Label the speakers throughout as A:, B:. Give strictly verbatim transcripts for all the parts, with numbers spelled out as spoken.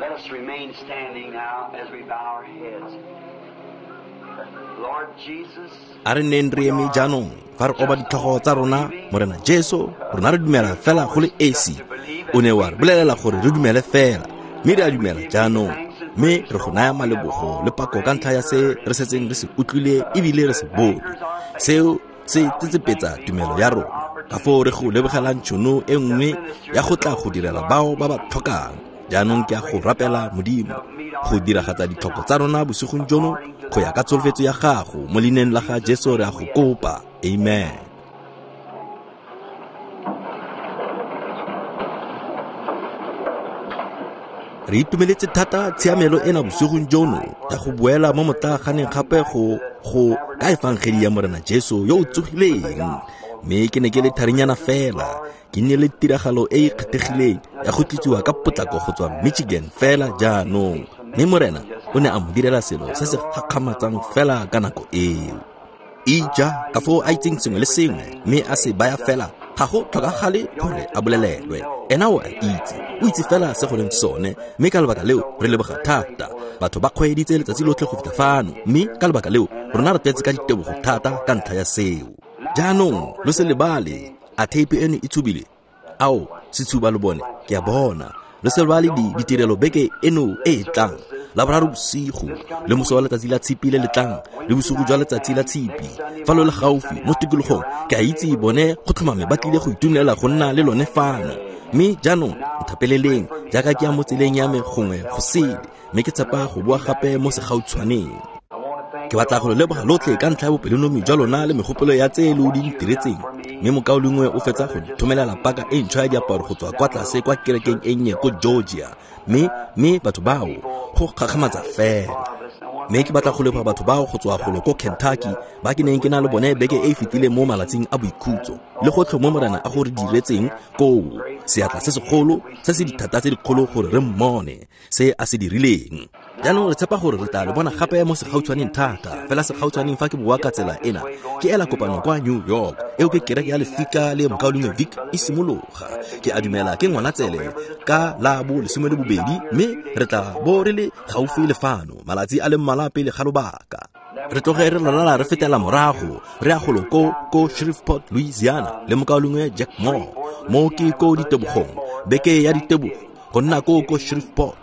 A: Let us remain standing now as we bow our heads. Lord Jesus,
B: A re nneng re eme jaanong fa re oba ditlhogo tsa rona, Morena Jesu, rona re dumela fela go le esi. O ne wa re bolelela gore re dumele fela, mme re a dumela jaanong. Mme re go naya malebogo le pako ka ntlha ya se re setseng re se utlwile ebile re se bone. Seo se tsetsepetsa tumelo ya rona. Ka foo re go lebogelang tšhono e nngwe ya go tla go direla bao ba ba tlhokang. Jaanong ke a go rapela Modimo go diragatsa ditlhoko tsa rona bosigong jono go ya ka tsholofetso ya gago mo leineng la ga Jesu re a go kopa. Amen. Re itumeletse thata tshiamelo ena bosigong jono ya go boela mo motlaaganeng gape go go ka efangedi ya Morena Jesu yo o tsogileng. Mme ke ne ke le tharinyana fela, ke nne le tiragalo e e kgethegileng ya go tlisiwa ka potlako go tswa Michigan fela jaanong. Mme Morena o ne a mo direla selo se se gakgamatsang fela ka nako eo. Ija ka foo a itseng sengwe le sengwe mme a se baya fela, ga go tlhokagale gore a bolelelwe. Ena o a itse, o itse fela se go leng sone, mme ka lebaka leo re leboga thata. Batho ba kgweeditse letsatsi lotlhe go fitlha fano, mme ka lebaka leo rona re tletse ka ditebogo thata ka ntlha ya seo. Jaanong lo se lebale, a theipi eno e tshubile? Ao, se tshuba lo bone, ke a bona. Lo se lebale di ditirelo beke eno e e tlang, Laboraro bosigo, le moso wa letsatsi la tshipi le le tlang, le bosigo jwa letsatsi la tshipi. Fa lo le gaufi mo tikologong, ke a itse bone go tlhomame ba tlile go itumelela go nna le lone fano. Mme jaanong nthapeleleng jaaka ke ya mo tseleng ya me gongwe go sele, mme ke tshepa go boa gape mo segautshwaneng. Ke batla go lo leboga lotlhe ka ntlha ya bopelonomi jwa lona le megopolo ya tse lo di ntiretseng. Mme mokaulengwe o fetsa go nthomelela paka e ntšhwa ya diaparo go tswa kwa tlase kwa kerekeng e nnye ko Georgia. Mme mme batho bao go gakgamatsa fela. Mme ke batla go leboga batho bao go tswa golo ko Kentucky ba ke neng ke na le bone beke e e fetileng mo malatsing a boikhutso, le gotlhe mo Morena a go re diretseng koo. Seatla se segolo se se dithata tse dikgolo gore re mmone se a se dirileng. Jaanong re tshepa gore re tla le bona gape mo segautshwaneng thata, fela segautshwaneng fa ke boa ka tsela ena ke ela kopano kwa New York. Eo ke kereke ya lefika le mokaulengwe Vic e simologa. Ke a dumela ke Ngwanatsele ka la bo lesome le bobedi, mme re tla bo re le gaufi le fano malatsi a le mmalwa pele ga lobaka. Re tloge re lalala re fetela morago re ya golo ko ko Shreveport, Louisiana le mokaulengwe Jack Moore. Mo ke ko ditebogong, beke ya ditebogo go nna ko ko Shreveport,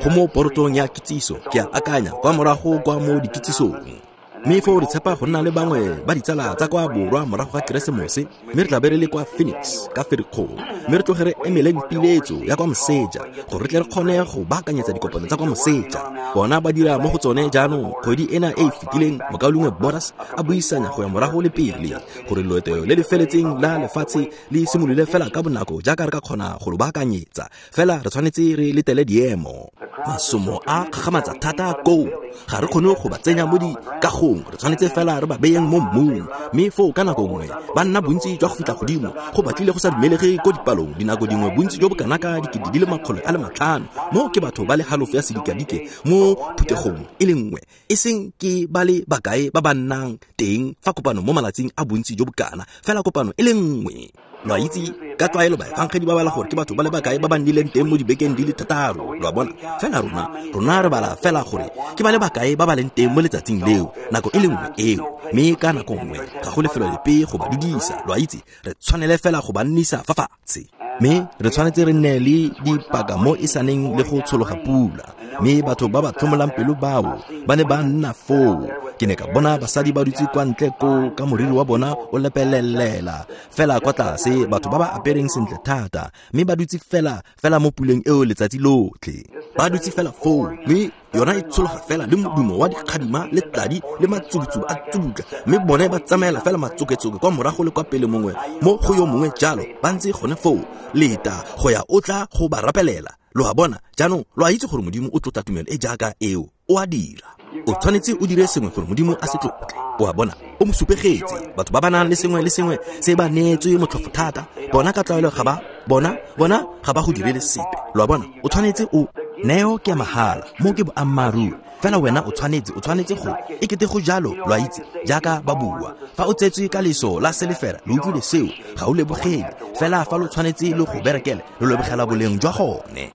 B: go mo porotong ya kitsiso, ke a akanya kwa morago kwa mo dikitsisong. Mme foo re tshepa go nna le bangwe ba ditsala tsa kwa borwa morago ga Keresemose, mme re tla be re le kwa Phoenix ka Ferikgong, mme re tloge re emeleng piletso ya kwa Moseja gore re tle re kgone go baakanyetsa dikopano tsa kwa Moseja. Bona ba dira mo go tsone jaanong. Kgwedi ena e e fetileng mokaulengwe Boras a buisanya go ya morago le pele gore loeto le le feletseng la lefatshe le simolole fela ka bonako jaaka re ka kgona go lo baakanyetsa. Fela re tshwanetse re letele diemo. Masomo a kgakgamatsa thata koo, ga re kgone go ba tsenya mo dikagong, re tshwanetse fela re ba beyeng mo mmung. Mme foo ka nako nngwe ba nna bontsi jwa go fitlha godimo, go batlile go sa dumelege ko dipalong. Dinako dingwe bontsi jo bo kana ka dikete di le makgolo a le matlhano, mo ke batho ba le halofo ya sedikadike mo phuthegong e le nngwe, e seng ke ba le bakae ba ba nnang teng fa kopano mo malatsing a bontsi jo bo kana, fela kopano e le nngwe. Lo a itse ka tlwaelo baefangedi ba bala gore ke batho ba le bakae ba ba nnileng teng mo dibekeng di le thataro, lo a bona. Fela rona rona re bala fela gore ke ba le bakae ba ba leng teng mo letsatsing leo, nako e le nngwe eo. Mme ka nako nngwe ga go lefelo lepe go ba dudisa, lo a itse, re tshwanele fela go ba nnisa fa fatshe. Mme re tshwanetse re nne le dipaka mo e saneng le go tshologa pula. Mme batho ba ba tlhomolang pelo bao ba ne ba nna foo. Ke ne ka bona basadi ba dutse kwa ntle ko ka moriri wa bona o lepelelela fela kwa tlase, batho ba ba apereng sentle thata, mme ba dutse fela fela mo puleng eo letsatsi lotlhe. Ba dutse fela foo, mme yona e tshologa fela le modumo wa dikgadima le tladi le matsubutsubu a tsubutla, mme bone ba tsamaela fela matsoketsoke kwa morago le kwa pele mongwe mo go yo mongwe jalo, ba ntse gone foo leta go ya o tla go ba rapelela. Lo a bona jaanong, lo a itse gore Modimo o tlotla tumelo e jaaka eo, o a dira. O tshwanetse o dire sengwe gore Modimo a se tlotle. O a bona, o mo supegetse. Batho ba ba nang le sengwe le sengwe se ba neetswe motlhofo thata, bona ka tlwaelo ga ba bona bona ga ba go direle sepe. Lo a bona, o tshwanetse o neo ke ya mahala, mo ke boammaaruri. Fela wena o tshwanetse o tshwanetse go e kete go jalo, lo a itse jaaka ba bua. Fa o tsetswe ka leso la selefera, lo utlwile seo, ga o lebogele. Fela fa lo tshwanetse lo go berekele, lo lebogela boleng jwa gone.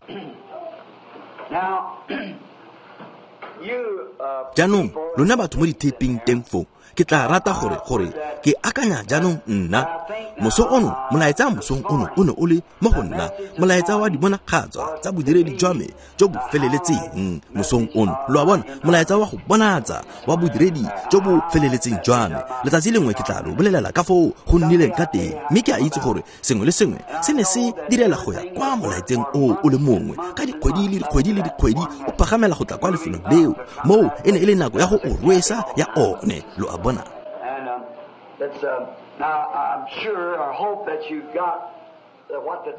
B: Jaanong lona batho mo dithepeng teng foo, ke tla rata gore gore ke akanya jaanong nna moso ono, molaetsa mosong ono o ne o le mo go nna molaetsa wa dibonagatso tsa bodiredi jwa me jo bo feleletseng mosong ono. Lo a bona, molaetsa wa go bonatsa wa bodiredi jo bo feleletseng jwa me. Letsatsi lengwe ke tla lo bolelela ka foo go nnileng ka teng, mme ke a itse gore sengwe le sengwe se ne se direla go ya kwa molaetseng o o le mongwe ka dikgwedi le dikgwedi le dikgwedi o pagamela go tla kwa lefelong leo. Moo e ne e le nako ya go o rwesa ya one. Lo a bona.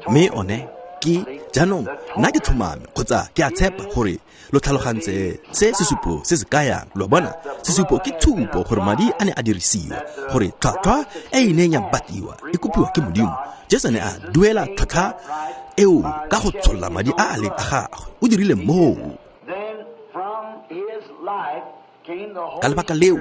B: Mme one ke jaanong nna ke tlhomame kgotsa ke a tshepa gore lo tlhalogantse se sesupo se se kayang. Lo bona, sesupo ke tshupo gore madi a ne a dirisiwa, gore tlhwatlhwa e e neng ya batiwa e kopiwa ke Modimo. Jesu ne a duela tlhwatlhwa eo ka go tsholla madi a a leng a gagwe. O dirile moo. Ka lebaka leo,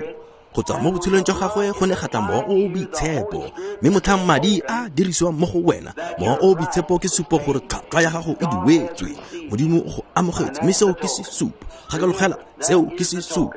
B: go tswa mo botshelong jwa gagwe go ne ga tla mowa o o boitshepo, mme motlhang madi a dirisiwang mo go wena, mowa o o boitshepo ke supo gore tlhwatlhwa ya gago e duetswe. Modimo o go amogetse, mme seo ke sesupo. Gakologela, seo ke sesupo.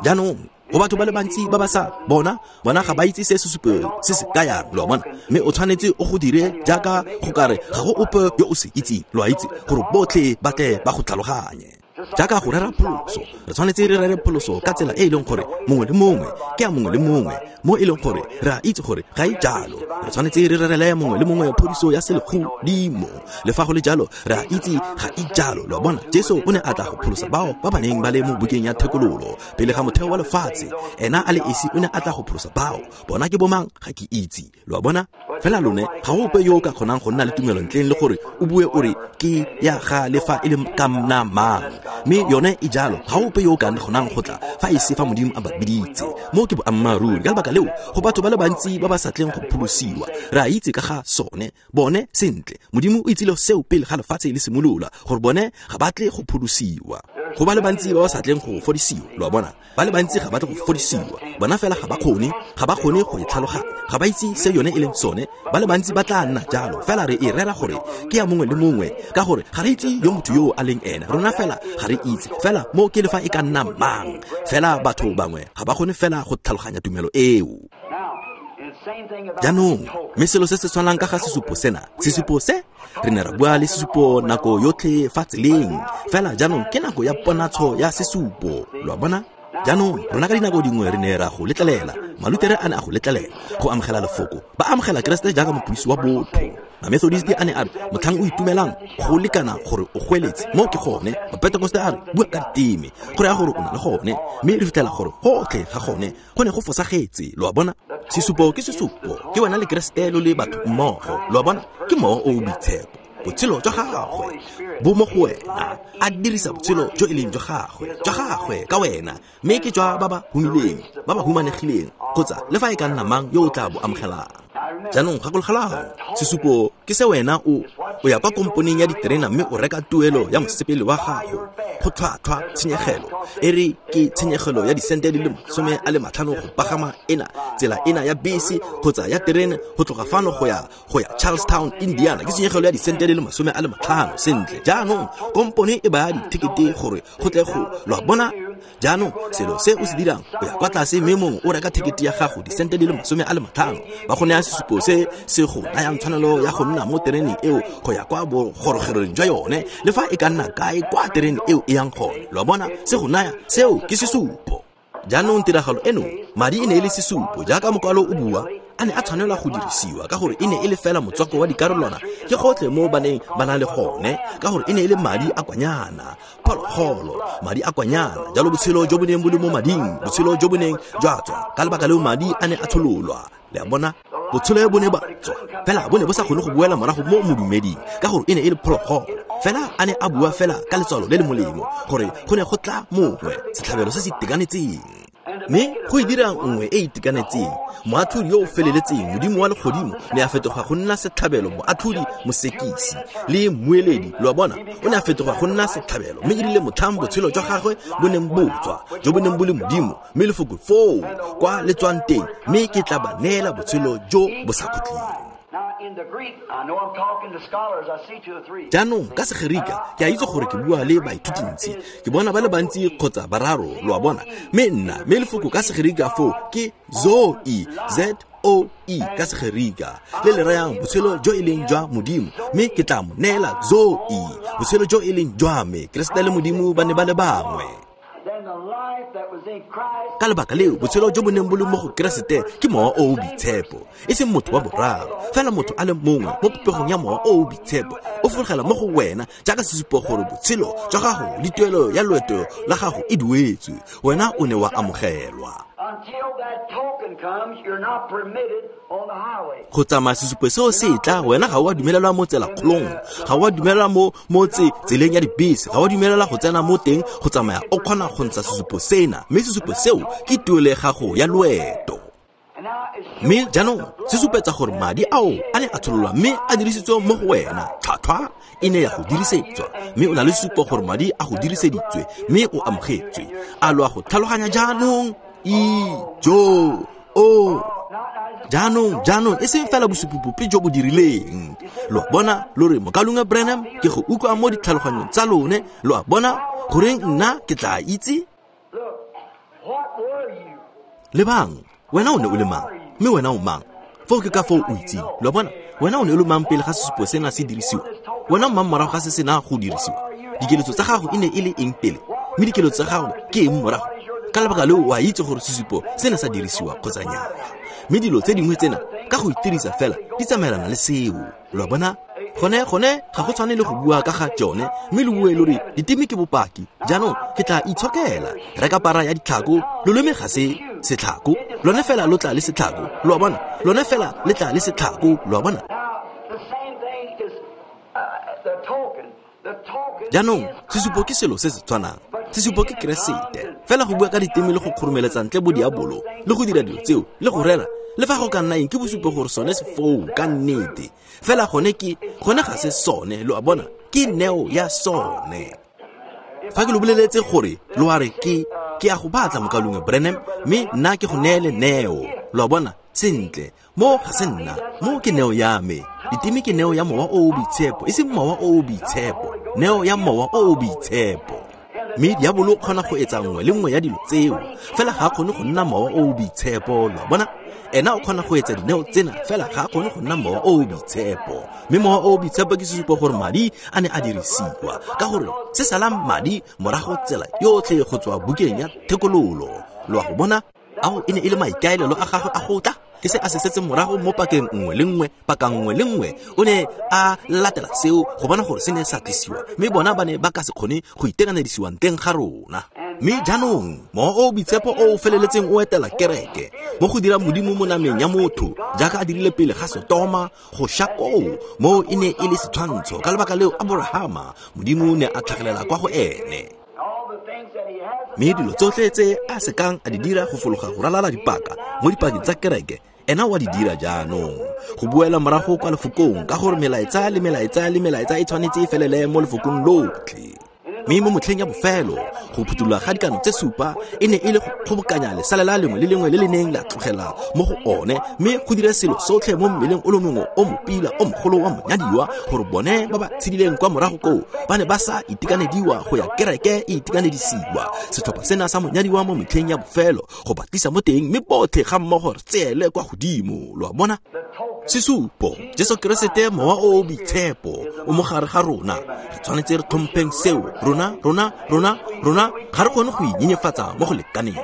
B: Jaanong go batho ba le bantsi ba ba sa bona, bona ga ba itse se sesupo se se kayang. Lo a bona, mme o tshwanetse o go dire jaaka go kare ga go ope yo o se itseng. Lo a itse gore botlhe ba tle ba go tlhaloganye. Jaaka go rera pholoso, re tshwanetse re rere pholoso ka tsela e e leng gore mongwe le mongwe ke ya mongwe le mongwe, mo e leng gore re a itse gore ga e jalo. Re tshwanetse re rerele mongwe le mongwe phodiso ya selegodimo, le fa go le jalo re a itse ga e jalo. Lo a bona, Jesu o ne a tla go pholosa bao ba ba neng ba le mo bukeng ya thekololo pele ga motheo wa lefatshe. Ena a le esi o ne a tla go pholosa bao. Bona ke bomang ga ke itse. Lo a bona, fela lone ga go ope yo o ka kgonang go nna le tumelo ntleng le gore o bue o re ke ya ga le fa e le ka nna mang, mme yone e jalo. Ga ope yo o ka kgonang go tla fa e se fa Modimo a ba biditse. Mo ke boammaaruri. Ka lebaka leo, go batho ba le bantsi ba ba sa tleng go pholosiwa. Re a itse ka ga sone bone sentle. Modimo o itsile seo pele ga lefatshe le simolola, gore bone ga ba tle go pholosiwa. Go ba le bantsi ba ba sa tleng go fodisiwa. Lo a bona, ba le bantsi ga ba tle go fodisiwa. Bona fela ga ba kgone, ga ba kgone go e tlhaloganya, ga ba itse se yone e leng sone. Ba le bantsi ba tla nna jalo, fela re e rera gore ke ya mongwe le mongwe, ka gore ga re itse yo motho yo a leng ena. Rona fela ga re itse, fela mo ke le fa e ka nna mang. Fela batho bangwe ga ba kgone fela go tlhaloganya tumelo eo. Jaanong mme selo se se tshwanang ka ga sesupo sena, sesupo se re ne ra bua le sesupo nako yotlhe fa tseleng, fela jaanong ke nako ya ponatsho ya sesupo. Lo a bona. Jaanong rona ka dinako dingwe re ne ra go letlelela, Malutere a ne a go letlelela go amogela lefoko, ba amogela Keresete jaaka mopholosi wa botho. Mamethodist a ne a re motlhang o itumelang go lekana gore o goeletse, mo ke gone. Mapentekoste a re bua ka diteme, go raya gore o na le gone, mme re fitlhela gore gotlhe ga gone go ne go fosagetse. Lo a bona, sesupo ke sesupo, ke wena le Keresete lo le batho mmogo. Lo a bona, ke mowa o o boitshepo. Botshelo jwa gagwe bo mo go wena, a dirisa botshelo jo e leng jwa gagwe, jwa gagwe ka wena, mme ke jwa ba ba humileng, ba ba humanegileng, kgotsa le fa e ka nna mang yo o tla bo amogelang. Jaanong gakologelang, sesupo ke se wena o o ya kwa komponeng ya diterena mme o reka tuelo ya mosepele wa gago go tlhwatlhwa tshenyegelo. E re ke tshenyegelo ya disente di le masome a le matlhano go pagama ena tsela ena ya bese kgotsa ya terene go tloga fano go ya go ya Charlestown, Indiana, ke tshenyegelo ya disente di le masome a le matlhano. Sentle, jaanong kompone e baya dithekete gore go tle go lo a bona. Jaanong selo se o se dirang, o ya kwa tlase mme mongwe o reka thekete ya gago disente di le masome a le matlhano, ba go naya sesupo se se go nayang tshwanelo ya go nna mo tereneng eo go ya kwa bogorogerong jwa yone, le fa e ka nna kae kwa terene eo e yang gone. Lo a bona, se go naya seo ke sesupo. Jaanong tiragalo eno, madi e ne e le sesupo jaaka mokwalo o bua, a ne a tshwanelwa go dirisiwa ka gore e ne e le fela motswako wa dikarolwana ke gotlhe mo ba neng ba na le gone, ka gore e ne e le madi a kwanyana, phologolo, madi a kwanyana. Jalo botshelo jo bo neng bo le mo mading, botshelo jo bo neng jwa tswa, ka lebaka leo madi a ne a tshololwa. Le a bona, botshelo bo ne ba tswa, fela bo ne bo sa kgone go boela morago mo modumeding ka gore e ne e le phologolo. Fela a ne a bua fela ka letswalo le le molemo gore go ne go tla mongwe, setlhabelo se se itekanetseng. Mme go e dira nngwe e e itekanetseng, moatlhodi yo o feleletseng, Modimo wa legodimo, ne a fetoga go nna setlhabelo, moatlhodi, mosekisi le mmueledi. Lo a bona, o ne a fetoga go nna setlhabelo, mme e rile motlhang botshelo jwa gagwe bo neng bo tswa, jo bo neng bo le Modimo, mme lefoko foo kwa le tswang teng, mme ke tla ba neela botshelo jo bo sa khutleng. Jaanong ka Segerika ke a itse gore ke bua le baithutintsi, ke bona ba le bantsi kgotsa bararo, lo a bona. Mme nna, mme lefoko ka Segerika foo ke zoe, Z O E ka Segerika, le le rayang botshelo jo e leng jwa Modimo, mme ke tla mo neela zoe, botshelo jo e leng jwa me. Keresete le Modimo ba ne ba le bangwe. Ka lebaka leo botshelo jo bo neng bo le mo go Keresete ke Mowa o o Boitshepo, e seng motho wa boraro, fela motho a le mongwe mo popegong ya Mowa o o Boitshepo o fologela mo go wena jaaka sesupo gore botshelo jwa gago le tuelo ya loeto la gago e duetswe, wena o ne wa amogelwa. Go tsamaya sesupo seo se tla, wena ga o a dumelelwa mo tselakgolong, ga o a dumelelwa mo mo tseleng ya dibese, ga o a dumelelwa go tsena mo teng go tsamaya o kgona go ntsha sesupo sena, mme sesupo seo ke tuelo ya gago ya loeto. Mme jaanong se supetsa gore madi ao a ne a tshololwa mme a dirisitswe mo go wena, tlhwatlhwa e ne ya go dirisetswa, mme o na le sesupo gore madi a go diriseditswe mme o amogetswe. A lo a go tlhaloganya jaanong? Ijo o jaanong jaanong e seng fela bosupi jo bo dirileng. Lo a bona, lo re mokalunga Branham, ke go utlwa mo ditlhaloganyong tsa lone. Lo a bona goreng nna ke tla itse? Lebang, wena o ne o le mang, mme wena o mang? Foo ke ka foo o itseng. Lo a bona, wena o ne o le mang pele ga sesupo sena se dirisiwa? Wena o mang morago ga se sena go dirisiwa? Dikeletso tsa gago e ne e le eng pele, mme dikeletso tsa gago ke eng morago? Ka lebaka leo o a itse gore sesupo sena sa dirisiwa kgotsa nnyaa. Mme dilo tse dingwe tsena ka go itirisa fela di tsamaelana le seo. Lo a bona, gone gone ga go tshwane le go bua ka ga tsone, mme lo bue lo re diteme ke bopaki. Jaanong ke tla itshokela, reka para ya ditlhako, loleme ga se setlhako, lone fela lo tla le setlhako. Lo a bona, lone fela le tla le setlhako. Lo a bona. Jaanong sesupo ke selo se se tshwanang. Sesupo ke Keresete. Fela go bua ka diteme le go kgoromeletsa ntle bo diabolo le go dira dilo tseo le go rera, le fa go ka nna eng, ke bosupo gore sone se foo ka nnete. Fela gone ke gone ga se sone. Lo a bona, ke neo ya sone. Fa ke lo boleletse gore lo a re ke ke a go batla mokalunga Branham, mme nna ke go neele neo. Lo a bona, sentle, mo ga se nna, mo ke neo ya me. Diteme ke neo ya Mowa o o Boitshepo, e seng Mowa o o Boitshepo, neo ya Mowa o o Boitshepo. Mme diabolo o kgona go etsa nngwe le nngwe ya dilo tseo, fela ga a kgone go nna Mowa o o Boitshepo. Lo a bona, ena o kgona go etsa dineo tsena, fela ga a kgone go nna Mowa o o Boitshepo. Mme Mowa o o Boitshepo ke sesupo gore madi a ne a dirisiwa, ka gore se salang madi morago tsela yotlhe go tswa bukeng ya thekololo. Lo a go bona, ao e ne e le maikaelelo a gagwe a go tla, ke se a se setseng morago mo pakeng nngwe le nngwe, paka nngwe le nngwe o ne a latela seo go bona gore se ne sa tlisiwa, mme bona ba ne ba ka se kgone go itekanedisiwa ntleng ga rona. Mme jaanong Mowa o o Boitshepo o o feleletseng o etela kereke mo go dira Modimo mo nameng ya motho jaaka a dirile pele ga Sotoma go sha koo, mo e ne e le setshwantsho. Ka lebaka leo Aborahama, Modimo ne a tlhagelela kwa go ene. Mme dilo tsotlhe tse a sekang a di dira go fologa go ralala dipaka mo dipakeng tsa kereke, ena wa di dira jaanong. Go buela morago kwa lefokong, ka gore melaetsa le melaetsa le melaetsa e tshwanetse e felele mo lefokong lotlhe. Mme mo motlheng ya bofelo, go phuthulola ga dikano tse supa e ne e le go kgobokanya lesalela lengwe le lengwe le le neng la tlogela mo go one, mme go dira selo sotlhe mo mmeleng o le mongwe o mopila o mogolo wa monyadiwa, gore bone ba ba tshedileng kwa morago koo ba ne ba sa itekanediwa go ya kereke e itekanedisiwa. Setlhopha sena sa monyadiwa mo metlheng ya bofelo go ba tlisa mo teng, mme botlhe ga mmogo re tseele kwa godimo. Lo a bona, sesupo Jesu Keresete, Mowa o o Boitshepo o mo gare ga rona. Re tshwanetse re tlhompheng seo. Rona rona rona rona ga re kgone go inyenyefatsa mo go lekaneng.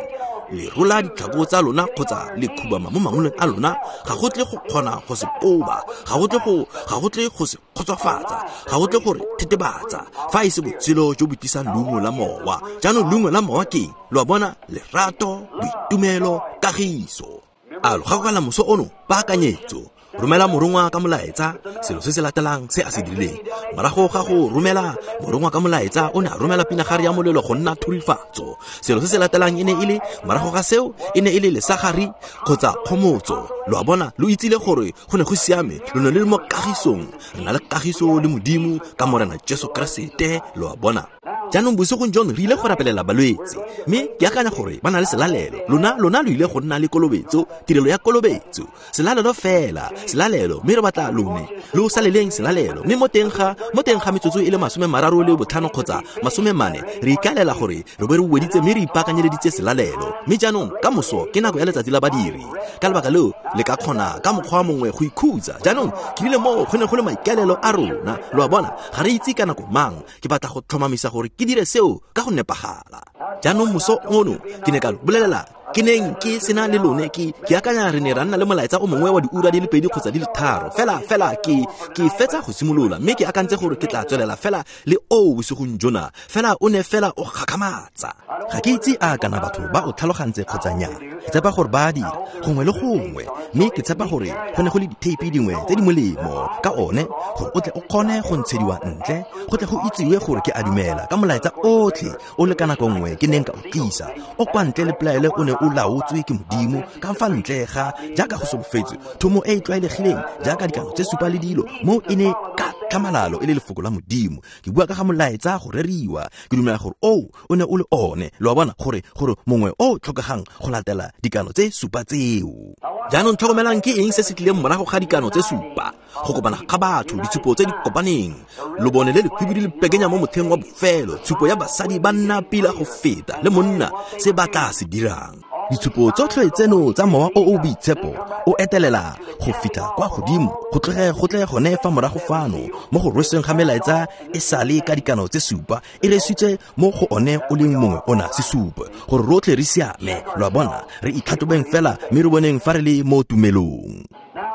B: Le rola ditlhako tsa lona kgotsa le khubama mo mangoleng a lona, ga go tle go kgona go se koba, ga go tle go ga go tle go se kgotsofatsa, ga go tle gore thetebatsa fa e se botshelo jo bo tisang leungo la Mowa. Jaanong leungo la Mowa ke eng? Lo a bona, lerato, boitumelo, kagiso. A lo gakologelwa moso ono? Paakanyetso. Romela morongwa ka molaetsa, selo se se latelang se a se dirileng. Morago ga go romela morongwa ka molaetsa, o ne a romela pinagare ya molelo go nna thurifatso. Selo se se latelang e ne e le, morago ga seo, e ne e le lesagari kgotsa kgomotso. Lo a bona, lo itsile gore go ne go siame, lo ne le mo kagisong. Re na le kagiso le Modimo ka Morena Jesu Keresete. Lo a bona. Jaanong bosigong jono re ile go rapelela balwetse, mme ke akanya gore ba na le selalelo. Lona lona lo ile go nna le kolobetso, tirelo ya kolobetso, selalelo fela, selalelo, mme re batla lone lo saleleng selalelo. Mme mo teng ga mo teng ga metsotso e le masome mararo le botlhano kgotsa masome mane, re ikaelela gore re bo re weditse mme re ipaakanyeleditse selalelo. Mme jaanong ka moso ke nako ya letsatsi la badiri, ka lebaka leo le ka kgona ka mokgwa mongwe go ikhutsa. Jaanong ke rile moo go ne go le maikaelelo a rona, lo a bona, ga re itse ka nako mang. Ke batla go tlhomamisa gore ke dire seo ka go nepagala. Jaanong moso ono ke ne ka lo bolelela ke neng ke sena le lone, ke ke akanya re ne ra nna le molaetsa o mongwe wa diura di le pedi kgotsa di le tharo fela fela ke ke fetsa go simolola, mme ke akantse gore ke tla tswelela fela le o bosigong jona, fela o ne fela o gakgamatsa. Ga ke itse a kana batho ba o tlhalogantse kgotsa nnyaa. Ke tshepa gore ba a dira gongwe le gongwe, mme ke tshepa gore go ne go le ditheipi dingwe tse di molemo ka one gore o tle o kgone go ntshediwa ntle, go tle go itsiwe gore ke a dumela ka molaetsa otlhe o le ka nako nngwe ke neng ka o tlisa o kwa ntle le pelaelo o ne o laotswe ke Modimo ka fa ntle ga jaaka go solofetswe thomo e e tlwaelegileng jaaka dikano tse supa le dilo mo e ne ka tlhamalalo e le lefoko la Modimo. Ke bua ka ga molaetsa go reriwa, ke dumela gore o o ne o le one, lo a bona, gore gore mongwe o tlhokegang go latela dikano tse supa tseo. Jaanong tlhokomelang ke eng se se tlileng morago ga dikano tse supa? Go kopana ga batho, ditshupo tse di kopaneng, lobone le lehubidu le pekenya mo motlheng wa bofelo, tshupo ya basadi ba nna pila go feta le monna se ba tla se dirang. Ditshupo tsotlhe tseno tsa mowa o o boitshepo o etelela go fitlha kwa godimo, go tloge go tle gone fa morago fano mo go rweseng ga melaetsa e sale ka dikano tse supa e resitse mo go one o leng mongwe ona sesupo gore rotlhe re siame. Lo a bona, re itlhatlhobeng fela mme re boneng fa re le mo tumelong.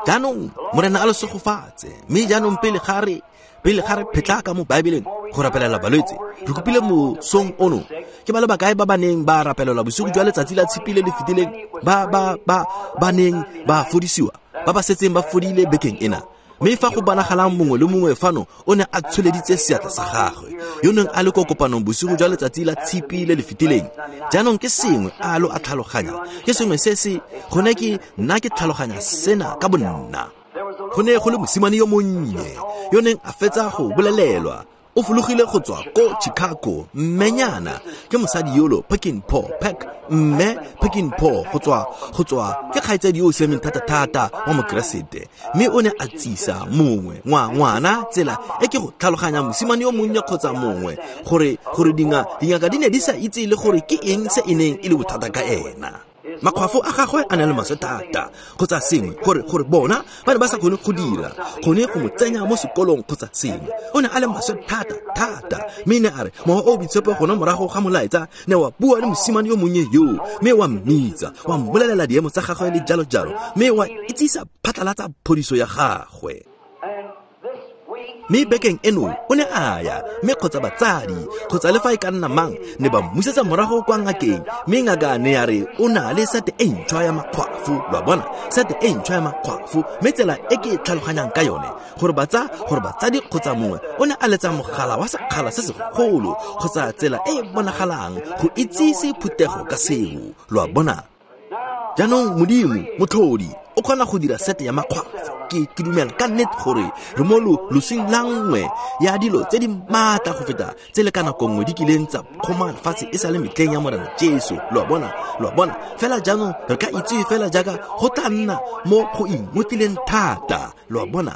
B: Jaanong Morena a le segofatse. Mme jaanong pele ga re pele ga re phetlaka mo Baebeleng go rapelela balwetse, re kopile mosong ono ke ba le bakae ba ba neng ba rapelelwa bosigo jwa letsatsi la tshipi le le fetileng, ba ba ba ba neng ba fodisiwa, ba ba setseng ba fodile bekeng ena. Mme fa go bonagalang mongwe le mongwe fano o ne a tsholeditse seatla sa gagwe yo neng a le ko kopanong bosigo jwa letsatsi la tshipi le le fetileng. Jaanong ke sengwe a lo a tlhaloganya, ke sengwe se se gone ke nna ke tlhaloganya sena ka bonna. Go ne go le mosimane yo monnye yo neng a fetsa go bolelelwa o fologile go tswa ko Chicago, mmenyana ke mosadi yolo Peckinpaugh, Peck mme Peckinpaugh go tswa go tswa ke kgaitsadi yo o siameng thata-thata wa mokeresete, mme o ne a tsisa mongwe ngwa ngwana tsela e ke go tlhaloganya mosimane yo monnye kgotsa mongwe gore gore dinga dingaka di ne di sa itse le gore ke eng se e neng e le bothata ka ena. Makgwafo a gagwe a na le maswe thata kgotsa sengwe gore gore bona ba ne ba sa kgone go dira kgone go mo tsenya mo sekolong kgotsa sengwe. O ne a le maswe thata thata, mme ne a re mowa o boitshepo gone morago ga molaetsa ne wa bua le mosimane yo monnye yo, mme wa mmitsa wa mmolelela diemo tsa gagwe le jalo jalo, mme wa itsisa phatlalatsa phodiso ya gagwe. Mme bekeng eno o ne a ya, mme kgotsa batsadi kgotsa le fa e ka nna mang ne ba mmusetsa morago kwa ngakeng, mme ngaka ne ya re o na le sete e ntšhwa ya makgwafo. Lo a bona, sete e ntšhwa ya makgwafo. Mme tsela e ke e tlhaloganyang ka yone gore batsa gore batsadi kgotsa mongwe o ne a letsa mogala wa sekgala se segolo kgotsa tsela e e bonagalang go itsise phuthego ka seo. Lo a bona. Jaanong Modimo motlhodi o kgona go dira sete ya makgwafo. Ke ke dumela ka nnete gore re mo losing la nngwe ya dilo tse di maatla go feta tse le ka nako nngwe di kileng tsa kgoma lefatshe e sa le metlheng ya Morena Jesu. Lo a bona, lo a bona. Fela jaanong re ka itse fela jaaka go tla nna mo go ingotlileng thata. Lo a bona,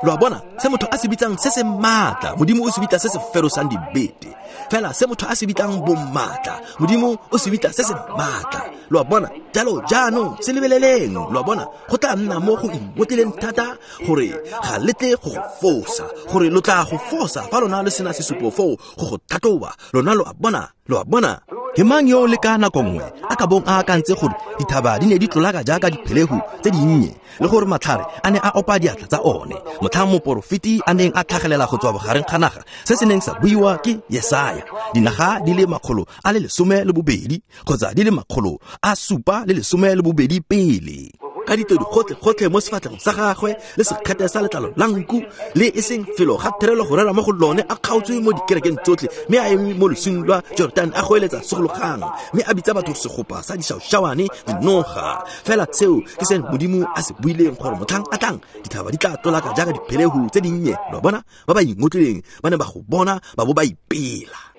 B: lo a bona se motho a se bitsang se se maatla, Modimo o se bitsa se se ferosang dibete. Fela se motho a se bitsang bomaatla, Modimo o se bitsa se se maatla. Lo a bona. Jalo jaanong se lebeleleng. Lo a bona, go tla nna mo go ingotlileng thata gore ga le tle go go fosa, gore lo tla go fosa fa lona le sena sesupo foo go go tlhatlhoba. Lona lo a bona, lo a bona. Ke mang yo le ka nako nngwe a ka bong a akantse gore dithaba di ne di tlolaka jaaka diphelegu tse dinnye le gore matlhare a ne a opa diatla tsa one motlhang moporofeti a neng a tlhagelela go tswa bogareng ga naga se se neng sa buiwa ke Yesaya dinaga di le makgolo a le lesome le bobedi kgotsa di le makgolo a supa le lesome le bobedi pele ka ditodi gotlhe gotlhe mo sefatlhego sa gagwe le sekgete sa letlalo la nku le e seng felo ga therelo go rera mo go lone a kgaotswe mo dikerekeng tsotlhe mme a eme mo losing lwa Jordan a goeletsa segologang mme a bitsa batho segopa sa dišaušawane dinoga. Fela seo ke se Modimo a se buileng gore motlhang a tlang dithaba di tla tlolaka jaaka diphelehu tse dinnye. Lo bona ba ba ingotlileng ba ne ba go bona ba bo ba ipela.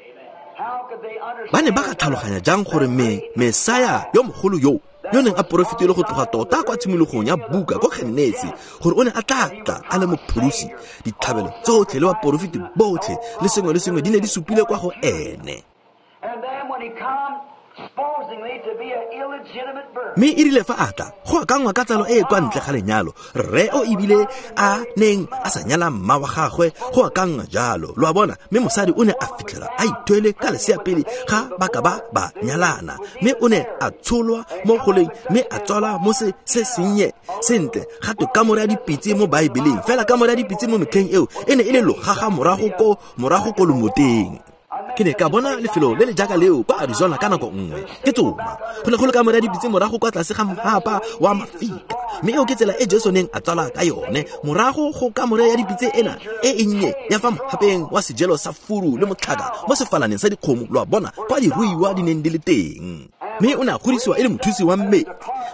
B: Ba ne ba ka tlhaloganya jang gore me Mesaya yo mogolo yo yo neng a porofetile go tloga tota kwa tshimologong ya buka ko Genesi gore o ne a tla tla a le mopholosi, ditlhabelo tsotlhe le baporofeti botlhe le sengwe le sengwe di ne di supile kwa go ene. Mme e rile fa a tla go akangwa ka tsalo e e kwa ntle ga lenyalo, rre o ebile a neng a sa nyala mma wa gagwe, go akangwa jalo, lo a bona. Mme mosadi o ne a fitlhela a ithwele ka lesea pele ga ba ka ba ba nyalana, mme o ne a tsholwa mo goleng mme a tswalwa mo se se sennye sentle ga twe kamore ya dipitse mo Baebeleng. Fela kamore ya dipitse mo metlheng eo e ne e le logaga morago ko morago ko lomoteng. Ke ne ka bona lefelo le le jaaka leo kwa Arizona ka nako nngwe ke tsoma. Go ne go le kamore ya dipitse morago kwa tlase ga mhapa wa mafika, mme eo ke tsela e Jesu neng a tswala ka yone morago go kamore ya dipitse ena e e nnye ya fa mhapeng wa sejelo sa furu le motlhaka mo sefalaneng sa dikgomo, lo a bona, kwa diruiwa di neng di le teng. Mme o ne a godisiwa e le mothusi wa mmetli,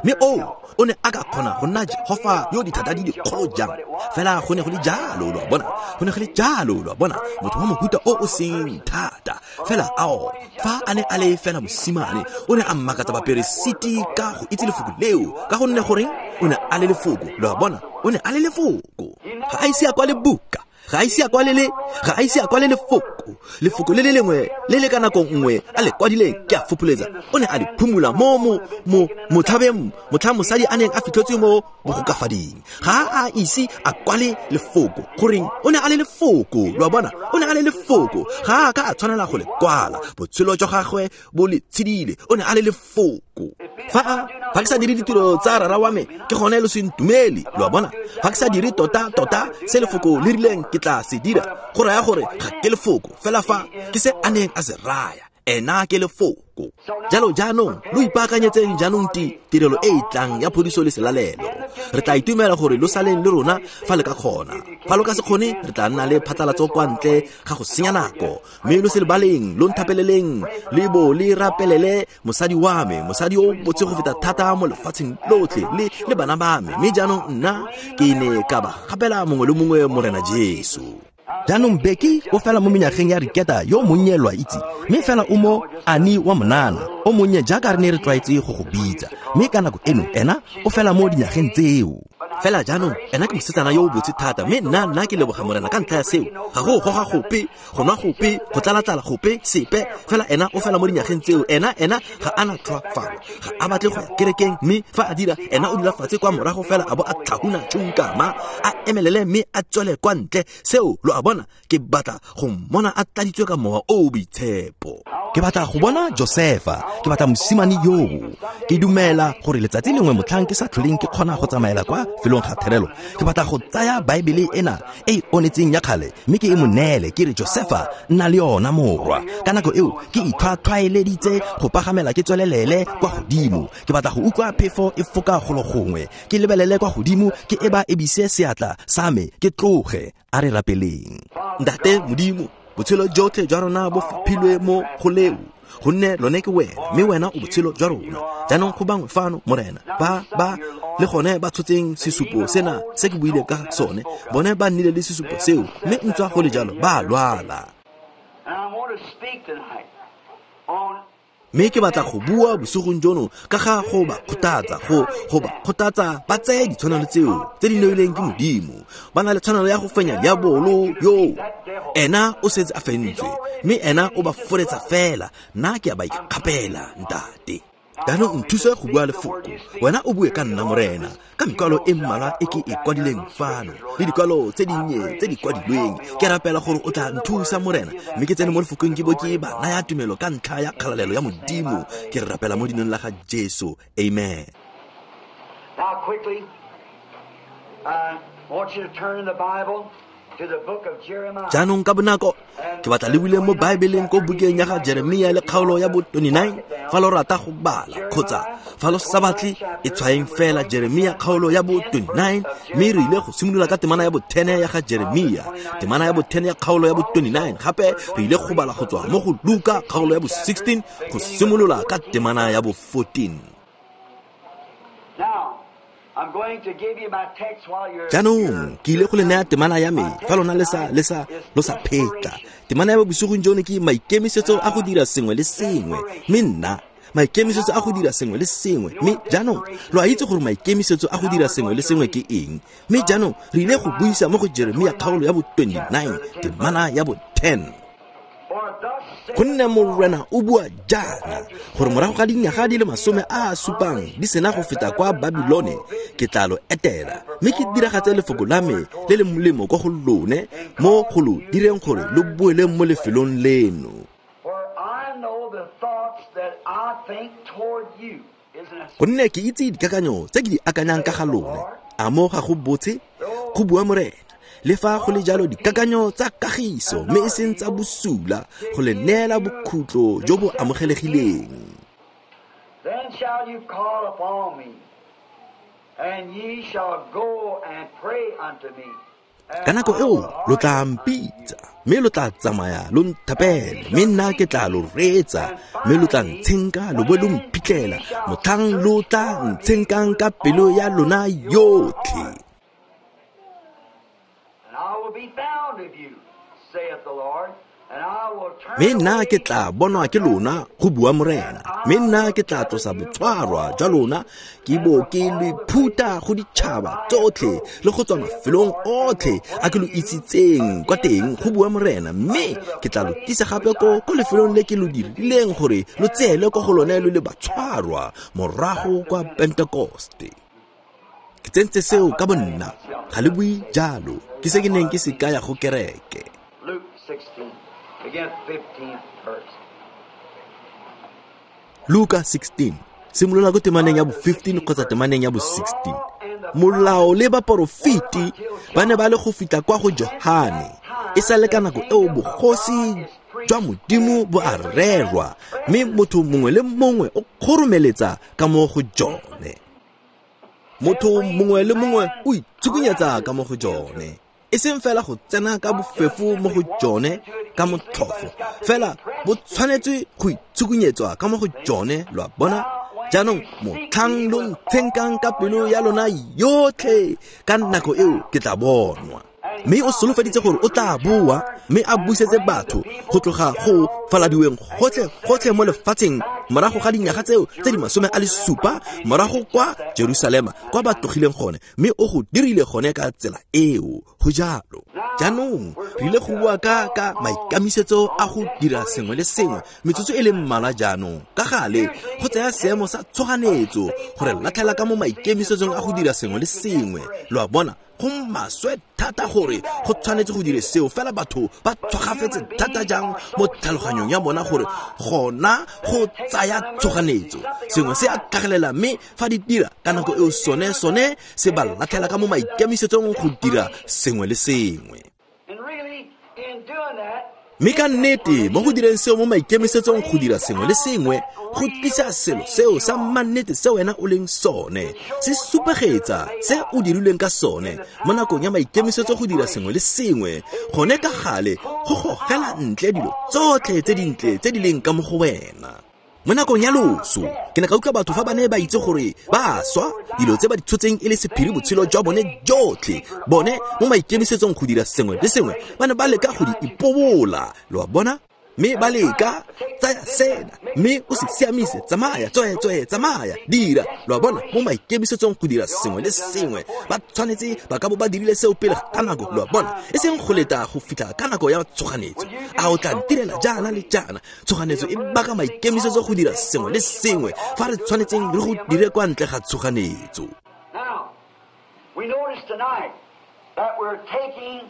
B: mme o o ne a ka kgona go nna Jehofa yo dithata di dikgolo jang. Fela go ne go le jalo, lo a bona, go ne go le jalo, lo a bona, motho wa mohuta o o seng thata. Fela ao fa a ne a le fela mosimane, o ne a mmakatsa baperesiti ka go itse lefoko leo, ka gonne goreng o ne a le lefoko, lo a bona, o ne a le lefoko. Ga a ise a kwale buka, ga a ise a kwale le ga a ise a kwale lefoko, lefoko le le lengwe le le ka nako nngwe a le kwadileng ke a fopholetsa, o ne a le phumula mo mo mo motlhabeng motlha mosadi a neng a fitlhetswe mo bogokafading. Ga a ise a kwale lefoko, goreng o ne a le lefoko, lo a bona, o ne a le lefoko. Ga a ka a tshwanela go le kwala, botshelo jwa gagwe bo le tshedile, o ne a le lefoko. Fa a fa ke sa dire ditiro tsa rara wa me, ke gone lo se ntumele, lo a bona. Fa ke sa dire tota tota se lefoko le rileng ke tla se dira, go raya gore ga ke lefoko, fela fa ke se a neng a se raya, ena ke lefoko. Jalo jaanong lo ipaakanyetseng jaanong ti tirelo e e tlang ya phodiso le selalelo. Re tla itumela gore lo saleng le rona fa le ka kgona. Fa lo ka se kgone, re tla nna le phatlalatso kwa ntle ga go senya nako. Mme lo se lebaleng, lo nthapeleleng, le bo le rapelele mosadi wa me, mosadi o botse go feta thata mo lefatsheng lotlhe, le le bana ba me. Mme jaanong nna ke ne ka ba gapela mongwe le mongwe Morena Jesu. Jaanong Becky o fela mo menyageng ya Riketa yo monnye, lo a itse, mme fela o mo ani wa monana o monnye jaaka re ne re tlwaetse go go bitsa, mme ka nako eno ena o fela mo dinyageng tseo. Fela jaanong ena ke mosetsana yo o botse thata, mme nna nna ke leboga Morena ka ntlha ya seo. Ga go goga gope, go nwa gope, go tlala-tlala gope, sepe. Fela ena o fela mo dinyageng tseo. Ena ena ga a na tlhoafalo, ga a batle go ya kerekeng, mme fa a dira ena o dula fatshe kwa morago fela a bo a tlhahuna tšhunkama, a emelele mme a tswele kwa ntle. Seo, lo a bona, ke batla go mmona a tladitswe ka mowa o o boitshepo. Ke batla go bona Josefa, ke batla mosimane yoo. Ke dumela gore letsatsi lengwe motlhang ke sa tlholeng ke kgona go tsamaela kwa felong ga therelo, ke batla go tsaya Baebele ena e e onetseng ya kgale mme ke e mo neele, ke re Josefa nna le yona morwa. Ka nako eo ke itlhwatlhwaeleditse go pagamela ke tswelelele kwa godimo. Ke batla go utlwa phefo e foka golo gongwe, ke lebelele kwa godimo, ke eba ebise seatla sa me, ke tloge. A re rapeleng. Ntate Modimo, botshelo jotlhe jwa rona bo faphilwe mo go leo, gonne lone ke wena, mme wena o botshelo jwa rona. Jaanong go bangwe fano, Morena, ba ba le gone ba tshotseng sesupo sena se ke buileng ka sone, bone ba nnile le sesupo seo, mme ntswa go le jalo ba lwala. Mme ke batla go bua bosigong jono ka ga go ba kgothatsa, go go ba kgothatsa ba tseye ditshwanelo tseo tse di neilweng ke Modimo. Ba na le tshwanelo ya go fenya diabolo yo, ena o setse a fentswe, mme ena o ba foretsa fela. Nna ke a ba ikgapela, Ntate. Jaanong nthuse go bua lefoko, wena o bue ka nna Morena, ka mekwalo e mmalwa e ke e kwadileng fano le dikwalo tse dinnye tse di kwadilweng. Ke rapela gore o tla nthusa Morena, mme ke tsene mo lefokong ke bo ke ba naya tumelo ka ntlha ya kgalalelo ya Modimo. Ke re rapela mo dinong la ga Jesu, amen.
A: Now quickly, I want you to turn in the Bible to the book of Jeremiah.
B: Jaanong ka bonako ke batla le buleng mo Baebeleng ko bukeng ya ga Jeremia le kgaolo ya bo twenty-nine. Fa lo rata go bala kgotsa fa lo sa batle, e tshwaeng fela Jeremia kgaolo ya bo twenty-nine, mme re ile go simolola ka temana ya bo ten ya ga Jeremia, temana ya bo ten ya kgaolo ya bo twenty-nine. Gape re ile go bala go tswa mo go Luka kgaolo ya bo sixteen go simolola ka temana ya bo fourteen.
A: Now,
B: Jaanong ke ile go le naya temana ya me fa lona le sa le sa lo sa phetla. Temana ya bosigong jono ke maikemisetso a go dira sengwe le sengwe, mme nna maikemisetso a go dira sengwe le sengwe. Mme jaanong lo a itse gore maikemisetso a go dira sengwe le sengwe ke eng. Mme jaanong re ile go buisa mo go Jeremia kgaolo ya bo twenty-nine temana ya bo ten. Gonne Morena o bua jaana gore morago ga dinyaga di le masome a a supang di sena go feta kwa Babilone, ke tla lo etela mme ke diragatse lefoko la me le le molemo kwa go lone mo go lo direng gore lo boele mo lefelong leno. Gonne ke itse dikakanyo tse ke di akanyang ka ga lone, a mo ga go botse, go bua Morena. Le fa go le jalo dikakanyo tsa kagiso mme e seng tsa bosula, go le neela bokhutlo jo bo amogelegileng.
A: Then shall you call upon me, and ye shall go and pray unto me.
B: Ka nako eo lo tla mpitsa, mme lo tla tsamaya lo nthapele, mme nna ke tla lo reetsa, mme lo tla ntshenka lo bo lo mphitlhela motlhang lo tla ntshenkang ka pelo ya lona yotlhe. Mme nna ke tla bonwa ke lona, go bua Morena. Mme nna ke tla tlosa botshwarwa jwa lona, ke bo ke lo phuta go ditšhaba tsotlhe le go tswa mafelong otlhe a ke lo isitseng kwa teng, go bua Morena. Mme ke tla lo tlisa gape ko ko lefelong le ke lo dirileng gore lo tseele kwa go lone lo le batshwarwa morago kwa Pentekoste. Ke tsentse seo ka bonna, ga le bue jalo, ke se ke neng ke se kaya go kereke. Luka sixteen, simolola ko temaneng ya bo fifteen kgotsa temaneng ya bo sixteen. Molao le baporofeti ba ne ba le go fitlha kwa go Johane, e sa le ka nako eo bogosi jwa Modimo bo a rerwa, mme motho mongwe le mongwe o kgoromeletsa ka mo go jone. Motho mongwe le mongwe o itsukunyetsa ka mo go jone, e seng fela go tsena ka bofefo mo go jone ka motlhofo, fela bo tshwanetse go itsukunyetswa ka mo go jone, lo a bona. Jaanong motlhang lo ntshenkang ka pelo ya lona yotlhe, ka nako eo ke tla bonwa. Mme o solofeditse gore o tla boa mme a busetse batho go tloga go faladiweng gotlhe gotlhe mo lefatsheng morago ga dinyaga tseo tse di masome a le supa, morago kwa Jerusalema kwa ba tlogileng gone, mme o go dirile gone ka tsela eo. Go jalo. Jaanong re ile go bua ka ka maikemisetso a go dira sengwe le sengwe metsotso e le mmalwa jaanong. Ka gale go tsaya seemo sa tshoganetso gore latlhela ka mo maikemisetsong a go dira sengwe le sengwe, lo a bona. Go maswe thata gore go tshwanetse go dire seo, fela batho ba tshogafetse thata jang mo tlhaloganyong ya bona gore gona go tsaya tshoganetso sengwe se a tlhagelela, mme fa di dira ka nako eo sone sone se ba latlhela ka mo maikemisetsong go dira sengwe le sengwe. Mme ka nnete mo go direng seo mo maikemisetsong go dira sengwe le sengwe, go tlisa selo seo sa mannete se wena o leng sone, se supegetsa se o dirilweng ka sone mo nakong ya maikemisetso go dira sengwe le sengwe. Gone ka gale go gogela ntle dilo tsotlhe tse dintle tse di leng ka mo go wena. Mo nakong ya loso ke ne ka utlwa batho fa ba ne ba itse gore ba swa, dilo tse ba di tshotseng e le sephiri botshelo jwa bone jotlhe, bone mo maikemisetsong go dira sengwe le sengwe ba ne ba leka go di ipobola, lo a bona. Mme ba leka tsaya sena mme o se siamise, tsamaya tswetswe, tsamaya dira, lo a bona. Mo maikemisetsong go dira sengwe le sengwe ba tshwanetse ba ka bo ba dirile seo pele ga nako, lo a bona, e seng go leta go fitlha ka nako ya tshoganetso. A o tla ntirela jaana le jaana? Tshoganetso e baka maikemisetso go dira sengwe le sengwe fa re tshwanetseng re go dire kwa ntle ga tshoganetso.
A: Now, we notice tonight that we're taking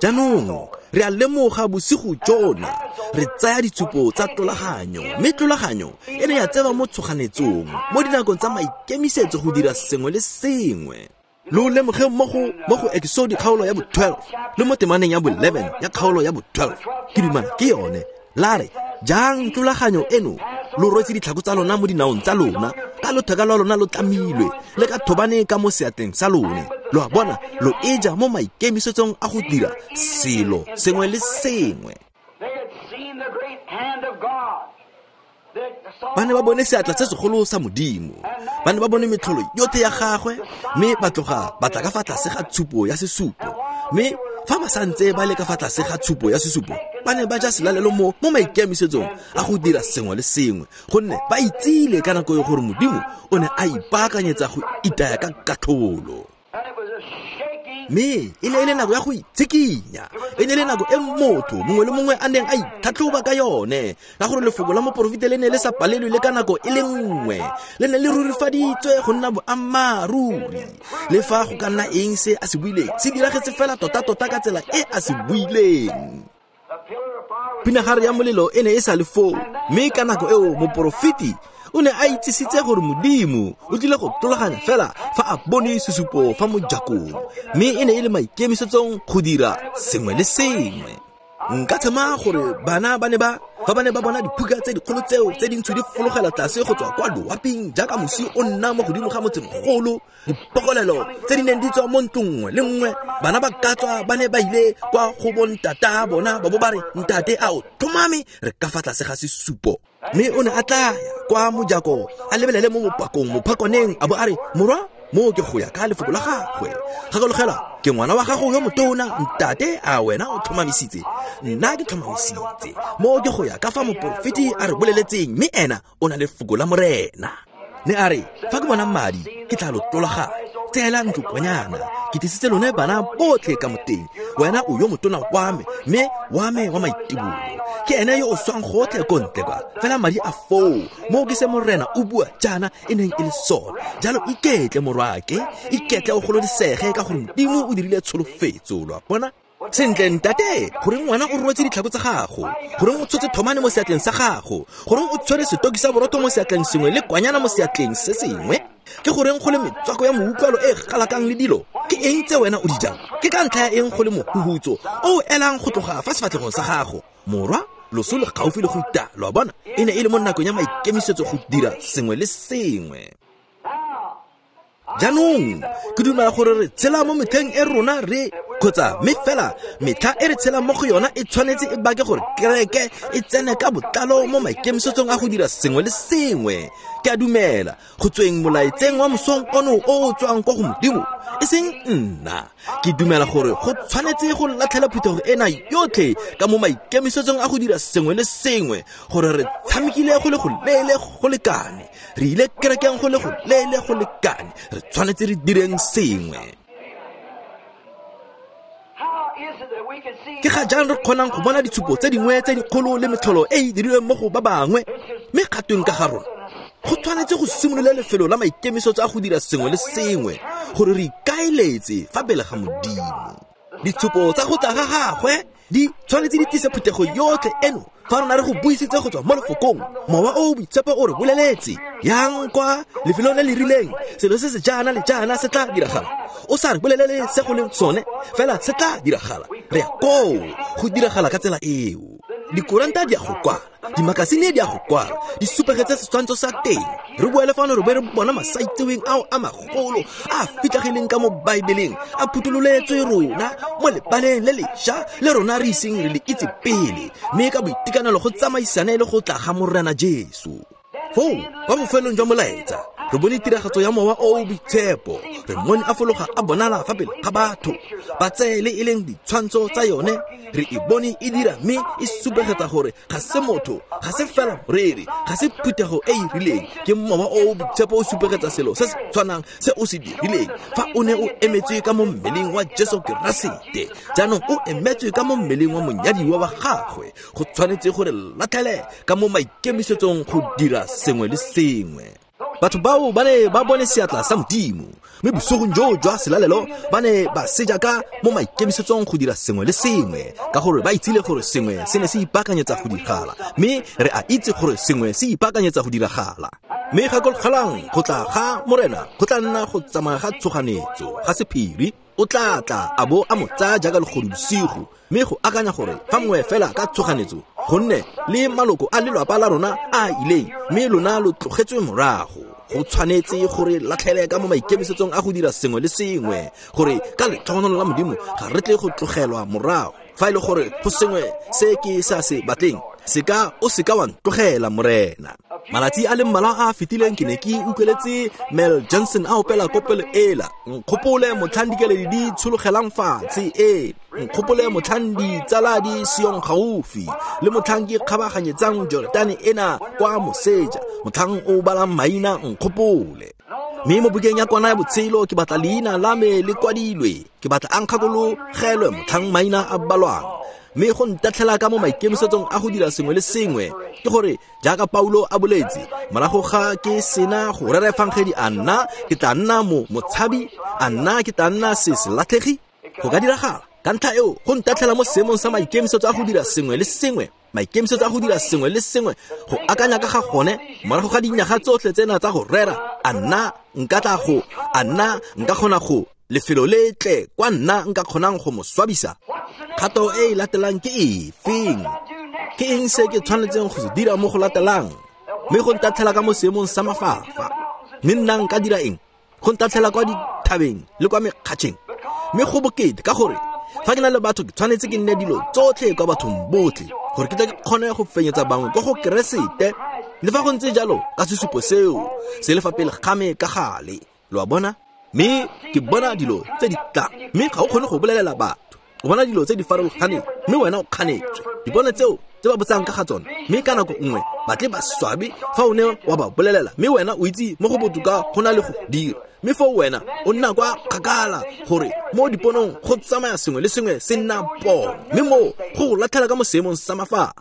B: Jaanong re a lemoga bosigo jona re tsaya ditshupo tsa tlolaganyo, mme tlolaganyo e ne ya tsewa mo tshoganetsong mo dinakong tsa maikemisetso go dira sengwe le sengwe. Lo lemoge mo go mo go Exodus kgaolo ya bo twelve le mo temaneng ya bo eleven ya kgaolo ya bo twelve, ke dumela ke yone. La re jang tlolaganyo eno lo rwetse ditlhako tsa lona mo dinaong tsa lona, ka lotheka lwa lona lo tlamilwe le ka thobane ka mo seatleng sa lone, lo a bona, lo e ja mo maikemisetsong a go dira selo sengwe le sengwe. Ba ne ba bone seatla se segolo sa Modimo, ba ne ba bone metlholo yotlhe ya gagwe, mme ba tloga ba tla ka fa tlase ga tshupo ya sesupo. Mme fa ba santse ba le ka fa tlase ga tshupo ya sesupo, ba ne ba ja selalelo mo mo maikemisetsong a go dira sengwe le sengwe, gonne ba itsile ka nako e gore Modimo o ne a ipaakanyetsa go itaya ka katlholo. Mme e ne e le nako ya go itshikinya, e ne e le nako e motho mongwe le mongwe a neng a itlhatlhoba ka yone, ka gore lefoko la moporofeta le ne le sa palelwe le ka nako e le nngwe, le ne le rurifaditswe go nna boammaaruri. Le fa go ka nna eng se a se buileng, se diragetse fela tota-tota ka tsela e a se buileng. Pinagare ya molelo e ne e sa le foo, mme ka nako eo moporofeti o ne a itsisitse gore Modimo o tlile go tlolaganya fela fa a bone sesupo fa mojakong, mme e ne e le maikemisetsong go dira sengwe le sengwe. Nka tshema gore bana ba ne ba fa ba ne ba bona diphuka tse dikgolo tseo tse dintsho di fologela tlase go tswa kwa loaping jaaka mosi o nna mo godimo ga motsemogolo, dipokolelo tse di neng di tswa mo ntlong nngwe le nngwe, bana ba ka tswa ba ne ba ile kwa go bontata bona ba bo ba re, ntate a o tlhomame re ka fa tlase ga sesupo. Mme o ne a tla ya kwa mojako a lebelele mo mopakong mophakoneng a bo a re, morwa, mo ke go ya ka lefoko la gagwe. Gakologela, ke ngwana wa gago yo motona, ntate a wena o tlhomamisitse, nna ke tlhomamisitse. Mo ke go ya ka fa moporofeti a re boleletseng, mme ena o na le lefoko la Morena. Ne a re, fa ke bona madi ke tla lo tlolaganya, tseela ntlo kwanyana, ke tlisitse lone bana botlhe ka moteng, wena o yo motona wa me, mme wa me wa maitibolo ke ene yo o swang gotlhe ko ntle kwa, fela madi a foo, mo ke se Morena o bua jaana e neng e le sone. Jalo iketle morwake, iketle o golodisege ka gore Modimo o dirile tsholofetso, lo a bona. Sentle ntate, goreng ngwana o rwetse ditlhako tsa gago, goreng o tshotse thomane mo seatleng sa gago, goreng o tshwere setoki sa borotho mo seatleng sengwe le kwanyana mo seatleng se sengwe, ke goreng go le metswako ya moutlwalo e galakang le dilo, ke eng tse wena o di jang, ke ka ntlha ya eng go le mohuhutso o o elang go tloga fa sefatlhegong sa gago? Morwa, loso le gaufi le go ita, lo a bona. E ne e le mo nakong ya maikemisetso go dira sengwe le sengwe. Jaanong ke dumela gore re tshela mo metlheng e rona re kgotsa mme fela metlha e re tshelang mo go yona e tshwanetse e bake gore kereke e tsene ka botlalo mo maikemisetsong a go dira sengwe le sengwe. Ke a dumela go tsweng molaetseng wa mosong ono o o tswang kwa go Modimo, e seng nna. Ke dumela gore go tshwanetse go latlhela phuthego ena yotlhe ka mo maikemisetsong a go dira sengwe le sengwe, gore re tshamekile go le go leele go lekane, re ile kerekeng go le go leele go lekane, re tshwanetse re direng sengwe. Ke ga jang re kgonang go bona ditshupo tse dingwe tse dikgolo le metlholo e e dirilweng mo go ba bangwe, mme gatweng ka ga rona? Go tshwanetse go simolola lefelo la maikemisetso a go dira sengwe le sengwe, gore re ikaeletse fa pele ga Modimo. Ditshupo tsa go tla ga gagwe di tshwanetse di tlise phuthego yotlhe eno fa rona re go buisitse go tswa mo lefokong. Mowa o o boitshepo o re boleletse, yang kwa lefelong le le rileng, selo se se jaana le jaana se tla diragala. O sa re bolelele se go leng sone, fela se tla diragala. Re ya koo go diragala ka tsela eo. Dikoranta di a go kwala, dimakasine di a go kwala, di supegetse setshwantsho sa teng. Re boele fano re be re bona masaitseweng ao a magolo a fitlhagileng ka mo Baebeleng, a phuthololetswe rona mo lebaleng le lešwa le rona re iseng re le itse pele, mme ka boitekanelo go tsamaisane le go tla ga Morena Jesu. Foo kwa bofelong jwa molaetsa re bone tiragatso ya mowa o o boitshepo, re mmone a fologa a bonala fa pele ga batho, ba tseye le e leng ditshwantsho tsa yone, re e bone e dira mme e supegetsa gore ga se motho, ga se fela moreri, ga se phuthego e e rileng, ke mowa o o boitshepo o supegetsa selo se se tshwanang se o se dirileng fa o ne o emetswe ka mo mmeleng wa Jesu Keresete. Jaanong o emetswe ka mo mmeleng wa monyadiwa wa gagwe. Go tshwanetse gore latlhele ka mo maikemisetsong go dira sengwe le sengwe. Batho bao ba ne ba bone seatla sa Modimo, mme bosigong joo jwa selalelo ba ne ba seja ka mo maikemisetsong go dira sengwe le sengwe, ka gore ba itsile gore sengwe se ne se ipaakanyetsa go diragala, mme re a itse gore sengwe se ipaakanyetsa go diragala. Mme gakologelang, go tla ga Morena go tla nna go tsamaya ga tshoganetso, ga sephiri. O tla tla a bo a mo tsaya jaaka legodu bosigo, mme go akanya gore fa mongwe fela ka tshoganetso, gonne le maloko a lelapa la rona a ileng, mme lona lo tlogetswe morago. Go tshwanetse gore latlhele ka mo maikemisetsong a go dira sengwe le sengwe, gore ka letlhogonolo la Modimo ga re tle go tlogelwa morago. Fa e le gore go sengwe se ke sa se batleng, se ka o se ka wa ntlogela Morena. Malatsi a le mmalwa a a fetileng ke ne ke utlweletse Mel Johnson a opela kopelo ela. Nkgopole motlhang dikeledi di tshologelang fatshe, ee, nkgopole motlhang ditsala di seong gaufi, le motlhang ke kgabaganyetsang Jordane ena kwa moseja, motlhang o balang maina nkgopole. Mme mo bukeng ya kwana ya botshelo ke batla leina la me le kwadilwe, ke batla a nkgakologelwe motlhang maina a balwang. Mme go ntatlhela ka mo maikemisetsong a go dira sengwe le sengwe ke gore jaaka Paulo a boletse, morago ga ke sena go rera efangedi, a nna ke tla nna mo motshabi, a nna ke tla nna se se latlhegi. Go ka diragala. Ka ntlha eo go ntatlhela mo seemong sa maikemisetso a go dira sengwe le sengwe, maikemisetso a go dira sengwe le sengwe, go akanya ka ga gone morago ga dinyaga tsotlhe tsena tsa go rera, a nna nka tla go, a nna nka kgona go lefelo le tle kwa nna nka kgonang go mo swabisa. Kgato e e latelang ke efeng? Ke eng se ke tshwanetseng go se dira mo go latelang? Mme go ntatlhela ka mo seemong sa mafafa. Mme nna nka dira eng? Go ntatlhela kwa dithabeng le kwa mekgatšheng. Mme go bokete ka gore fa ke na le batho ke tshwanetse ke nne dilo tsotlhe kwa bathong botlhe, gore ke tle ke kgone go fenyetsa bangwe kwa go Keresete. Le fa go ntse jalo, ka sesupo seo se le fa pele ga me ka gale. Lo a bona? Mme ke bona dilo tse di tlang, mme ga o kgone go bolelela batho. O bona dilo tse di farologaneng, mme wena o kganetswe. Dipone tseo tse ba botsang ka ga tsone, mme ka nako nngwe ba tle ba swabe fa o ne wa ba bolelela, mme wena o itse mo go botoka go na le go dira. Mme foo wena o nna kwa kgakala gore mo diponong go tsamaya sengwe le sengwe se nna pono, mme moo go go latlhela ka mo seemong sa mafafa.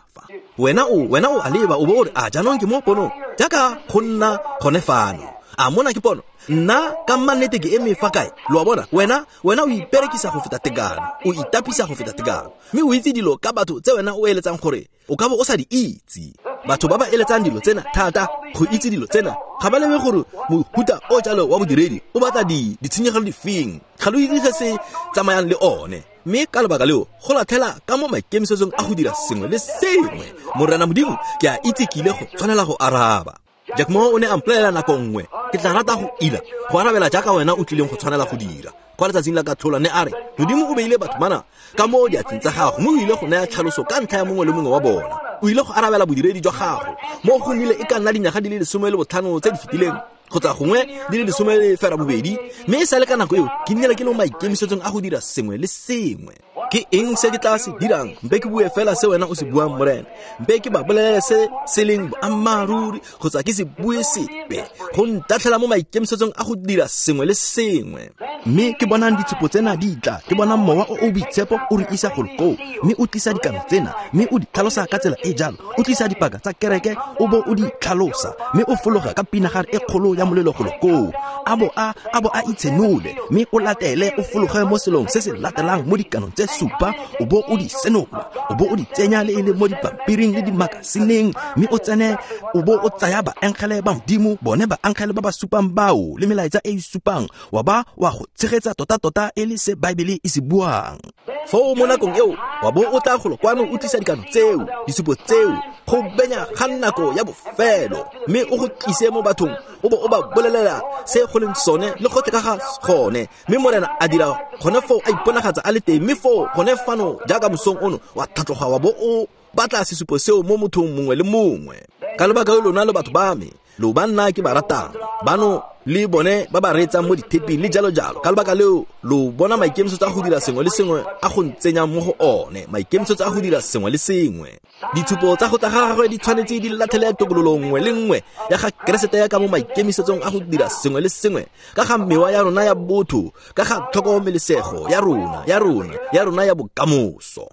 B: Wena o wena o a leba o bo o re, a jaanong ke mo ponong jaaka go nna gone fano. A mona ke pono? Nna ka mannete ke eme fa kae? Lo a bona? Wena wena o iperekisa go feta tekano, o itapisa go feta tekano, mme o itse dilo ka batho tse wena o eletsang gore o ka bo o sa di itse. Batho ba ba eletsang dilo tsena thata go itse dilo tsena ga ba lebe gore mohuta o jalo wa bodiredi o batla di ditshenyegelo difeng, ga lo itse se se tsamayang le one. Mme ka lebaka leo go latlhela ka mo maikemisetsong a go dira sengwe le sengwe. Morena Modimo, ke a itse ke ile go tshwanela go araba. Jack Moore o ne a mpolelela nako nngwe, ke tla rata go ila go arabela jaaka wena o tlileng go tshwanela go dira. Kwa letsatsing la katlholo ne a re, Modimo o beile batho bana ka mo diatleng tsa gago, mme o ile go naya tlhaloso ka ntlha ya mongwe le mongwe wa bona. O ile go arabela bodiredi jwa gago mo go nnile e ka nna dinyaga di le lesome le botlhano tse di fetileng, kgotsa gongwe di le lesome le fera bobedi, mme e sa le ka nako eo ke nnile ke le mo maikemisetsong a go dira sengwe le sengwe. Ke eng se ke tla se dirang? Mpe ke bue fela se wena o se buang, Morena. Mpe ke ba bolelele se se leng boammaaruri, kgotsa ke se bue sepe. Go ntatlhela mo maikemisetsong a go dira sengwe le sengwe. Mme ke bonang ditshupo tsena di tla, ke bonang mowa o o boitshepo o re isa golo koo, mme o tlisa dikano tsena, mme o di tlhalosa ka tsela e jalo, o tlisa dipaka tsa kereke o bo o di tlhalosa, mme o fologa ka pinagare e kgolo ya molelo golo koo, a bo a a bo a itshenole, mme o latele o fologe mo selong se se latelang mo dikanong tse supa, o bo o di senola, o bo o di tsenya le e le mo dipampiring le dimakasineng, mme o tsene o bo o tsaya baengele ba Modimo, bone baengele ba ba supang bao le melaetsa e e supang, wa ba wa go tshegetsa tota-tota e le se Baebele e se buang. Foo mo nakong eo wa bo o tla golo kwano o tlisa dikano tseo, disupo tseo, go benya ga nako ya bofelo, mme o go tlise mo bathong, o bo o ba bolelela se go leng sone le gotlhe ka ga gone. Mme Morena a dira gone foo, a iponagatsa a le teng, mme foo gone fano jaaka mosong ono wa tlhatloga wa bo o batla sesupo seo mo mothong mongwe le mongwe. Ka lebaka leo lona le batho ba me, lo ba nna ke ba ratang, bano le bone ba ba reetsang mo ditheping le jalo jalo. Ka lebaka leo lo bona maikemisetso a go dira sengwe le sengwe a go ntsenyang mo go one, maikemisetso a go dira sengwe le sengwe. Ditshupo tsa go tla ga gagwe di tshwanetse di latlhele tokololo nngwe le nngwe ya ga Keresete ya ka mo maikemisetsong a go dira sengwe le sengwe, ka ga mewa ya rona ya botho, ka ga tlhokomelesego ya rona, ya rona, ya rona ya bokamoso.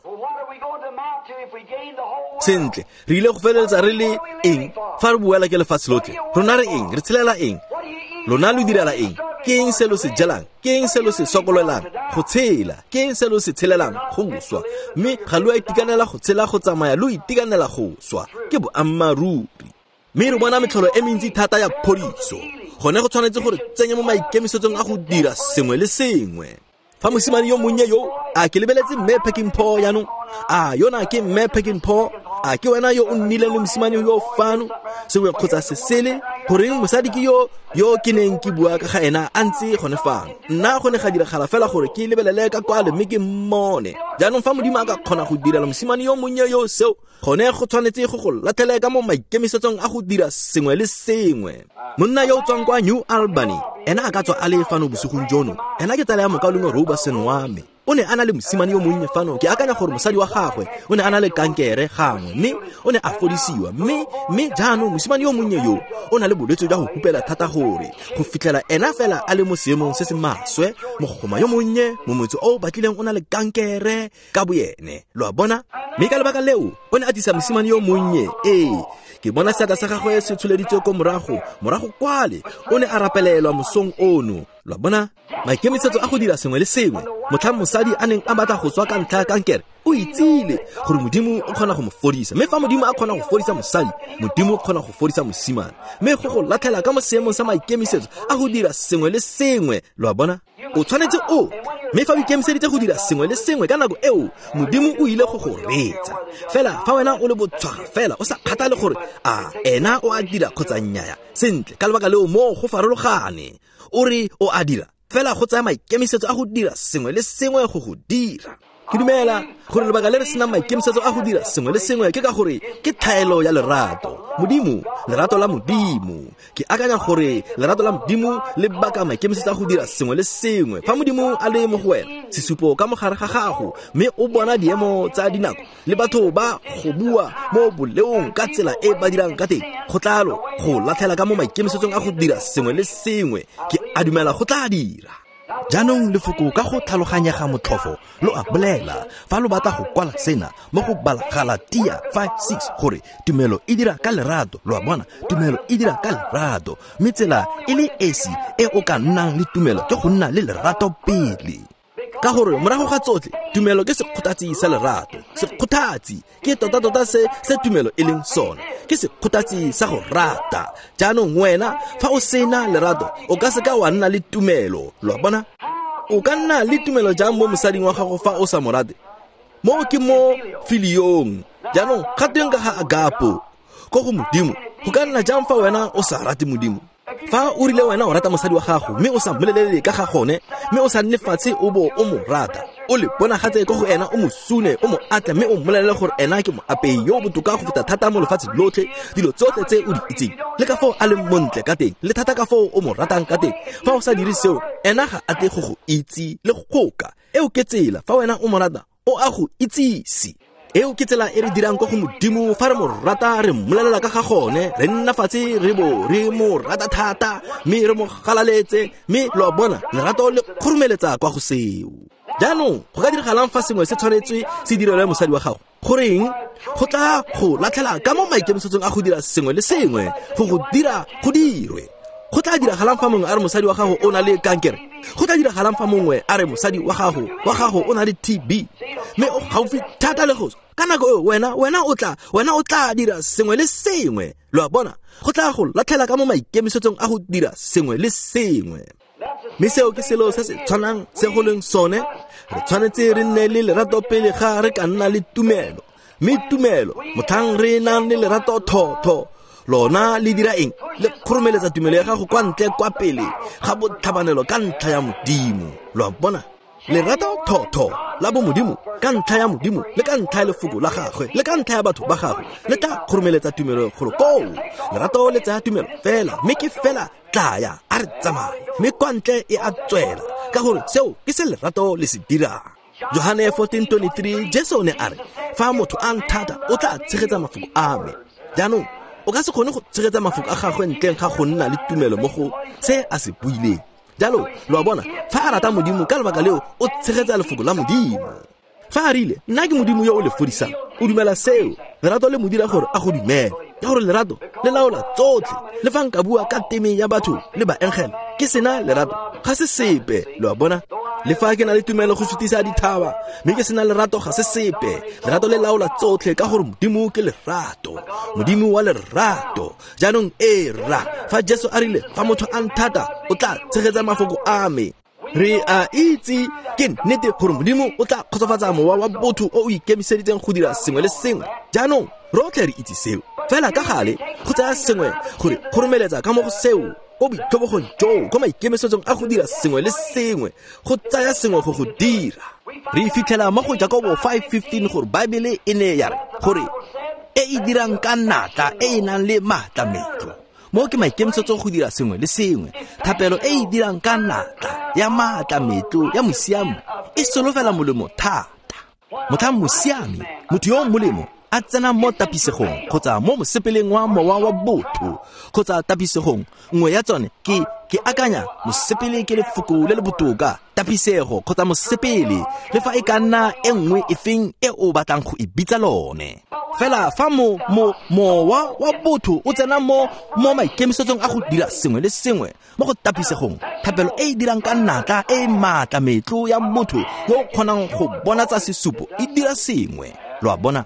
B: Sentle, re ile go feleletsa re le eng fa re buela ke lefatshe lotlhe? Rona re eng? Re tshelela eng? Lona lo direla eng? Ke eng se lo se jelang? Ke eng se lo se sokololang? Go tshela. Ke eng se lo se tshelelang? Go swa. Mme ga lo a itekanela go tshela go tsamaya, lo itekanela go swa. Ke boammaaruri. Mme re bona metlholo e mentsi thata ya phodiso. Gone go tshwanetse gore tsenye mo maikemisetsong a go dira sengwe le sengwe. Fa mosimane yo monnye yo, a ke lebeletse mme Peckinpaugh jaanong, a yona ke mme Peckinpaugh, a ke wena yo o nnileng le mosimane yo fano, sengwe kgotsa se sele, Goreng mosadi ke yo yo ke neng ke bua ka ga ena a ntse gone fano. Nna go ne ga diragala fela gore ke lebelele ka kwale mme ke mmone. Jaanong fa Modimo a ka kgona go direla mosimane yo monnye yo seo, gone go tshwanetse go go latlhele ka mo maikemisetsong a go dira sengwe le sengwe. Monna yo o tswang kwa New Albany, ena a ka tswa a le fano bosigong jono. Ena ke tsala ya mokaulengwe Roberson wa me. O ne a na le mosimane yo monnye fano. Ke akanya gore mosadi wa gagwe o ne a na le kankere gangwe, mme o ne a fodisiwa. Mme mme jaanong mosimane yo monnye yo o na le bolwetse jwa go hupela thata gore go fitlhela ena fela a le mo seemong se se maswe. Mogoma yo monnye mo motse o batlileng o na le kankere ka boyene, lo a bona. Mme ka lebaka leo o ne a tlisa mosimane yo monnye. Ee, ke bona seatla sa gagwe se tsholeditswe ko morago, morago kwale. O ne a rapelelwa mosong ono, lo a bona. Maikemisetso a go dira sengwe le sengwe. Motlhang mosadi a neng a batla go tswa ka ntlha ya kankere, o itsile gore Modimo o kgona go mo fodisa. Mme fa Modimo a kgona go fodisa mosadi, Modimo o kgona go fodisa mosimane. Mme go go latlhela ka mo seemong sa maikemisetso a go dira sengwe le sengwe, lo a bona. O tshwanetse o, mme fa o ikemiseditse go dira sengwe le sengwe ka nako eo, Modimo o ile go go reetsa. Fela fa wena o le botshwaga fela, o sa kgathale gore a ena o a dira kgotsa nnyaya, sentle ka lebaka leo mo go farologane. O re o a dira, fela go tsaya maikemisetso a go dira sengwe le sengwe go go dira. Ke dumela gore lebaka le re senang maikemisetso a go dira sengwe le sengwe ke ka gore ke tlhaelo ya lerato. Modimo, lerato la Modimo. Ke akanya gore lerato la Modimo le baka maikemisetso a go dira sengwe le sengwe. Fa Modimo a le mo go wena, sesupo ka mogare ga gago, mme o bona diemo tsa dinako le batho ba go bua mo boleong ka tsela e ba dirang ka teng, go tlalo go latlhela ka mo maikemisetsong a go dira sengwe le sengwe. Ke a dumela go tla dira. Jaanong lefoko ka go tlhaloganyega motlhofo lo a bolela fa lo batla go kwala sena mo go bala Galatia five six gore tumelo e dira ka lerato. Lo a bona, tumelo e dira ka lerato. Mme tsela e le esi e o ka nnang le tumelo ke go nna le lerato pele. Ka gore morago ga tsotlhe, tumelo ke sekgothatsi sa lerato. Sekgothatsi ke tota-tota se se tumelo e leng sone, ke sekgothatsi sa go rata. Jaanong wena fa o sena lerato, o ka seka wa nna le tumelo. Lo a bona? O ka nna le tumelo jang mo mosading wa gago fa o sa mo rate? Mo ke mo filiong. Jaanong ga teng ka ga agapo ko go Modimo, go ka nna jang fa wena o sa rate Modimo? Fa o rile wena o rata mosadi wa gago, mme o sa mmolelele ka ga gone, mme o sa nne fatshe o bo o mo rata, o le bonagatse ko go ena, o mo sune, o mo atle, mme o mmolelele gore ena ke moapei yo o botoka go feta thata mo lefatshe lotlhe, dilo tsotlhe tse o di itseng, le ka foo a leng montle ka teng, le thata ka foo o mo ratang ka teng. Fa o sa dire seo, ena ga a tle go go itse le go goka. Eo ke tsela, fa wena o mo rata, o a go itsise. Eo ke tsela e re dirang ko go Modimo. Fa re mo rata, re mmolelela ka ga gone, re nna fatshe re bo re mo rata thata, mme re mo galaletse. Mme lo a bona, lerato le kgoromeletsa kwa go seo. Jaanong go ka diragalang fa sengwe se tshwanetswe se direlwe mosadi wa gago? Goreng go tla go latlhela ka mo maikemisetsong a go dira sengwe le sengwe go go dira go dirwe? Go tla diragalang fa mongwe a re mosadi wa gago o na le kankere? Go tla diragalang fa mongwe a re mosadi wa gago wa gago o na le T B, mme o gaufi thata le go ka nako eo wena wena o tla wena o tla dira sengwe le sengwe. Lo a bona, go tla go latlhela ka mo maikemisetsong a go dira sengwe le sengwe. Mme seo ke selo se se tshwanang se go leng sone. Re tshwanetse re nne le lerato pele ga re ka nna le tumelo. Mme tumelo, motlhang re nang le lerato thotho, lona le dira eng? Le kgoromeletsa tumelo ya gago kwa ntle kwa pele ga botlhabanelo ka ntlha ya Modimo. Lo a bona, lerato thotho la bo Modimo ka ntlha ya Modimo, le ka ntlha ya lefoko la gagwe, le ka ntlha ya batho ba gagwe, le tla kgoromeletsa tumelo golo koo. Lerato le tsaya tumelo fela, mme ke fela tlaya a re tsamaye, mme kwa ntle e a tswela, ka gore seo ke se lerato le se dirang. Johane fourteen twenty-three, Jesu ne a re, fa motho a nthata, o tla tshegetsa mafoko a me. Jaanong o ka se kgone go tshegetsa mafoko a gagwe ntleng ga go nna le tumelo mo go se a se buileng. Jalo lo a bona, fa a rata Modimo ka lebaka leo, o tshegetsa lefoko la Modimo. Fa a rile, nna ke Modimo yo o le fodisang, o dumela seo. Lerato le mo dira gore a go dumele, ka gore lerato le laola tsotlhe. Le fa nka bua ka teme ya batho le baengele, ke sena lerato, ga se sepe. Lo a bona, le fa ke na le tumelo go sutisa dithaba, mme ke sena lerato, ga se sepe. Lerato le laola tsotlhe, ka gore Modimo ke lerato, Modimo wa lerato. Jaanong e ra, fa Jesu a rile, fa motho a nthata, o tla tshegetsa mafoko a me. Re a itse ke nnete gore Modimo o tla kgotsofatsa mowa wa botho o o ikemiseditseng go dira sengwe le sengwe. Jaanong rotlhe re itse seo. Fela ka gale go tsaya sengwe gore go romeletsa ka mo go seo ko boitlhobogong joo ko maikemisetsong a go dira sengwe le sengwe, go tsaya sengwe go go dira. Re fitlhela mo go Jakobo five fifteen gore Baebele e ne ya re gore e e dirang ka natla e e nang le maatla metlo. Mo ke maikemisetso go dira sengwe le sengwe. Thapelo e e dirang ka natla ya maatla metlo ya mosiami e solofela molemo thata. Motlhang mosiami, motho yo o molemo, a tsena mo tapisegong kgotsa mo mosepeleng wa mowa wa botho kgotsa tapisegong nngwe ya tsone ke ke akanya mosepele ke lefoko le le botoka, tapisego kgotsa mosepele, le fa e ka nna e nngwe efeng e o batlang go e bitsa lone. Fela fa mo mo mowa wa botho o tsena mo mo maikemisetsong a go dira sengwe le sengwe mo go tapisegong, thapelo e e dirang ka natla e e maatla metlo ya motho yo o kgonang go bonatsa sesupo e dira sengwe. Lo a bona?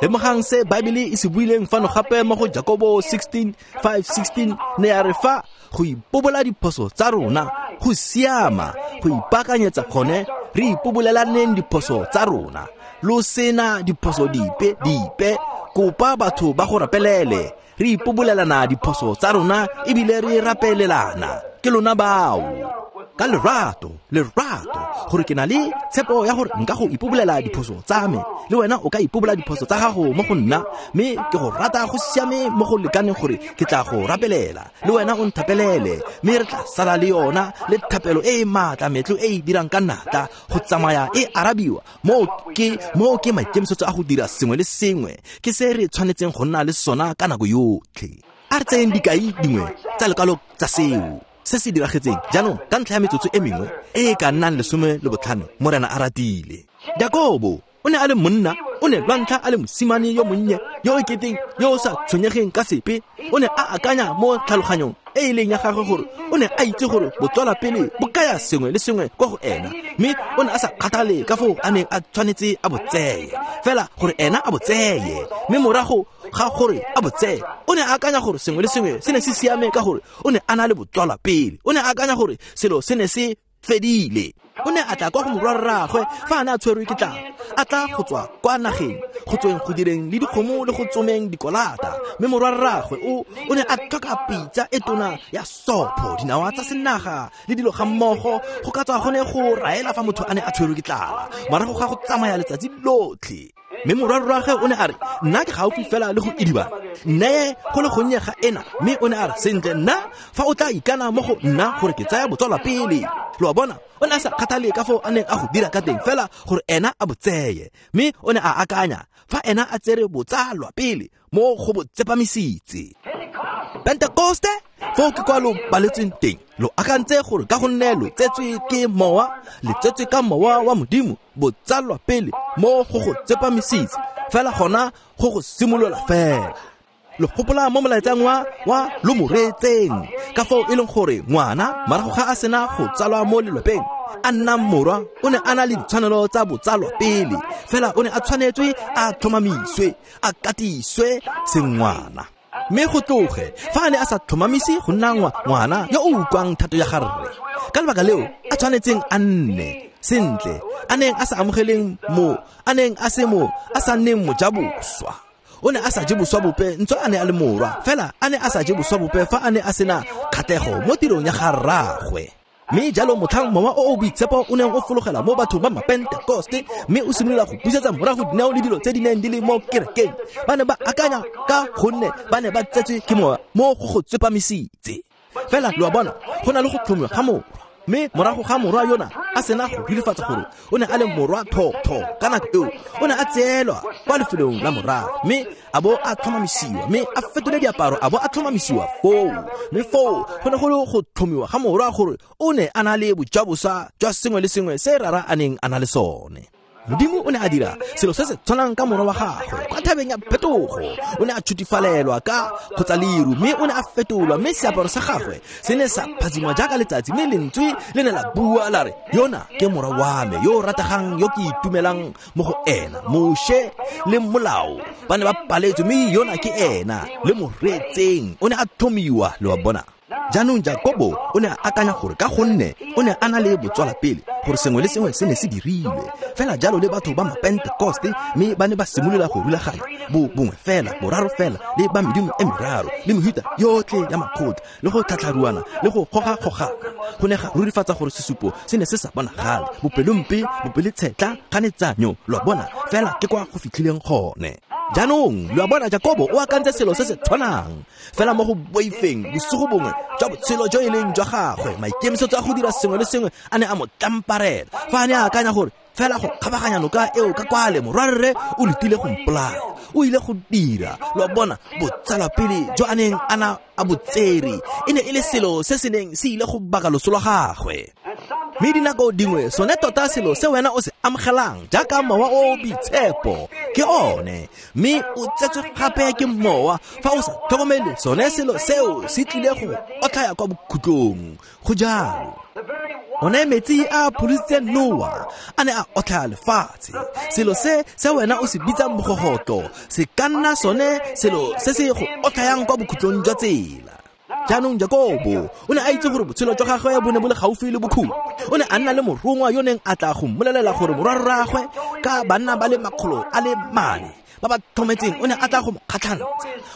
B: Lemogang se Baebele e se buileng fano gape mo go Jakobo sixteen five sixteen ne ya re fa go ipobola diphoso tsa rona go siama, go ipaakanyetsa gone re ipobolelaneng diphoso tsa rona. Lo sena diphoso dipe dipe, kopa batho ba go rapelele, re ipobolelana diphoso tsa rona ebile re rapelelana. Ke lona bao ka lerato, lerato, gore ke na le tshepo ya gore nka go ipobolela diphoso tsa me, le wena o ka ipobola diphoso tsa gago mo go nna, mme ke go rata go siame mo go lekaneng gore ke tla go rapelela, le wena o nthapelele, mme re tla sala le yona le thapelo e e maatla metlo e e dirang ka natla go tsamaya e arabiwa. Mo ke mo ke maikemisetso a go dira sengwe le sengwe, ke se re tshwanetseng go nna le sona ka nako yotlhe. A re tseyeng dikai dingwe tsa lekwalo tsa seo se se diragetseng jaanong ka ntlha ya metsotso e mengwe e e ka nnang lesome le botlhano Morena a ratile. Jakobo o ne a le monna, o ne lwa ntlha a le mosimane yo monnye yo o keteng yo o sa tshwenyegeng ka sepe. O ne a akanya mo tlhaloganyong e e leng ya gagwe gore o ne a itse gore botswala pele bo kaya sengwe le sengwe kwa go ena, mme o ne a sa kgathale ka foo a neng a tshwanetse a bo tseye, fela gore ena a bo tseye. Mme morago ga gore a bo tseye, o ne a akanya gore sengwe le sengwe se ne se siame ka gore o ne a na le botswala pele. O ne a akanya gore selo se ne se fedile. O ne a tla kwa go morwarraagwe fa a ne a tshwerwe ke tlala, a tla go tswa kwa nageng go tsweng go direng le dikgomo le go tsomeng dikolata. Mme morwarraagwe o o ne a tlhoka pitsa e tona ya sopho, dinawa tsa senaga le dilo ga mmogo go ka tswa go ne go raela fa motho a ne a tshwerwe ke tlala morago ga go tsamaya letsatsi lotlhe. Mme morwarraagwe o ne a re, nna ke gaufi fela le go idibana, nneye go le gonnye ga ena. Mme o ne a re, sentle nna fa o tla ikana mo go nna gore ke tsaya botswala pele. Lo a bona, o ne a sa kgathale ka foo a neng a go dira ka teng, fela gore ena a bo tseye. Mme o ne a akanya fa ena a tsere botsalwa pele mo go bo tsepamisitse. Pentekoste foo ke kwa lo baletsweng teng, lo akantse gore ka gonne lo tsetswe ke mowa, le tsetswe ka mowa wa Modimo, botsalwa pele mo go go tsepamisitse, fela gona go go simolola fela. Lo gopola mo molaetsang wa wa lo mo reetseng ka foo e leng gore ngwana morago ga a sena go tsalwa mo lelapeng a nna morwa, o ne a na le ditshwanelo tsa botsalwa pele, fela o ne a tshwanetswe a tlhomamiswe, a katiswe sengwana. Mme go tloge fa a ne a sa tlhomamise go nna ngwana yo o utlwang thato ya garre, ka lebaka leo a tshwanetseng a nne sentle, a neng a sa amogeleng mo, a neng a se mo, a sa nneng mojaboswa. O ne a sa je boswa bope ntse a ne a le morwa, fela a ne a sa je boswa bope fa a ne a sena kgatlhego mo tirong ya garraagwe. Mme jalo motlhang mowa o o boitshepo o neng o fologela mo bathong ba mapentekoste, mme o simolola go busetsa morago dinao le dilo tse di neng di le mo kerekeng, ba ne ba akanya ka gonne ba ne ba tsetswe ke mowa mo go go tsepamisitse. Fela lo a bona, go na le go tlhomiwa ga morwa. Mme morago ga morwa yona a sena go rurifatsa gore o ne a le morwa thotho ka nako eo, o ne a tseelwa kwa lefelong la morago, mme a bo a tlhomamisiwa, mme a fetole diaparo a bo a tlhomamisiwa foo. Mme foo go ne go le go tlhomiwa ga morwa gore o ne a na le bojaboswa jwa sengwe le sengwe se rara a neng a na le sone. Modimo o ne a dira selo se se tshwanang ka morwa wa gagwe kwa thabeng ya phetogo. O ne a tshutifalelwa ka kgotsa leru, mme o ne a fetolwa, mme seaparo sa gagwe se ne sa phadzima jaaka letsatsi, mme lentswe le ne la bua la re, yona ke morwa wa me yo o rategang, yo ke itumelang mo go ena. Moshe le molao ba ne ba paletswe, mme yona ke ena le mo reetseng. O ne a tlhomiwa, lo a bona. Jaanong Jakobo o ne a akanya gore ka gonne o ne a na le botswalapele gore sengwe le sengwe se ne se dirilwe fela jalo le batho ba mapentekoste, mme ba ne ba simolola go rulaganya bo bongwe fela, boraro fela, le ba medimo e meraro, le mehuta yotlhe ya makgotla, le go tlhatlharuana le go goga-gogana. Go ne ga rurifatsa gore sesupo se ne se sa bonagale, bopelompe, bopeletshetla, kganetsanyo, lo a bona, fela ke kwa go fitlhileng gone. Jaanong lo a bona, Jakobo o akantse selo se se tshwanang fela mo go boifeng bosigo bongwe jwa botshelo jo e leng jwa gagwe. Maikemisetso a go dira sengwe le sengwe a ne a mo tlamparela fa a ne a akanya gore fela go kgabaganya noka eo ka kwale morwarre o letile go mpolaya, o ile go dira. Lo a bona, botsalwapele jo a neng a na a botsere e ne e le selo se se neng se ile go baka loso lwa gagwe. Mme dinako dingwe sone tota selo se wena o se amogelang jaaka mowa o o boitshepo ke one, mme o tsetswe gape ke mowa. Fa o sa tlhokomele, sone selo seo se tlile go otlhaya kwa bokhutlong. Go jalo. One metsi a pholositseng Noa a ne a otlhaya lefatshe. Selo se se wena o se bitsang bogogotlo se ka nna sone selo se se go otlhayang kwa bokhutlong jwa tsela. Jaanong Jakobo o ne a itse gore botshelo jwa gagwe bo ne bo le gaufi le bokhutlo. O ne a nna le morongwa yo neng a tla go mmolelela gore morwarraagwe ka banna ba le makgolo a le mane ba ba tlhometseng o ne a tla go mo kgatlhantsha.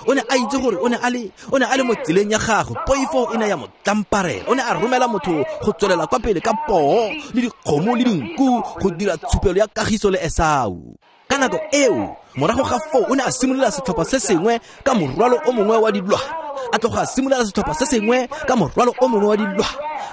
B: O ne a itse gore o ne a le o ne a le mo tseleng ya gagwe. Poifo e ne ya mo tlamparela. O ne a romela motho go tswelela kwa pele ka poo le dikgomo le dinku go dira tshupelo ya kagiso le Esau. Ka nako eo, morago ga foo, o ne a simolola setlhopha se sengwe ka morwalo o mongwe wa dilwana. A tloga a simolola setlhopha se sengwe ka morwalo o mongwe wa dilwana,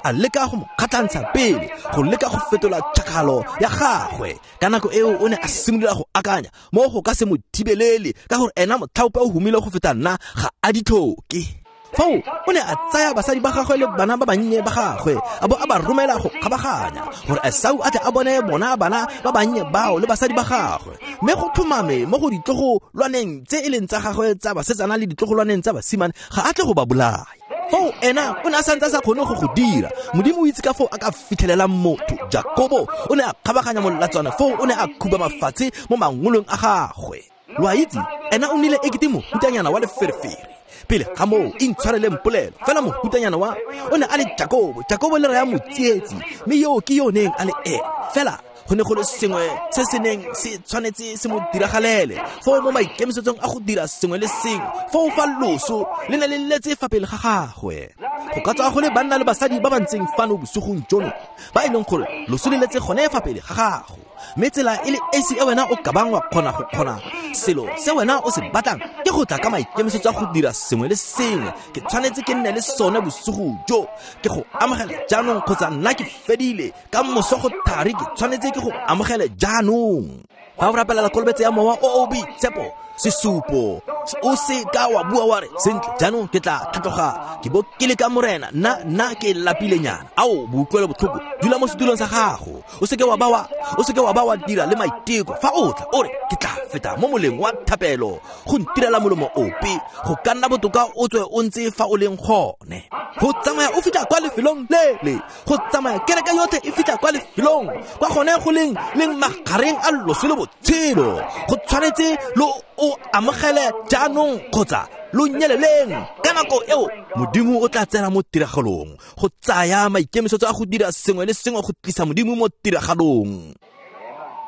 B: a leka go mo kgatlhantsha pele, go leka go fetola tšhakgalo ya gagwe. Ka nako eo o ne a simolola go akanya mo go ka se mo thibelele, ka gore ena motlhaope o humile go feta nna, ga a di tlhoke. Foo o ne a tsaya basadi ba gagwe le bana ba bannye ba gagwe, a bo a ba romela go kgabaganya gore Esau a tle a bone bona bana ba bannye bao le basadi ba gagwe. Mme go tlhomame mo go ditlogolwaneng tse e leng tsa gagwe tsa basetsana le ditlogolwaneng tsa basimane, ga a tle go ba bolaya. Foo ena o ne a santse a sa kgone go go dira. Modimo o itse ka foo a ka fitlhelelang motho. Jakobo o ne a kgabaganya molatswana, foo o ne a khuba mafatshe mo mangolong a gagwe. Lo a itse, ena o nnile ekete mohutanyana wa leferefere pele ga moo, intshwareleng polelo fela mohutanyana wa o ne a le Jakobo. Jakobo le raya motsietsi, mme yo ke yo neng a le ene. Fela go ne go le sengwe se se neng se tshwanetse se mo diragalele foo mo maikemisetsong a go dira sengwe le sengwe. Foo fa loso le ne le letse fa pele ga gagwe. Go ka tswa go le banna le basadi ba ba ntseng fano bosigong jono ba e leng gore loso le letse gone fa pele ga gago, mme tsela e le esi e wena o ka bang wa kgona go kgona selo se wena o se batlang ke go tla ka maikemisetso a go dira sengwe le sengwe. Ke tshwanetse ke nne le sone bosigo jo, ke go amogela jaanong kgotsa nna ke fedile ka moso go thari, ke tshwanetse ke go amogele jaanong. Fa o rapelela kolobetso ya mowa o o boitshepo, sesupo, o se ka wa bua wa re, sentle jaanong ke tla tlhatloga ke bo ke le ka morena, nna nna ke lapilenyana. Ao, boutlwelo botlhoko, dula mo setulong sa gago, o seke wa ba wa o seke wa ba wa dira le maiteko. Fa o tla o re ke tla feta mo moleng wa thapelo go ntirela molomo ope, go ka nna botoka o tswe o ntse fa o leng gone. Go tsamaya o fitlha kwa lefelong lele, go tsamaya kereke yotlhe e fitlha kwa lefelong kwa gone go leng leng magareng a loso le botshelo. Go tshwanetse lo o amogele jaanong kgotsa lo nyeleleng. Ka nako eo Modimo o tla tsena mo tiragalong go tsaya maikemisetso a go dira sengwe le sengwe go tlisa Modimo mo tiragalong.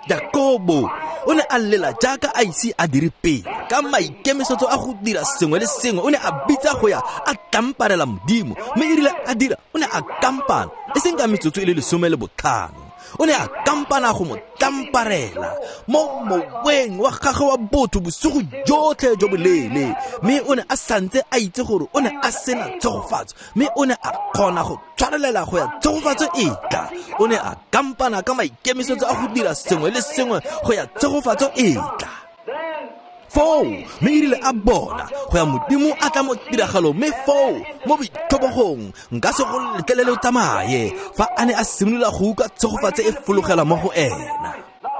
B: Jakobo o ne a lela jaaka a ise a dire pele ka maikemisetso a go dira sengwe le sengwe. O ne a bitsa go ya a tlamparela Modimo, mme e rile a dira o ne a kampana, e seng ka metsotso e le lesome le botlhano. O ne a kampana go mo tlamparela mo moweng wa gagwe wa botho bosigo jotlhe jo boleele, mme o ne a santse a itse gore o ne a sena tshegofatso, mme o ne a kgona go tshwarelela go ya tshegofatso e tla. O ne a kampana ka maikemisetso a go dira sengwe le sengwe go ya tshegofatso e tla. Foo mme e rile a bona go ya Modimo a tla mo tiragalong, mme foo mo boitlhobogong nka se go letlelele o tsamaye. Fa a ne a simolola go utlwa tshegofatso e fologela mo go ena,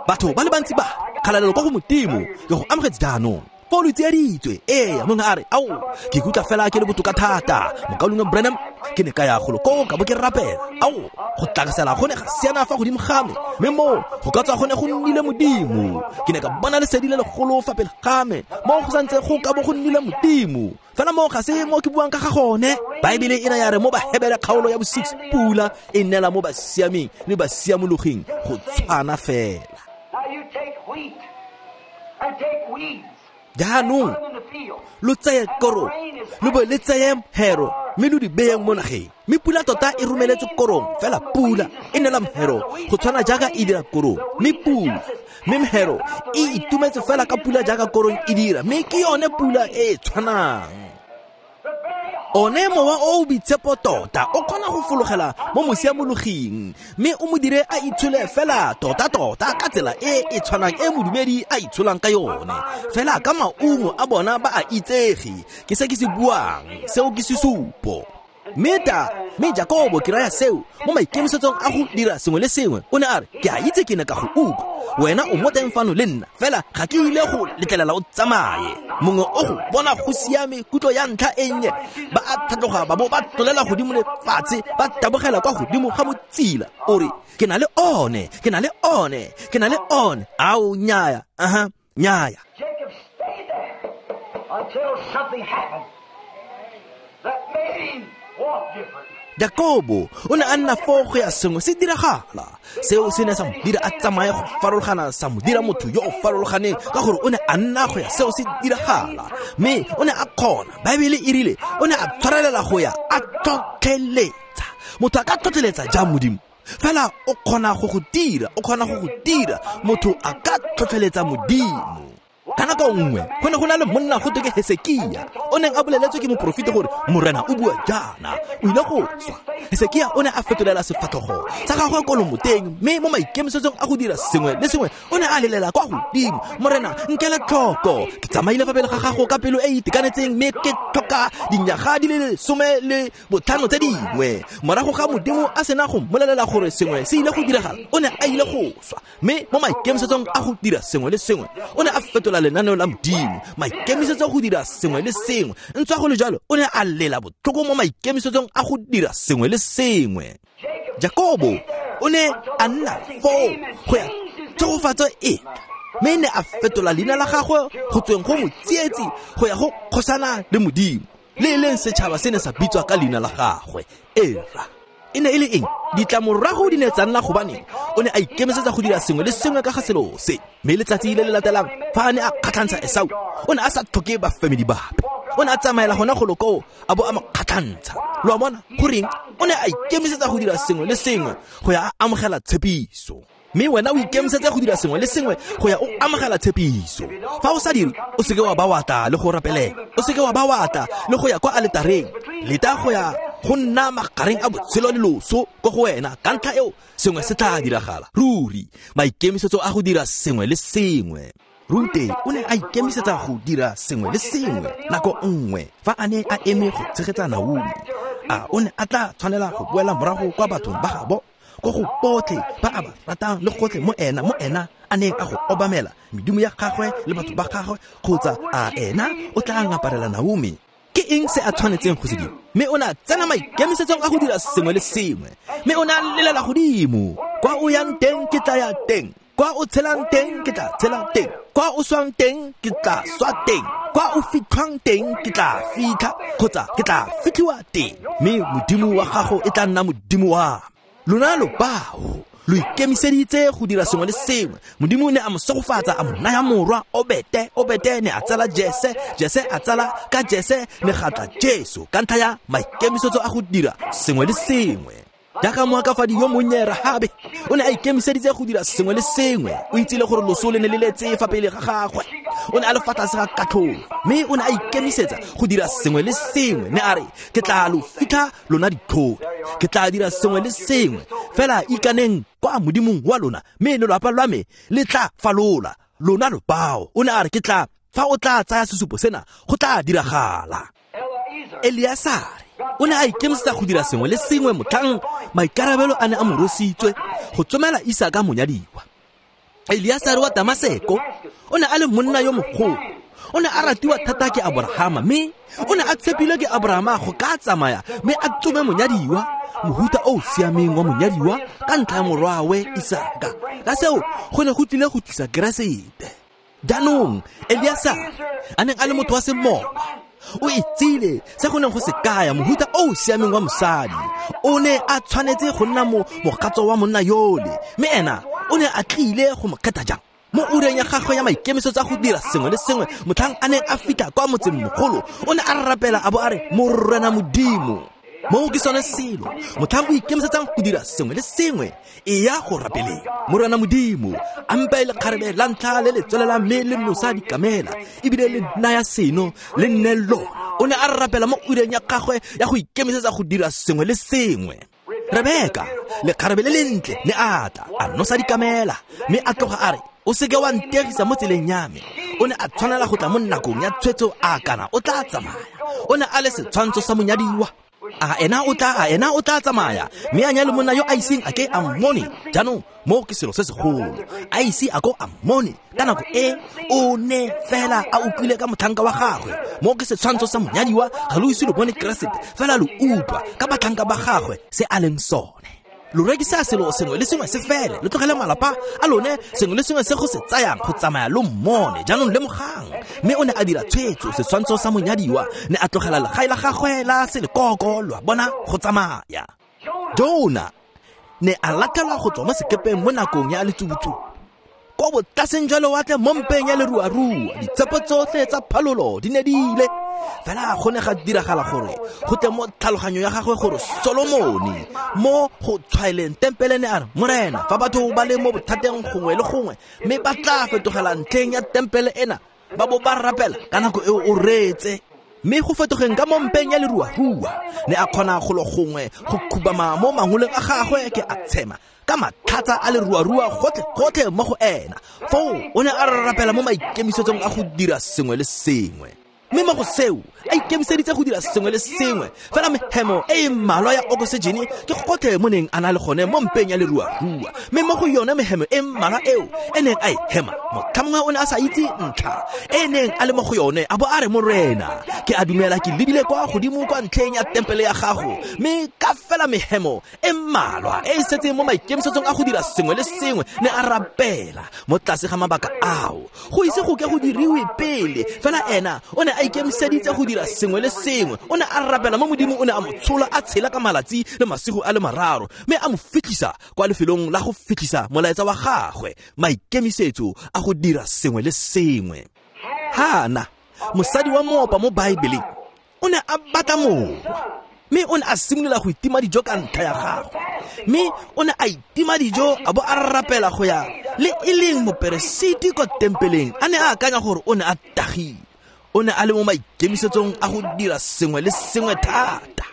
B: batho ba le bantsi ba kgalalelo kwa go Modimo, ke go amogetse jaanong. Foo lo tsieditswe. Ee, mongwe a re, ao, ke ikutlwa fela ke le botoka thata. Mokaulengwe Branham, ke ne ka ya golo koo ka bo ke rapela. Ao, go tlakasela go ne ga siana fa godimo ga me, mme moo go ka tswa go ne go nnile Modimo. Ke ne ka bona lesedi le legolo fa pele ga me, mo go santse go ka bo go nnile Modimo. Fela mo ga se mo ke buang ka ga gone. Baebele e raya re mo Bahebere kgaolo ya bo six pula e nela mo basiameng le basiamologing go tshwana fela. Jaanong lo tseye korong lo bo le tseye mhero mme lo di beyeng mo nageng, mme pula tota e romeletse korong, fela pula e nela mhero go tshwana jaaka e dira korong, mme pula mme mhero e itumetse fela ka pula jaaka korong e dira, mme ke yone pula e e tshwanang. One mowa o o boitshepo tota o kgona go fologela mo mosiamologing mme o mo dire a itshole fela tota-tota ka tsela e e tshwanang e modumedi a itsholang ka yone, fela ka maungo a bona ba a itsege. Ke se ke se buang, seo ke sesupo. Mme ta mme Jakobo ke raya seo mo maikemisetsong a go dira sengwe le sengwe, o ne a re ke a itse ke ne ka go utlwa, wena o mo teng fano le nna, fela ga ke ile go letlelela o tsamaye. Mongwe o go bona go siame kutlo ya ntlha e nnye, ba a tlhatloga ba bo ba tlolela godimo le fatshe, ba tabogela kwa godimo ga motsila, o re ke na le one, ke na le one, ke na le one. Ao nyaya, aha, nyaya.
A: Jacob stayed there until something happened that made him walk different.
B: Jakobo o ne a nna foo go ya sengwe se diragala. Seo se ne sa mo dira a tsamaye go farologana, sa mo dira motho yo o farologaneng, ka gore o ne a nna go ya seo se diragala, mme o ne a kgona. Baebele e rile o ne a tshwarelela go ya a tlhotlheletsa. Motho a ka tlhotlheletsa jang Modimo? Fela o kgona go go dira, o kgona go go dira. Motho a ka tlhotlheletsa Modimo. Ka nako nngwe go ne go na le monna go twe ke Hesekia, o neng a boleletswe ke moporofeta gore Morena o bua jaana, o ile go swa. Hesekia o ne a fetolela sefatlhogo sa gagwe ko lomoteng, mme mo maikemisetsong a go dira sengwe le sengwe o ne a lelela kwa godimo, Morena nkele tlhoko, ke tsamaile fa pele ga gago ka pelo e e itekanetseng, mme ke tlhoka dinyaga di le lesome le botlhano tse dingwe. Morago ga Modimo a sena go mmolelela gore sengwe se ile go diragala, o ne a ile go swa, mme mo maikemisetsong a go dira sengwe le sengwe o ne a fetola lenaneo la Modimo, maikemisetso go dira sengwe le sengwe. Ntswa go le jalo, o ne a lela botlhoko mo maikemisetsong a go dira sengwe le sengwe. Jakobo o ne a nna foo go ya tshegofatso e, mme ne a fetola leina la gagwe go tsweng go motsietsi go ya go kgosana le Modimo, le e leng setšhaba se ne sa bitswa ka leina la gagwe. Era e ne e le eng? Ditlamorago di ne tsa nna gobane o ne a ikemisetsa go dira sengwe le sengwe ka ga selo se. Mme letsatsi le le latelang fa a ne a kgatlhantsha Esau, o ne a sa tlhoke bafemedi bape, o ne a tsamaela gona golo koo a bo a mo kgatlhantsha. Lo a bona goreng? O ne a ikemisetsa go dira sengwe le sengwe go ya a amogela tshepiso. Mme wena o ikemisetse go dira sengwe le sengwe go ya o amogela tshepiso. Fa o sa dire, o seke wa ba wa tla le go rapelela, o seke wa ba wa tla le go ya kwa aletareng, leta go ya go nna magareng a botshelo le loso ko go wena. Ka ntlha eo sengwe se tla diragala ruri. Maikemisetso a go dira sengwe le sengwe. Rute o ne a ikemisetsa go dira sengwe le sengwe nako nngwe fa a ne a eme go tshegetsa Naomi. A o ne a tla tshwanela go boela morago kwa bathong ba gabo, ko go botlhe ba a ba ratang le gotlhe mo ena mo ena a neng a go obamela medimo ya gagwe le batho ba gagwe, kgotsa a ena o tla ngaparela Naomi? Ke eng se a tshwanetseng go se dira? Mme o ne a tsena maikemisetsong a go dira sengwe le sengwe, mme o ne a lelela godimo, kwa o yang teng ke tla ya teng, kwa o tshelang teng ke tla tshela teng, kwa o swang teng ke tla swa teng, kwa o fitlhwang teng ke tla fitlha, kgotsa ke tla fitlhiwa teng, mme Modimo wa gago e tla nna Modimo wa me. Lona lo bao lo ikemiseditse go dira sengwe le sengwe. Modimo ne a mo segofatsa, a mo naya morwa Obete. Obete ne a tsala Jese, Jese a tsala ka Jese ne ga tla Jesu, ka ntlha ya maikemisetso a go dira sengwe le sengwe. Jaaka moakafadi yo monnye Rahabe o ne a ikemiseditse go dira sengwe le sengwe. O itsile gore loso le ne le letse fa pele ga gagwe, o ne a le fa tlase ga katlholo, mme o ne a ikemisetsa go dira sengwe le sengwe. Ne a re ke tla lo fitlha lona ditlhodi, ke tla dira sengwe le sengwe, fela ikaneng kwa Modimong wa lona, mme lelapa lwa me le tla falola lona lo bao. O ne a re ke tla fa o tla tsaya sesupo sena go tla diragala. Eliasare o ne a ikemisetsa go dira sengwe le sengwe motlhang maikarabelo a ne a mo rositswe go tsomela Isaka monyadiwa. Eliasare wa Damaseko o ne a le monna yo mogolo, o ne a ratiwa thata ke Abrahama, mme o ne a tshepilwe ke Abrahama go ka tsamaya mme a tsome monyadiwa, mohuta o o siameng wa monyadiwa ka ntlha ya morwawe Isaka. Ka seo go ne go tlile go tlisa Keresete. Jaanong Eliasare a neng a le motho wa semowa, O itsile se go neng go se kaya mohuta o o siameng wa mosadi. O ne a tshwanetse go nna mo mogatso wa monna yole, mme ena o ne a tlile go mo kgetha jang? Mo ureng ya gagwe ya maikemisetso a go dira sengwe le sengwe, motlhang a neng a fitlha kwa motseng mogolo, o ne a rapela a bo a re, Morena Modimo. Moo ke sone selo, motlhang o ikemisetsang go dira sengwe le sengwe, e ya go rapeleng. Morena Modimo, a mpe lekgarebe la ntlha le le tswelelang mme le nosa dikamela, ebile le naya seno le nne lona. O ne a rapela mo ureng ya gagwe ya go ikemisetsa go dira sengwe le sengwe. Rebeka, lekgarebe le lentle, ne a tla, a nosa dikamela, mme a tloga a re, o seke wa ntegisa mo tseleng ya me. O ne a tshwanela go tla mo nakong ya tshwetso a kana o tla tsamaya. O ne a le setshwantsho sa monyadiwa. A ena o tla, a ena o tla tsamaya, mme a nyale monna yo a iseng a ke a mmone. Jaanong moo ke selo se segolo, a ise a ko a mmone ka nako e o ne fela a utlwile ka motlhanka wa gagwe. Moo ke setshwantsho sa monyadiwa, ga lo ise lo bone Keresete, fela lo utlwa ka batlhanka ba gagwe se a leng sone. Lo rekisa selo sengwe le sengwe se fele, lo tlogele malapa a lone, sengwe le sengwe se go se tsayang go tsamaya lo mmone. Jaanong lemogang, mme o ne a dira tshwetso, setshwantsho sa monyadiwa, ne a tlogela legae la gagwe la selekoko, lo a bona, go tsamaya. Jona ne a latlhelwa go tswa mo sekepeng mo nakong ya letsubutsubu, ko botlaseng jwa lewatle mo mpeng ya leruarua. Ditshepo tsotlhe tsa phalolo di ne di ile, fela go ne ga diragala gore go tle mo tlhaloganyo ya gagwe gore Solomone mo go tshwaeleng tempele ne a re, Morena, fa batho ba le mo bothateng gongwe le gongwe, mme ba tla fetogela ntlheng ya tempele ena, ba bo ba rapela ka nako eo o reetse. Mme go fetogeng ka mo mpeng ya leruarua, ne a kgona go lo gongwe go khubama mo mangoleng a gagwe ke a tshema ka matlhatsa a leruarua gotlhe-gotlhe mo go ena. Foo o ne a rapela mo maikemisetsong a go dira sengwe le sengwe. Mme mo go seo a ikemiseditse go dira sengwe le sengwe, fela mehemo e e mmalwa ya oksijene ke gotlhe mo neng a na le gone mo mpeng ya leruarua. Mme mo go yone mehemo e mmalwa eo e neng a e hema, motlha mongwe o ne a sa itse ntlha e neng a le mo go yone, a bo a re, Morena, ke a dumela ke lebile kwa godimo kwa ntlheng ya tempele ya gago, mme ka fela mehemo e mmalwa e e setseng mo maikemisetsong a go dira sengwe le sengwe, ne a rapela mo tlase ga mabaka ao go ise go ke go diriwe pele. Fela ena o ne a ikemiseditse go dira sengwe le sengwe. O ne a rapela mo Modimo, o ne a mo tshola a tshela ka malatsi le masigo a le mararo, mme a mo fitlhisa kwa lefelong la go fitlhisa molaetsa wa gagwe, maikemisetso a go dira sengwe le sengwe. Hana, mosadi wa moopa mo Baebeleng, o ne a batla morwa, mme o ne a simolola go itima dijo ka ntlha ya gagwe. Mme o ne a itima dijo a bo a rapela go ya le e leng moperesiti kwa tempeleng, a ne a akanya gore o ne a tagile. O ne a le mo maikemisetsong a go dira sengwe le sengwe thata.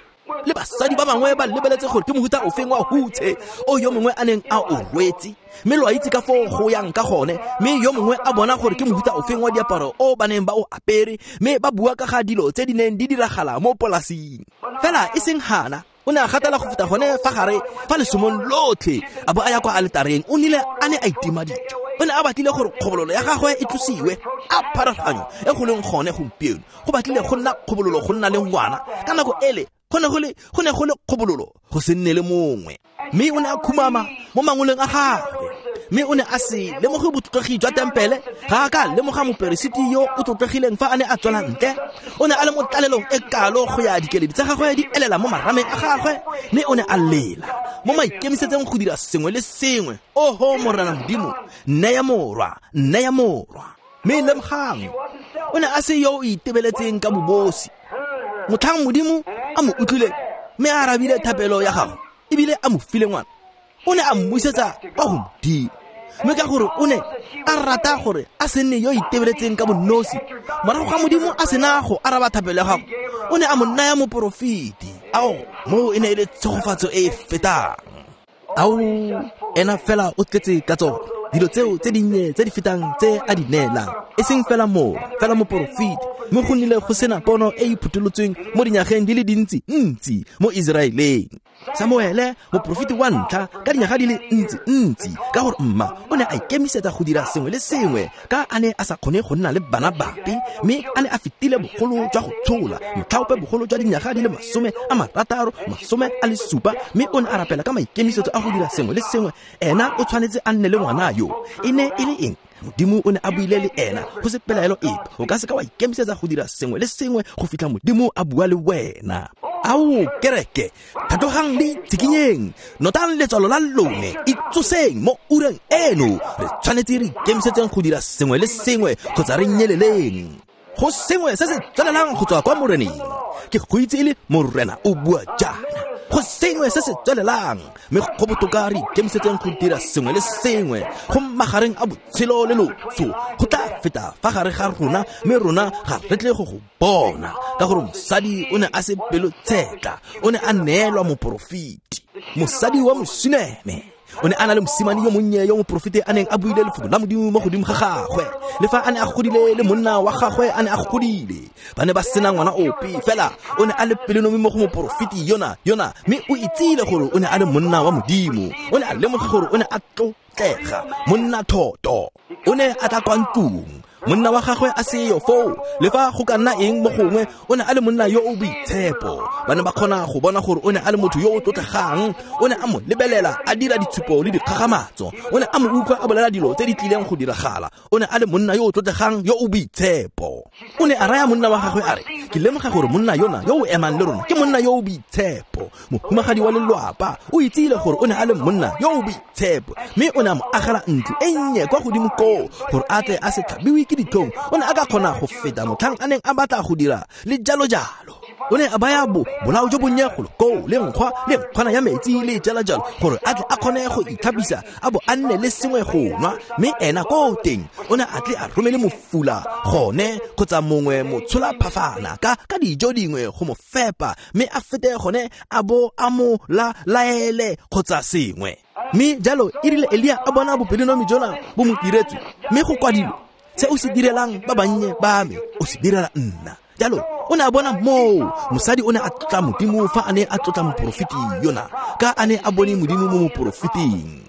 B: Le basadi ba bangwe ba lebeletse gore ke mohuta ofeng wa hutshe o yo mongwe a neng a o rwetse, mme lo a itse ka foo go yang ka gone. Mme yo mongwe a bona gore ke mohuta ofeng wa diaparo o ba neng ba o apere, mme ba bua ka ga dilo tse di neng di diragala mo polasing. Fela e seng Hana, o ne a gatela go feta gone fa gare fa lesomong lotlhe, a bo a ya kwa aletareng. O nile a ne a itima dijo. O ne a batlile gore kgobololo ya gagwe e tlosiwe, a pharologanyo e go leng gone gompieno. Go batlile go nna kgobololo go nna le ngwana ka nako ele, go ne go le go ne go le kgobololo go se nne le mongwe. Mme o ne a khumama mo mangoleng a gagwe, mme o ne a se lemoge botlotlegi jwa tempele. Ga a ka lemoga moperesiti yo o tlotlegileng fa a ne a tswela ntle. O ne a le mo tlalelong e kalo go ya dikeledi tsa gagwe di elela mo marameng a gagwe, mme o ne a lela mo maikemisetseng go dira sengwe le sengwe. Oho Morena Modimo, nneya morwa, nneya morwa. Mme lemogang, o ne a se yo o itebeletseng ka bobosi. Motlhang Modimo a mo utlwile mme a arabile thapelo ya gagwe, ebile a mo file ngwana, o ne a mmusetsa kwa go Modimo. Mme ka gore o ne a rata gore a se nne yo itebeletseng ka bonosi, morago ga Modimo a sena go araba thapelo ya gagwe, o ne a mo naya moporofeti. Ao, moo e ne e le tshegofatso e e fetang. Ao, ena fela o tletse ka tsone dilo tseo tse dinnye tse di fetang tse a di neelang, e seng fela moo, fela moporofeti. Mme go nnile go sena pono e e phutolotsweng mo dinyageng di le dintsi ntsi mo Iseraeleng. Samuele, moporofeti wa ntlha ka dinyaga di le ntsi ntsi, ka gore mma o ne a ikemisetsa go dira sengwe le sengwe ka a ne a sa kgone go nna le bana bape, mme a ne a fetile bogolo jwa go tshola motlhaope bogolo jwa dinyaga di le masome a marataro, masome a le supa, mme o ne a rapela ka maikemisetso a go dira sengwe le sengwe. Ena o tshwanetse a nne le ngwana yo. E ne e le eng? Modimo o ne a buile le ena go se pelaelo epe. O ka se ka wa ikemisetsa go dira sengwe le sengwe go fitlha Modimo a bua le wena. Ao kereke, tlhatlogang le itshikinyeng, notang letswalo la lone, itsoseng mo ureng eno. Re tshwanetse re ikemisetseng go dira sengwe le sengwe kgotsa re nyeleleng. Go sengwe se se tswelelang go tswa kwa Moreneng. Ke go itse e le Morena o bua jaana. Go sengwe se se tswelelang, mme go botoka re ikemisetseng go dira sengwe le sengwe go magareng a botshelo le loso. Go tla feta fa gare ga rona, mme rona ga re tle go go bona, ka gore mosadi o ne a se pelotshetla, o ne a neelwa moporofeti. Mosadi wa Mosuneme o ne a na le mosimane yo monnye yo moporofeti a neng a buile lefoko la Modimo mo godimo ga gagwe. Le fa a ne a godile le monna wa gagwe a ne a godile, ba ne ba sena ngwana ope, fela o ne a le pelonomi mo go moporofeti yona yona, mme o itsile gore o ne a le monna wa Modimo. O ne a lemoga gore o ne a tlotlega, monna thoto. O ne a tla kwa ntlong, monna wa gagwe a seyo foo, le fa go ka nna eng mo gongwe, o ne a le monna yo o boitshepo. Ba ne ba kgona go bona gore o ne a le motho yo o tlotlegang. O ne a mo lebelela a dira ditshupo le dikgagamatso. O ne a mo utlwa a bolela dilo tse di tlileng go diragala. O ne a le monna yo o tlotlegang, yo o boitshepo. O ne a raya monna wa gagwe a re, ke lemoga gore monna yona yo o emang le rona ke monna yo o boitshepo. Mohumagadi wa lelwapa o itsile gore o ne a le monna yo o boitshepo, mme o ne a mo agela ntlo e nnye kwa godimo koo gore a tle a se tlhabiwe ke ditlhong. O ne a ka kgona go feta motlhang a neng a batla go dira le jalo jalo. O ne a baya bo bolao jo bonnye golo koo, le nkgwa le nkgwana ya metsi le jalo jalo, gore a tle a kgone go itlhapisa a bo a nne le sengwe go nwa. Mme ena ko teng o ne a tle a romele mofula gone kgotsa mongwe motshola phafana ka ka dijo dingwe go mo fepa, mme a fete gone a bo a mo la laele kgotsa sengwe. Mme jalo e rile Elia a bona bopelonomi jona bo mo diretswe, mme go kwadilwe, se o se direlang ba bannye ba me o se direla nna. Jalo o ne a bona moo mosadi o ne a tlotla Modimo fa a ne a tlotla moporofeti yona, ka a ne a bone Modimo mo moporofeting.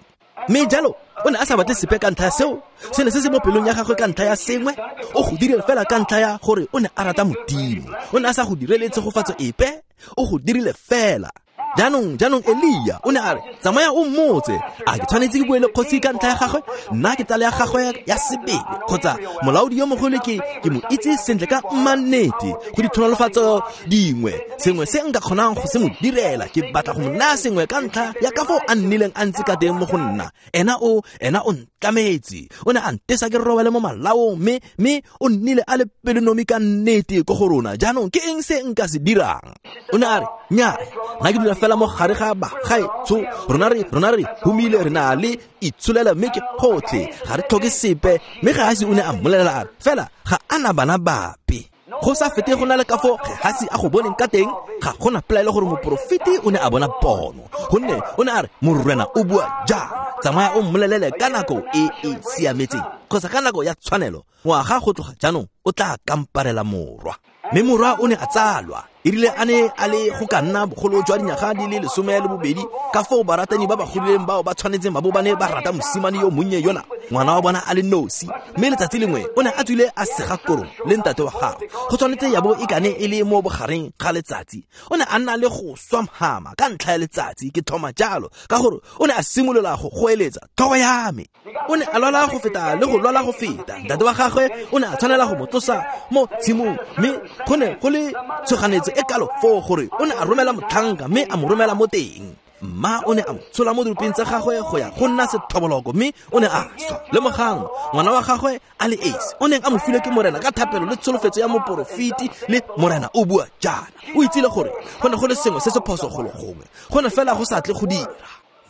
B: Mme jalo o ne a sa batle sepe ka ntlha ya seo, se ne se se mo pelong ya gagwe ka ntlha ya sengwe. O go dirile fela ka ntlha ya gore o ne a rata Modimo. O ne a sa go direle tshegofatso epe, o go dirile fela. Jaanong jaanong Elia o ne a re, tsamaya o mmotse, a ke tshwanetse ke bue le kgosi ka ntlha ya gagwe? Nna ke tsala ya gagwe ya sebele, kgotsa molaodi yo mogolo ke ke mo itse sentle ka mmannete go ditlhonolofatso dingwe, sengwe se nka kgonang go se mo direla. Ke batla go mo naya sengwe ka ntlha ya ka foo a nnileng a ntse ka teng mo go nna. Ena o ena o ntlametse, o ne a ntesa ke robale mo malaong, mme mme o nnile a le pelonomi ka nnete ko go rona. Jaanong ke eng se nka se dirang? O ne a re, nnyaa, nna ke dula fela mo gare ga bagaetsho, rona re rona re humile, re na le itsholela, mme ke gotlhe, ga re tlhoke sepe. Mme Gehasi o ne a mmolelela a re, fela ga a na bana bape. Go sa fete go na le ka foo Gehasi a go boneng ka teng, ga gona pelaelo gore moporofeti o ne a bona pono, gonne o ne a re, Morena o bua jaana, tsamaya o mmolelele ka nako e e siametseng kgotsa ka nako ya tshwanelo, ngwaga go tloga jaanong o tla kamparela morwa. Mme morwa o ne a tsalwa. E rile a ne a le go ka nna bogolo jwa dinyaga di le lesome le bobedi, ka foo baratani ba ba godileng bao ba tshwanetseng ba bo ba ne ba rata mosimane yo monnye yona, ngwana wa bona a le nosi. Mme letsatsi lengwe o ne a tswile a sega korong le ntate wa gagwe, go tshwanetse ya bo e kane e le mo bogareng ga letsatsi. O ne a nna le go swa mhama ka ntlha ya letsatsi, ke thoma jalo, ka gore o ne a simolola go goeletsa, tlhogo ya me. O ne a lwala go feta le go lwala go feta. Ntate wa gagwe o ne a tshwanela go mo tlosa mo tshimong, mme go ne go le tshoganetso e kalo foo gore o ne a romela motlhanka, mme a mo romela mo teng. Mma o ne a mo tshola mo dirupeng tsa gagwe go ya go nna sethoboloko, mme o ne a swa. Lemogang, ngwana wa gagwe a le esi o neng a mo filwe ke Morena ka thapelo le tsholofetso ya moporofeti, le Morena o bua jaana. O itsile gore go ne go le sengwe se se phoso golo gongwe, go ne fela go sa tle go dira.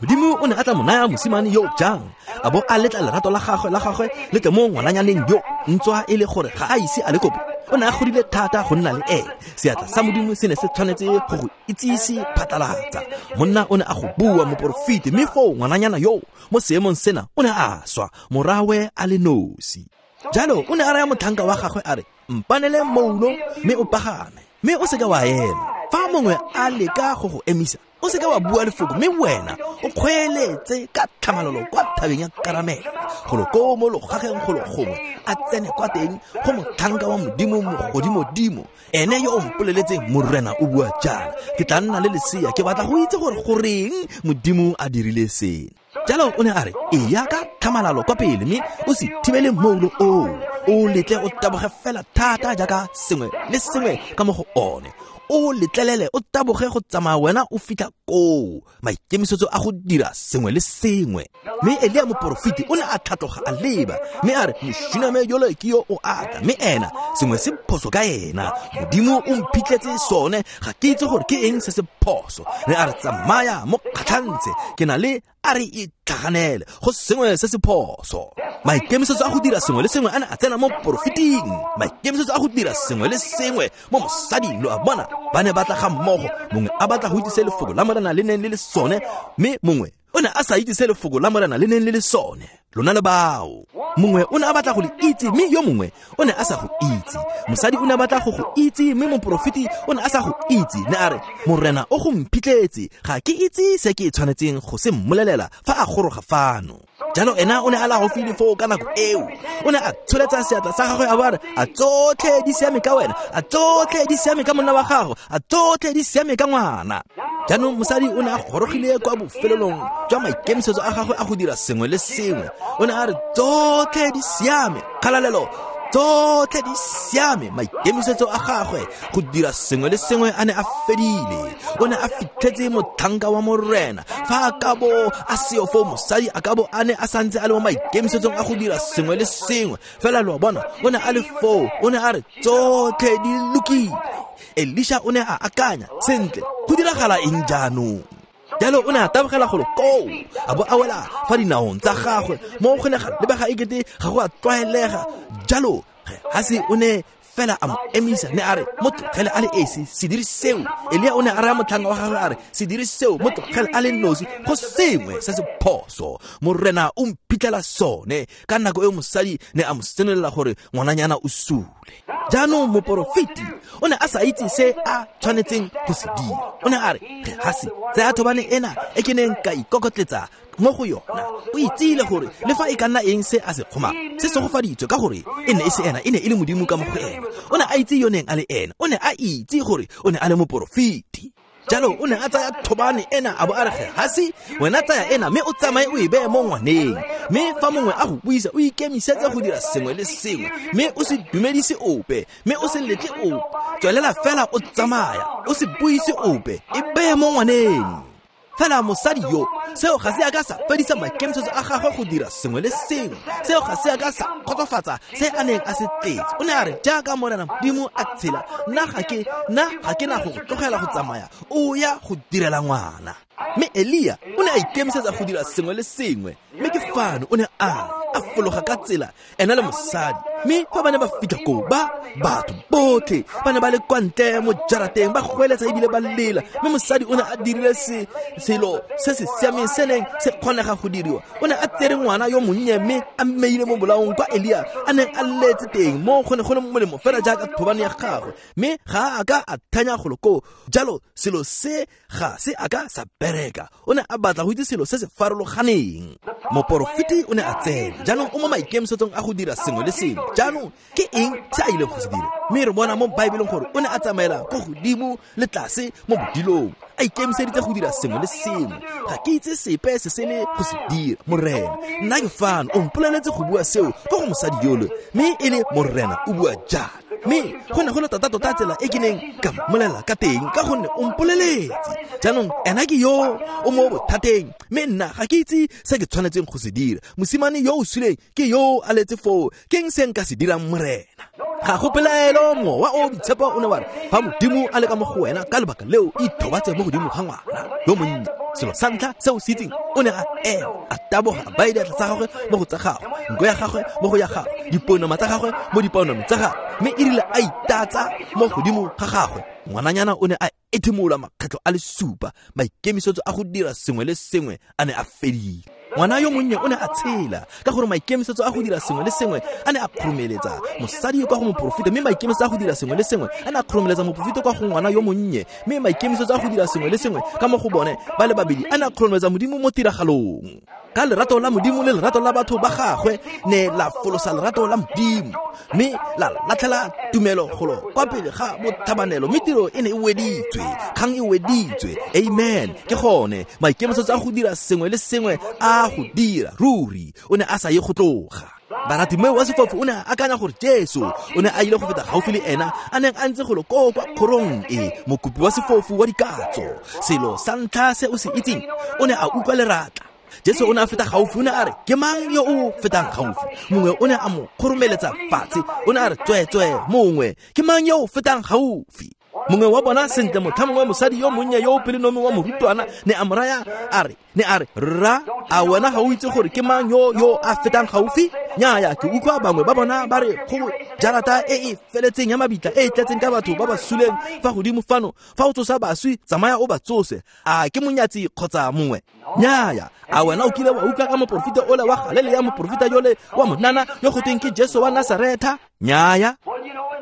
B: Modimo o ne a tla mo naya mosimane yo jang, a bo a letla lerato la gagwe la gagwe le tle mo ngwananyaneng yo, ntswa e le gore ga a ise a le kope. O ne a godile thata go nna le ene. Seatla sa Modimo se ne se tshwanetse go go itsise phatlalatsa. Monna o ne a go bua moporofeti, mme foo ngwananyana yo mo seemong sena o ne a swa, morawe a le nosi. Jalo o ne a raya motlhanka wa gagwe a re, mpanele moulo mme o pagame, mme o seka wa ema. Fa mongwe a leka go go emisa, o seka wa bua lefoko, mme wena o kgweeletse ka tlhamalalo kwa thabeng ya Karamele, golo koo mo logageng golo gongwe, a tsene kwa teng go motlhanka wa Modimo mogodimodimo, ene yo o mpoleletseng, Morena o bua jaana, ke tla nna le lesea, ke batla go itse gore goreng Modimo a dirile sena. Jalo o ne a re, eya ka tlhamalalo kwa pele mme o se thibele moulo oo, o letle o taboge fela thata jaaka sengwe le sengwe ka mo go one. O letlelele o taboge go tsamaya wena o fitlha koo. Maikemisetso a go dira sengwe le sengwe. Mme Elia moporofeti o ne a tlhatloga a leba, mme a re, mošuname yole ke yo o atla, mme ena sengwe se phoso ka ena. Modimo o mphitlhetse sone, ga ke itse gore ke eng se se phoso. Ne a re, tsamaya mo kgatlhantshe, ke na le a re itlhaganele go sengwe se se phoso. Maikemisetso a go dira sengwe le sengwe a ne a tsena mo porofeting. Maikemisetso a go dira sengwe le sengwe mo mosading, lo a bona, ba ne ba tla ga mmogo. Mongwe a batla go itse se lefoko la Morena le neng le le sone, mme mongwe o ne a sa itse se lefoko la Morena le neng le le sone. Lona le bao. Mongwe o ne a batla go le itse, mme yo mongwe o ne a sa go itse. Mosadi o ne a batla go go itse, mme moporofeti o ne a sa go itse. Ne a re, Morena o go mphitlhetse, ga ke itse se ke tshwanetseng go se mmolelela fa a goroga fano. Jalo ena o ne a la gaufi le foo ka nako eo. O ne a tsholetsa seatla sa gagwe a bo a re, a tsotlhe di siame ka wena, a tsotlhe di siame ka monna wa gago, a tsotlhe di siame ka ngwana. Jaanong mosadi o ne a gorogile kwa bofelelong jwa maikemisetso a gagwe a go dira sengwe le sengwe. O ne a re, tsotlhe di siame, kgalalelo, tsotlhe di siame. Maikemisetso a gagwe go dira sengwe le sengwe a ne a fedile. O ne a fitlhetse motlhanka wa Morena. Fa a ka bo a seo foo, mosadi a ka bo a ne a santse a le mo maikemisetsong a go dira sengwe le sengwe. Fela lo a bona, o ne a le foo, o ne a re, tsotlhe di lokile. Elisha o ne a akanya, sentle, go diragala eng jaanong? Jalo o ne a tabogela golo koo, a bo a wela fa dinaong tsa gagwe, mo go ne ga lebega ekete ga go a tlwaelega. Jalo Gehasi o ne fela a mo emisa, ne a re, mo tlogele a le esi, se dire seo. Elia o ne a raya motlhanka wa gagwe a re, se dire seo, mo tlogele a le nosi, go sengwe se se phoso. Morena o mphitlhela sone. Ka nako eo mosadi ne a mo senolela gore ngwananyana o sule. Jaanong moporofeti o ne a sa itse se a tshwanetseng go se dira. O ne a re, Gehasi, tsaya thobane ena e ke neng ka ikokotletsa mo go yona. O itsile gore le fa e ka nna eng se a se kgomang, se segofaditswe, ka gore e ne e se ena, e ne e le Modimo ka mo go ena. O ne a itse yo neng a le ena, o ne a itse gore o ne a le moporofeti. Jalo o ne a tsaya thobane ena a bo a re, Gehasi, wena tsaya ena mme o tsamaye o e beye mo ngwaneng. Mme fa mongwe a go buisa, o ikemisetse go dira sengwe le sengwe, mme o se dumedise ope, mme o se letle ope. Tswelela fela o tsamaya, o se buise ope, e beye mo ngwaneng. Fela mosadi yo, seo ga se a ka sa fedisa maikemisetso a gagwe go dira sengwe le sengwe. Seo ga se a ka sa kgotsofatsa se a neng a se tletse. O ne a re, jaaka Morena Modimo a tshela, nna ga ke nna ga ke na go go tlogela go tsamaya, o ya go direla ngwana. Mme Elia o ne a ikemisetsa go dira sengwe le sengwe. Mme ke fano o ne a a fologa ka tsela ena le mosadi. Mme fa ba ne ba fitlha koo, ba batho botlhe ba ne ba le kwa ntle mo jarateng, ba goeletsa ebile ba lela. Mme mosadi o ne a dirile se selo se se siameng se neng se kgonega go diriwa. O ne a tsere ngwana yo monnye mme a mmeile mo bolaong kwa Elia a neng a letse teng, mo go ne go le molemo fela jaaka thobane ya gagwe. Mme ga a ka a thanya golo koo. Jalo selo se ga se a ka sa bereka. O ne a batla go itse selo se se farologaneng. Moporofeti o ne a tsena. Jaanong o mo maikemisetsong a go dira sengwe le sengwe. Jaanong ke eng se a ileng go se dira? Mme re bona mo Baebeleng gore o ne a tsamaela ko godimo le tlase mo bodilong, a ikemiseditse go dira sengwe le sengwe. Ga ke itse sepe se se le go se dira, Morena. Nna ke fano, o mpoleletse go bua seo ko go mosadi yole, mme e le Morena o bua jalo. Mme go ne go le tota-tota tsela e ke neng ka mmolelela ka teng, ka gonne o mpoleletse. Jaanong ena ke yo o mo bothateng, mme nna ga ke itse se ke tshwanetseng go se dira. Mosimane yo o suleng ke yo a letse foo, ke eng se nka se dirang, Morena? Ga go pelaelo, mowa o boitshepo o ne wa re, fa Modimo a le ka mo go wena, ka lebaka leo ithobatse mo godimo ga ngwana yo monnye. Selo sa ntlha se o se itseng, o ne a ema, a taboga, a baya diatla tsa gagwe mo go tsa gagwe, nko ya gagwe mo go ya gagwe, dipounama tsa gagwe mo dipounameng tsa gagwe. Mme e rile a itatsa mo godimo ga gagwe, ngwananyana o ne a ethimola makgetlho a le supa. Maikemisetso a go dira sengwe le sengwe a ne a fedile. Ngwana yo monnye o ne a tshela, ka gore maikemisetso a go dira sengwe le sengwe a ne a kgoromeletsa mosadi kwa go moporofeta, mme maikemisetso a go dira sengwe le sengwe a ne a kgoromeletsa moporofeta kwa go ngwana yo monnye, mme maikemisetso a go dira sengwe le sengwe ka mo go bone ba le babedi a ne a kgoromeletsa Modimo mo tiragalong. Ka lerato la Modimo le lerato la batho ba gagwe ne la folosa lerato la Modimo, mme la latlhela tumelo golo kwa pele ga botlhabanelo, mme tiro e ne e weditswe, kgang e weditswe. Amen. Ke gone maikemisetso a go dira sengwe le sengwe a a go dira ruri o ne a sa ye go tloga. Baratimeo wa sefofu o ne a akanya gore Jesu o ne a ile go feta gaufi le ena a neng a ntse golo koo kwa kgorong e, mokopi wa sefofu wa dikatso. Selo sa ntlha se o se itseng, o ne a utlwa leratla. Jesu o ne a feta gaufi, o ne a re, ke mang yo o fetang gaufi? Mongwe o ne a mo kgoromeletsa fatshe, o ne a re, tsweetswee, mongwe, ke mang yo o fetang gaufi? Mongwe wa bona sentle motlha mongwe mosadi yo monnye yo o pelonomi wa morutwana ne a mo raya a re, ne a re, rra, a wena ga o itse gore ke mang yo yo a fetang gaufi? Nnyaya, ke utlwa bangwe ba bona ba re go jarata e e feletseng ya mabitla e e tletseng ka batho ba ba suleng fa godimo fano, fa o tsosa baswi, tsamaya o ba tsose. A ke monyatsi kgotsa mongwe? Nnyaya, a wena o kile wa utlwa ka moporofeta ole wa Galilea, moporofeta yole wa monana yo go tweng ke Jesu wa Nasaretha? Nnyaya.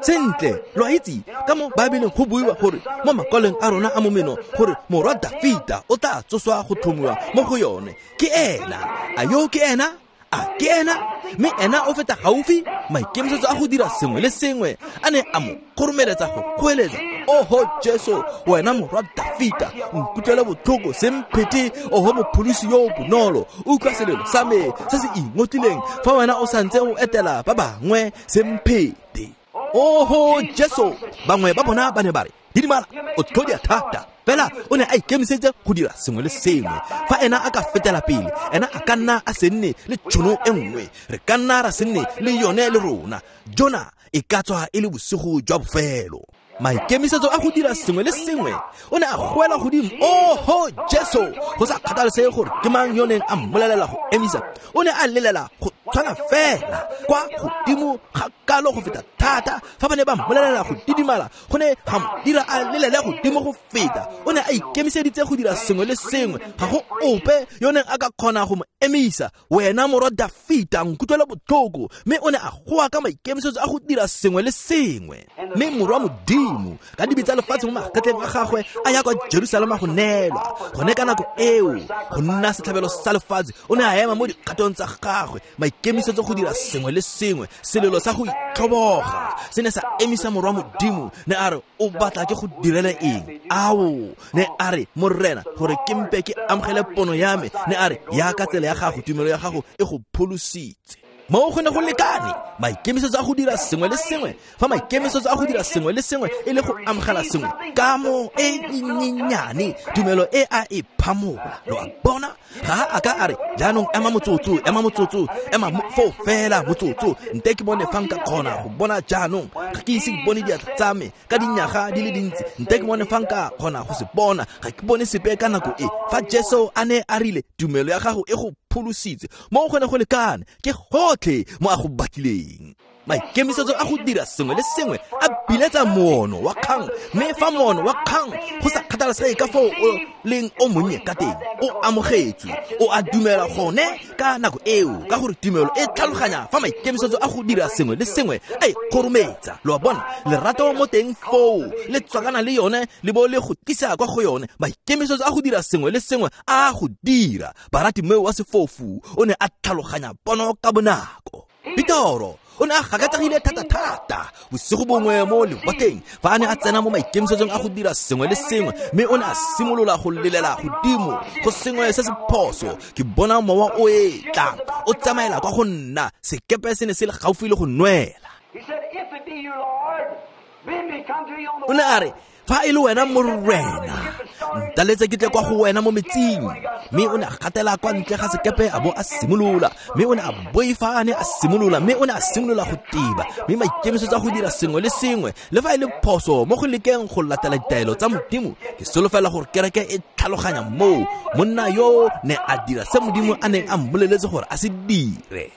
B: Sentle, lo a itse ka mo Baebeleng go buiwa gore mo makwalong a rona a momeno gore morwa Dafita o tla tsoswa go tlhomiwa mo go yone. Ke ena. A yo ke ena? A ke ena? Mme ena o feta gaufi, maikemisetso a go dira sengwe le sengwe a ne a mo kgoromeletsa go goeletsa, oho Jesu, wena morwa Dafita, nkutlwele botlhoko, se mphete, oho mopholosi yo o bonolo, utlwa selelo sa me se se ingotlileng, fa wena o santse o etela ba bangwe, se mphete. Oho Jesu. Bangwe ba bona ba ne ba re, didimala, o tlhodia thata. Fela o ne a ikemiseditse go dira sengwe le sengwe. Fa ena a ka fetela pele, ena a ka nna a se nne le tšhono e nngwe, re ka nna ra se nne le yone le rona. Jona e ka tswa e le bosigo jwa bofelo. Maikemisetso a go dira sengwe le sengwe, o ne a goela godimo, oho Jesu, go sa kgathalesege gore ke mang yo neng a mmolelela go emisa, o ne a lelela go tshwana fela kwa godimo ga kalo go feta thata. Fa ba ne ba mmolelela go didimala, go ne ga mo dira a lelele godimo go feta. O ne a ikemiseditse go dira sengwe le sengwe, ga go ope yo neng a ka kgona go mo emisa. Wena morwa Dafita, nkutlwele botlhoko. Mme o ne a goa ka maikemisetso a go dira sengwe le sengwe. Mme morwa Modimo, ka dibe tsa lefatshe mo magetleng a gagwe, a ya kwa Jerusalema go neelwa. Gone ka nako eo, go nna setlhabelo sa lefatshe, o ne a ema mo dikgatong tsa gagwe, maikemisetso go dira sengwe le sengwe. Selelo sa go itlhoboga se ne sa emisa morwa Modimo. Ne a re, o batla ke go direle eng? Ao, ne a re, Morena, gore ke mpe ke amogele pono ya me. Ne a re, ya ka tsela ya gago, tumelo ya gago e go pholositse. Mo go ne go lekane, maikemisetso a go dira sengwe le sengwe. Fa maikemisetso a go dira sengwe le sengwe e le go amogela sengwe ka mo e nyenyane, tumelo e a e phamola. Lo a bona? Ga a ka a re, jaanong ema motsotso, ema motsotso, ema foo fela motsotso, nte ke bone fa nka kgona go bona jaanong. Ga ke ise ke bone diatla tsa me ka dinyaga di le dintsi, nte ke bone fa nka kgona go se bona. Ga ke bone sepe ka nako e. Fa Jesu a ne a rile, tumelo ya gago e go pholositse, mo go ne go lekane, ke gotlhe mo a go batlileng. Maikemisetso a go dira sengwe le sengwe a biletsa moono wa kgang, mme fa moono wa kgang go sa kgathalesege ka foo o leng o monnye ka teng, o amogetswe, o a dumela gone ka nako eo, ka gore tumelo e tlhaloganya fa maikemisetso a go dira sengwe le sengwe a e kgorometsa. Lo a bona? Lerato mo teng foo le tswakana le yone le bo le go tlisa kwa go yone. Maikemisetso a go dira sengwe le sengwe a go dira. Baratimeo wa sefofu o ne a tlhaloganya pono ka bonako. Petoro o ne a gakatsegile thata-thata bosigo bongwe mo lewatleng fa a ne a tsena mo maikemisetsong a go dira sengwe le sengwe, mme o ne a simolola go lelela godimo go sengwe se se phoso. Ke bona mowa o e tla o tsamaela kwa go nna, sekepe se ne se le gaufi le go nwela. O ne a re, fa e le wena Morena, ntaletse ke tle kwa go wena mo metsing. Mme o ne a gatela kwa ntle ga sekepe a bo a simolola, mme o ne a boifa a ne a simolola, mme o ne a simolola go tiba. Mme maikemisetso a go dira sengwe le sengwe, le fa e le phoso mo go lekeng go latela ditaelo tsa Modimo, ke solofela gore kereke e tlhaloganya moo monna yo ne a dira se Modimo a neng a mmoleletse gore a se dire.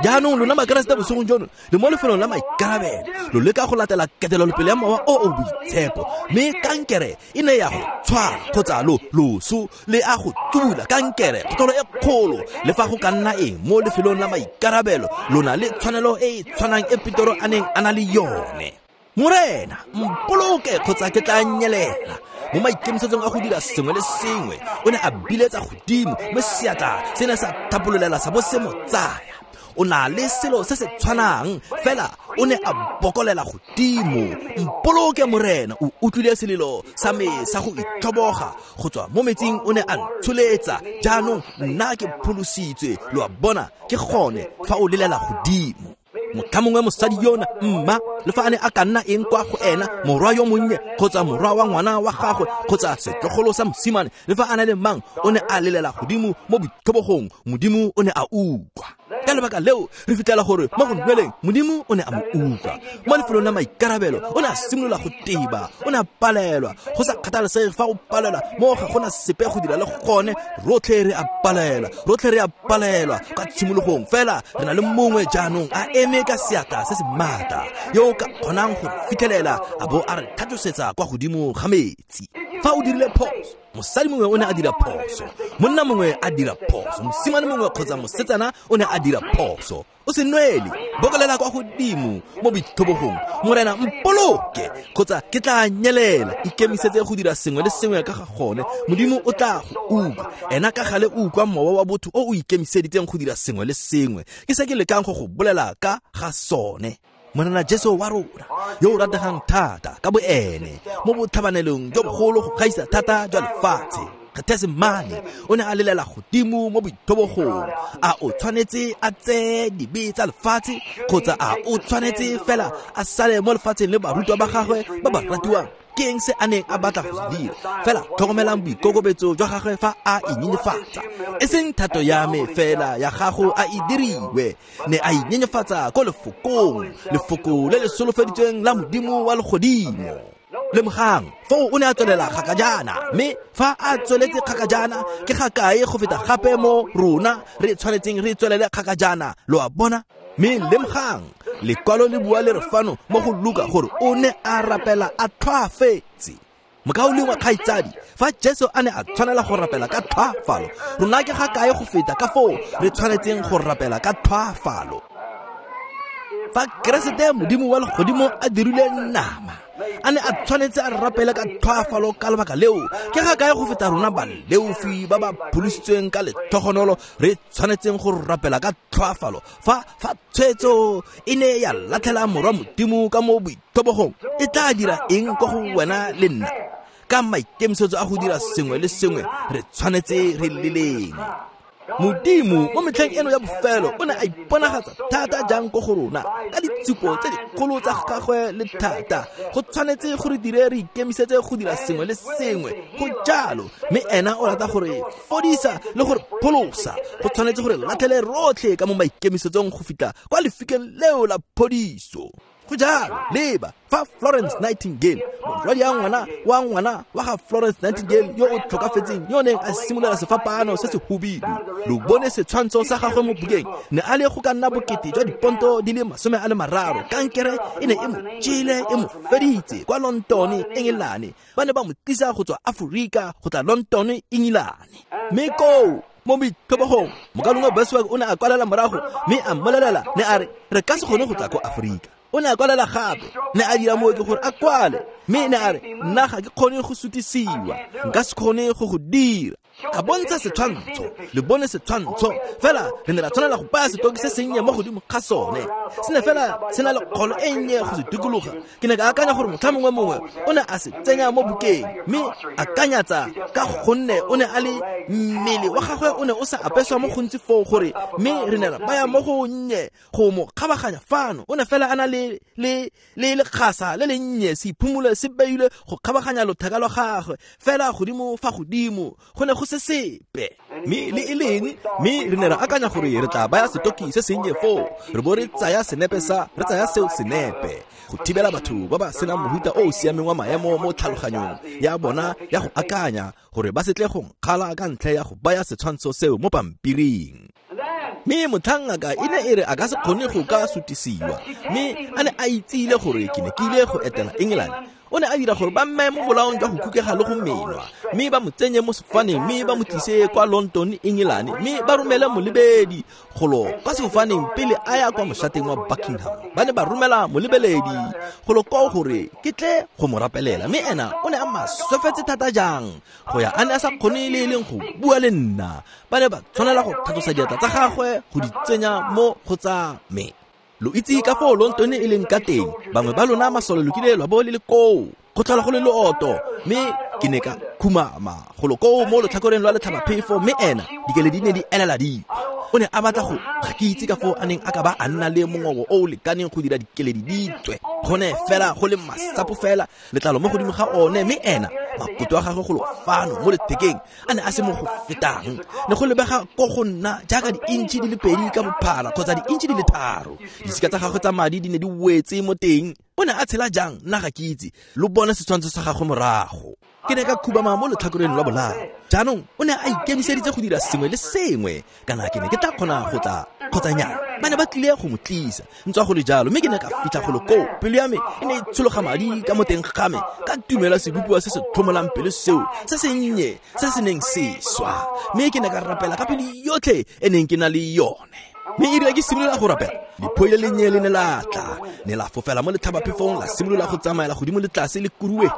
B: Jaanong lona Makeresete bosigong jono le mo lefelong la maikarabelo, lo leka go latela ketelelopele ya mowa o o boitshepo, mme kankere e ne ya go tshwara kgotsa lo loso le a go tsubula kankere, kgotolo e kgolo. Le fa go ka nna eng mo lefelong la maikarabelo, lona le tshwanelo e e tshwanang e Petoro a neng a na le yone. Morena, mpoloke kgotsa ke tla nyelela. Mo maikemisetsong a go dira sengwe le sengwe, o ne a biletsa godimo, mme seatla se ne sa thapololela sa bo se mo tsaya. O na le selo se se tshwanang, fela o ne a bokolela godimo. Mpoloke Morena, o utlwile selelo sa me sa go itlhoboga go tswa mo metsing, o ne a ntsholetsa. Jaanong nna ke pholositswe. Lo a bona, ke gone fa o lelela godimo. Motlha mongwe mosadi yona mma, le fa a ne a ka nna eng kwa go ena, morwa yo monnye kgotsa morwa wa ngwana wa gagwe kgotsa setlogolo sa mosimane, le fa a na le mang, o ne a lelela godimo mo boitlhobogong. Modimo o ne a utlwa. Ka lebaka leo re fitlhela gore mo go nweleng Modimo o ne a mo utlwa. Mo lefelong la maikarabelo o ne a simolola go teba, o ne a palelwa. Go sa kgathalesege fa o palelwa mo ga gona sepe go dira le gone, rotlhe re a palelwa, rotlhe re a palelwa ka tshimologong. Fela re na le mongwe jaanong a eme ka seatla se se maatla yo o ka kgonang go fitlhelela a bo a re tlhatlosetsa kwa godimo ga metsi. Fa o dirile phoso, mosadi mongwe o ne a dira phoso, monna mongwe a dira phoso, mosimane mongwe kgotsa mosetsana o ne a dira phoso, o se nwele, bokolela kwa godimo mo boitlhobogong. Morena mpoloke kgotsa ke tla nyelela. Ikemisetse go dira sengwe le sengwe ka ga gone. Modimo o tla go utlwa. Ena ka gale o utlwa mowa wa botho o o ikemiseditseng go dira sengwe le sengwe. Ke se ke lekang go go bolela ka ga sone. Morena Jesu wa rona yo o rategang thata ka boene mo botlhabanelong jo bogolo go gaisa thata jwa lefatshe, Gethsemane, o ne a lelela godimo mo boitlhobogong. A o tshwanetse a tseye dibe tsa lefatshe kgotsa a o tshwanetse fela a sale mo lefatsheng le barutwa ba gagwe ba ba ratiwang? Ke eng se a neng a batla go se dira? Fela tlhokomelang boikokobetso jwa gagwe fa a inyenyefatsa. E seng thato ya me fela, ya gago a e diriwe. Ne a inyenyefatsa ko lefokong, lefoko le le solofeditsweng la Modimo wa legodimo. Lemogang, foo o ne a tswelela kgakajana, mme fa a tsweletse kgakajana ke ga kae go feta gape mo rona re tshwanetseng re tswelele kgakajana. Lo a bona? Mme lemogang, lekwalo le bua le re fano mo go Luka gore o ne a rapela a tlhoafetse. Mokaulengwe kgaitsadi, fa Jesu a ne a tshwanela go rapela ka tlhoafalo, rona ke ga kae go feta ka foo re tshwanetseng go rapela ka tlhoafalo? Fa Keresete Modimo wa legodimo a dirile nama, a ne a tshwanetse a rapele ka tlhoafalo ka lebaka leo, ke ga kae go feta rona baleofi ba ba pholositsweng ka letlhogonolo re tshwanetseng go rapela ka tlhoafalo? Fa fa tshwetso e ne ya latlhela morwa Modimo ka mo boitlhobogong, e tla dira eng ko go wena le nna? Ka maikemisetso a go dira sengwe le sengwe re tshwanetse re leleng. Modimo mo metlheng eno ya bofelo o ne a iponagatsa thata jang ko go rona ka ditshupo tse dikgolo tsa gagwe le thata. Go tshwanetse gore dire re ikemisetse go dira sengwe le sengwe go jalo, mme ena o rata gore fodisa le gore pholosa. Go tshwanetse gore latlhele rotlhe ka mo maikemisetsong go fitlha kwa lefikeng leo la phodiso. Go jalo, leba fa Florence Nightingale, morwadi ya ngwana wa ngwana wa ga Florence Nightingale yo o tlhokafetseng, yo neng a simolola sefapaano se se hubidu. Lo bone setshwantsho sa gagwe mo bukeng, ne a le go ka nna bokete jwa diponto di le masome a le mararo. Kankere e ne e mo jele, e mo feditse kwa London, England. Ba ne ba mo tlisa go tswa Aforika go tla London, England. Mme koo mo boitlhobogong, mokalongwe Bosworth o ne a kwalela morago mme a mmolelela, ne a re re ka se kgone go tla ko Aforika. O ne a kwalela gape, ne a dira mooki gore a kwale, mme ne a re nna ga ke kgone go sutisiwa, nka se kgone go go dira. A bontsha setshwantsho, le bone setshwantsho, fela re ne ra tshwanela go baya setoki se sennye mo godimo ga sone. Se ne fela se na le kgolo e nnye go se dikologa. Ke ne ka akanya gore motlha mongwe mongwe o ne a se tsenya mo bukeng, mme akanyatsa ka gonne o ne a le mmele wa gagwe o ne o sa apeswa mo gontsi foo gore, mme re ne ra baya mo go nnye go mo kgabaganya fano. O ne fela a na le le le lekgasa le le nnye, seiphumolo se beilwe go kgabaganya lotheka lwa gagwe fela godimo fa godimo, go ne go se sepe. Mme le e leng, mme re ne ra akanya gore re tla baya setoki se sennye foo, re bo re tsaya senepe sa re tsaya seo senepe go thibela batho ba ba senang mohuta o o siameng wa maemo mo tlhaloganyong ya bona ya go akanya gore ba se tle go nkgala ka ntlha ya go baya setshwantsho seo mo pampiring. Mme motlhangaka e ne e re a ka se kgone go ka sutisiwa, mme a ne a itsile gore ke ne ke ile go etela England. O ne a dira gore ba mmeye mo bolaong jwa go kukega le go menwa, mme ba mo tsenye mo sefofaneng, mme ba mo tlise kwa London, England, mme ba romele molebedi golo kwa sefofaneng pele a ya kwa moshateng wa Buckingham. Ba ne ba romela molebeledi golo koo gore ke tle go mo rapelela, mme ena o ne a maswefetse thata jang go ya a ne a sa kgone le e leng go bua le nna. Ba ne ba tshwanela go tlhatlosa diatla tsa gagwe go di tsenya mo go tsa me. Lo itse ka foo London e leng ka teng, bangwe ba lona masole lo kile lwa bo le le koo, go tlhola go le looto, mme ke ne ka khumama golo koo mo lotlhakoreng lwa letlhabaphefo, mme ena dikeledi di ne di elela di. O ne a batla go ga ke itse ka foo a neng a ka ba a nna le mongobo o o lekaneng go dira dikeledi di tswe, gone fela go le masapo fela letlalo mo godimo ga one, mme ena makoto a gagwe golo fano mo lethekeng a ne a se mo go fetang. Ne go lebega ko go nna jaaka di-inch di le pedi ka bophara kgotsa di-inch di le tharo. Disika tsa gagwe tsa madi di ne di wetse mo teng. O ne a tshela jang nna ga ke itse, lo bone setshwantsho sa gagwe morago. Ke ne ka khubama mo letlhakoreng lwa bolao. Jaanong o ne a ikemiseditse go dira sengwe le sengwe, kana ke ne ke tla kgona go tla kgotsa nnyaa. Ba ne ba tlile go mo tlisa ntswa go le jalo, mme ke ne ka fitlha golo koo. Pelo ya me e ne e tshologa madi ka mo teng ga me, ka tumela sebopiwa se se tlhomolang pelo seo se sennye se se neng se swa, mme ke ne ka rapela ka pelo yotlhe e neng ke na le yone. Mme e rile ke simolola go rapela, lephoi le lennye le ne la tla, ne la fofela mo letlhabaphefong, la simolola go tsamaela godimo le tlase le kuruetsa.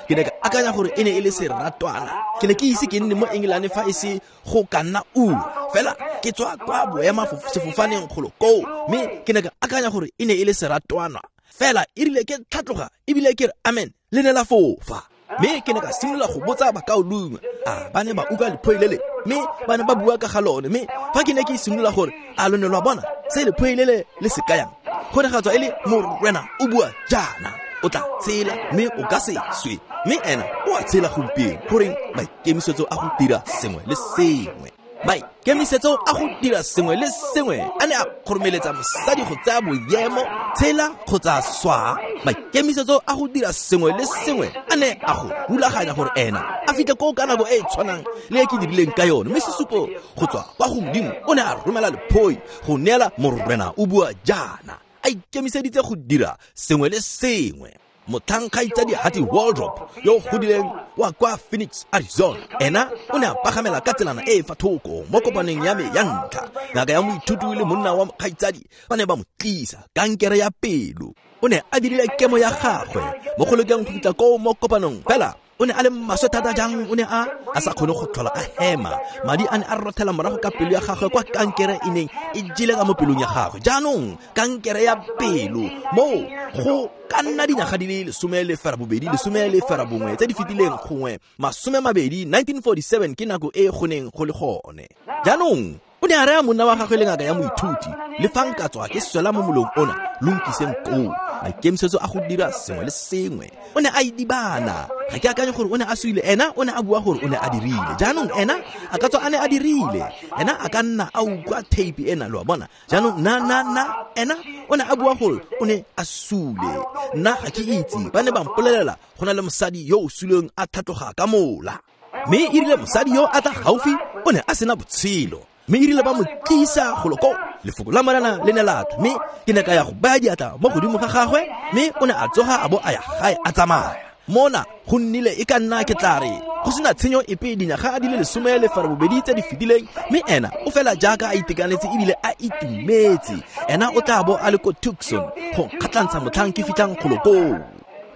B: Ke ne ka akanya gore e ne e le seratwana. Ke ne ke ise ke nne mo England fa e se go ka nna ura fela, ke tswa kwa boema sefofaneng golo koo, mme ke ne ka akanya gore e ne e le seratwana fela. E rile ke tlhatloga ebile ke re amen, le ne la fofa. Mme ke ne ka simolola go botsa bakaulengwe, a ba ne ba utlwa lephoi lele, mme ba ne ba bua ka ga lone. Mme fa ke ne ke simolola gore a lo ne lwa bona se lephoi lele le se kayang, go ne ga tswa e le Morena o bua jaana, o tla tshela mme o ka se swe. Mme ena o a tshela gompieno. Goreng? Maikemisetso a go dira sengwe le sengwe, maikemisetso a go dira sengwe le sengwe a ne a kgoromeletsa mosadi go tsaya boemo, tshela kgotsa swa. Maikemisetso a go dira sengwe le sengwe a ne a go rulaganya gore ena a fitlhe koo ka nako e e tshwanang le e ke dirileng ka yone. Mme sesupo go tswa kwa go Modimo o ne a romela lephoi go neela Morena o bua jaana, a ikemiseditse go dira sengwe le sengwe. Motlhang kgaitsadi Hattie Waldrop yo o godileng wa kwa Phoenix, Arizona, ena o ne a pagamela ka tselana e e fa thoko mo kopaneng ya me ya ntlha. Ngaka ya moithuti le monna wa kgaitsadi ba ne ba mo tlisa kankere ya pelo. O ne a dirile kemo ya gagwe mo go lekeng go fitlha koo mo kopanong, fela o ne a le maswe thata jang, o ne a a sa kgone go tlhola a hema. Madi a ne a rothela morago ka pelo ya gagwe kwa kankere e neng e jele ka mo pelong ya gagwe. Jaanong kankere ya pelo moo go ka nna dinyaga di le lesome le ferabobedi, lesome le ferabongwe tse di fetileng, gongwe masome mabedi, nineteen forty-seven ke nako e go neng go le gone. Jaanong o ne a raya monna wa gagwe le ngaka ya moithuti, le fa nka tswa ke swela mo molong ona, lo nkiseng koo. Maikemisetso a go dira sengwe le sengwe. O ne a idibana. Ga ke akanye gore o ne a suile, ena o ne a bua gore o ne a dirile. Jaanong ena a ka tswa a ne a dirile, ena a ka nna a utlwa tape ena, lo a bona. Jaanong na na na ena o ne a bua gore o ne a sule. Nna ga ke itse, ba ne ba mpolelela go na le mosadi yo o suleng a tlhatloga ka mola. Mme e rile mosadi yo a tla gaufi, o ne a sena botshelo. Mme e rile ba mo tlisa golo koo, lefoko la Morena le ne la tla, mme ke ne ka ya go baya diatla mo godimo ga gagwe, mme o ne a tsoga a bo a ya gae a tsamaya. Mona go nnile e ka nna ke tla re go sena tshenyo epe dinyaga di le lesome le ferabobedi tse di fetileng, mme ena o fela jaaka a itekanetse ebile a itumetse. Ena o tla bo a le ko Tucson go kgatlhantsha motlhang ke fitlhang golo koo.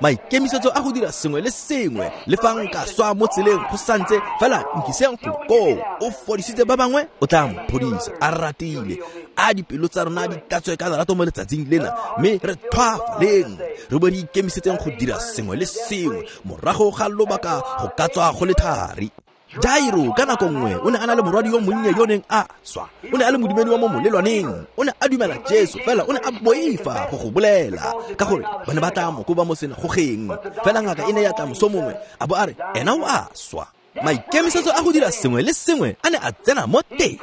B: Maikemisetso a go dira sengwe le sengwe, le fa nka swa mo tseleng go santse fela nkiseng golo koo. O fodisitse ba bangwe, o tla mo phodisa. A ratile, a dipelo tsa rona di tlatswe ka lerato mo letsatsing lena, mme re tlhwaafaleng, re bo re ikemisetseng go dira sengwe le sengwe morago ga lobaka go ka tswa go le thari. Jairo ka nako nngwe o ne a na le morwadi yo monnye yo neng a swa. O ne a le modumedi wa mo molelwaneng, o ne a dumela Jesu, fela o ne a boifa go go bolela ka gore ba ne ba tla mo koba mo senagogeng. Fela ngaka e ne ya tla moso mongwe a bo a re ena o a swa. Maikemisetso a go dira sengwe le sengwe a ne a tsena mo teng.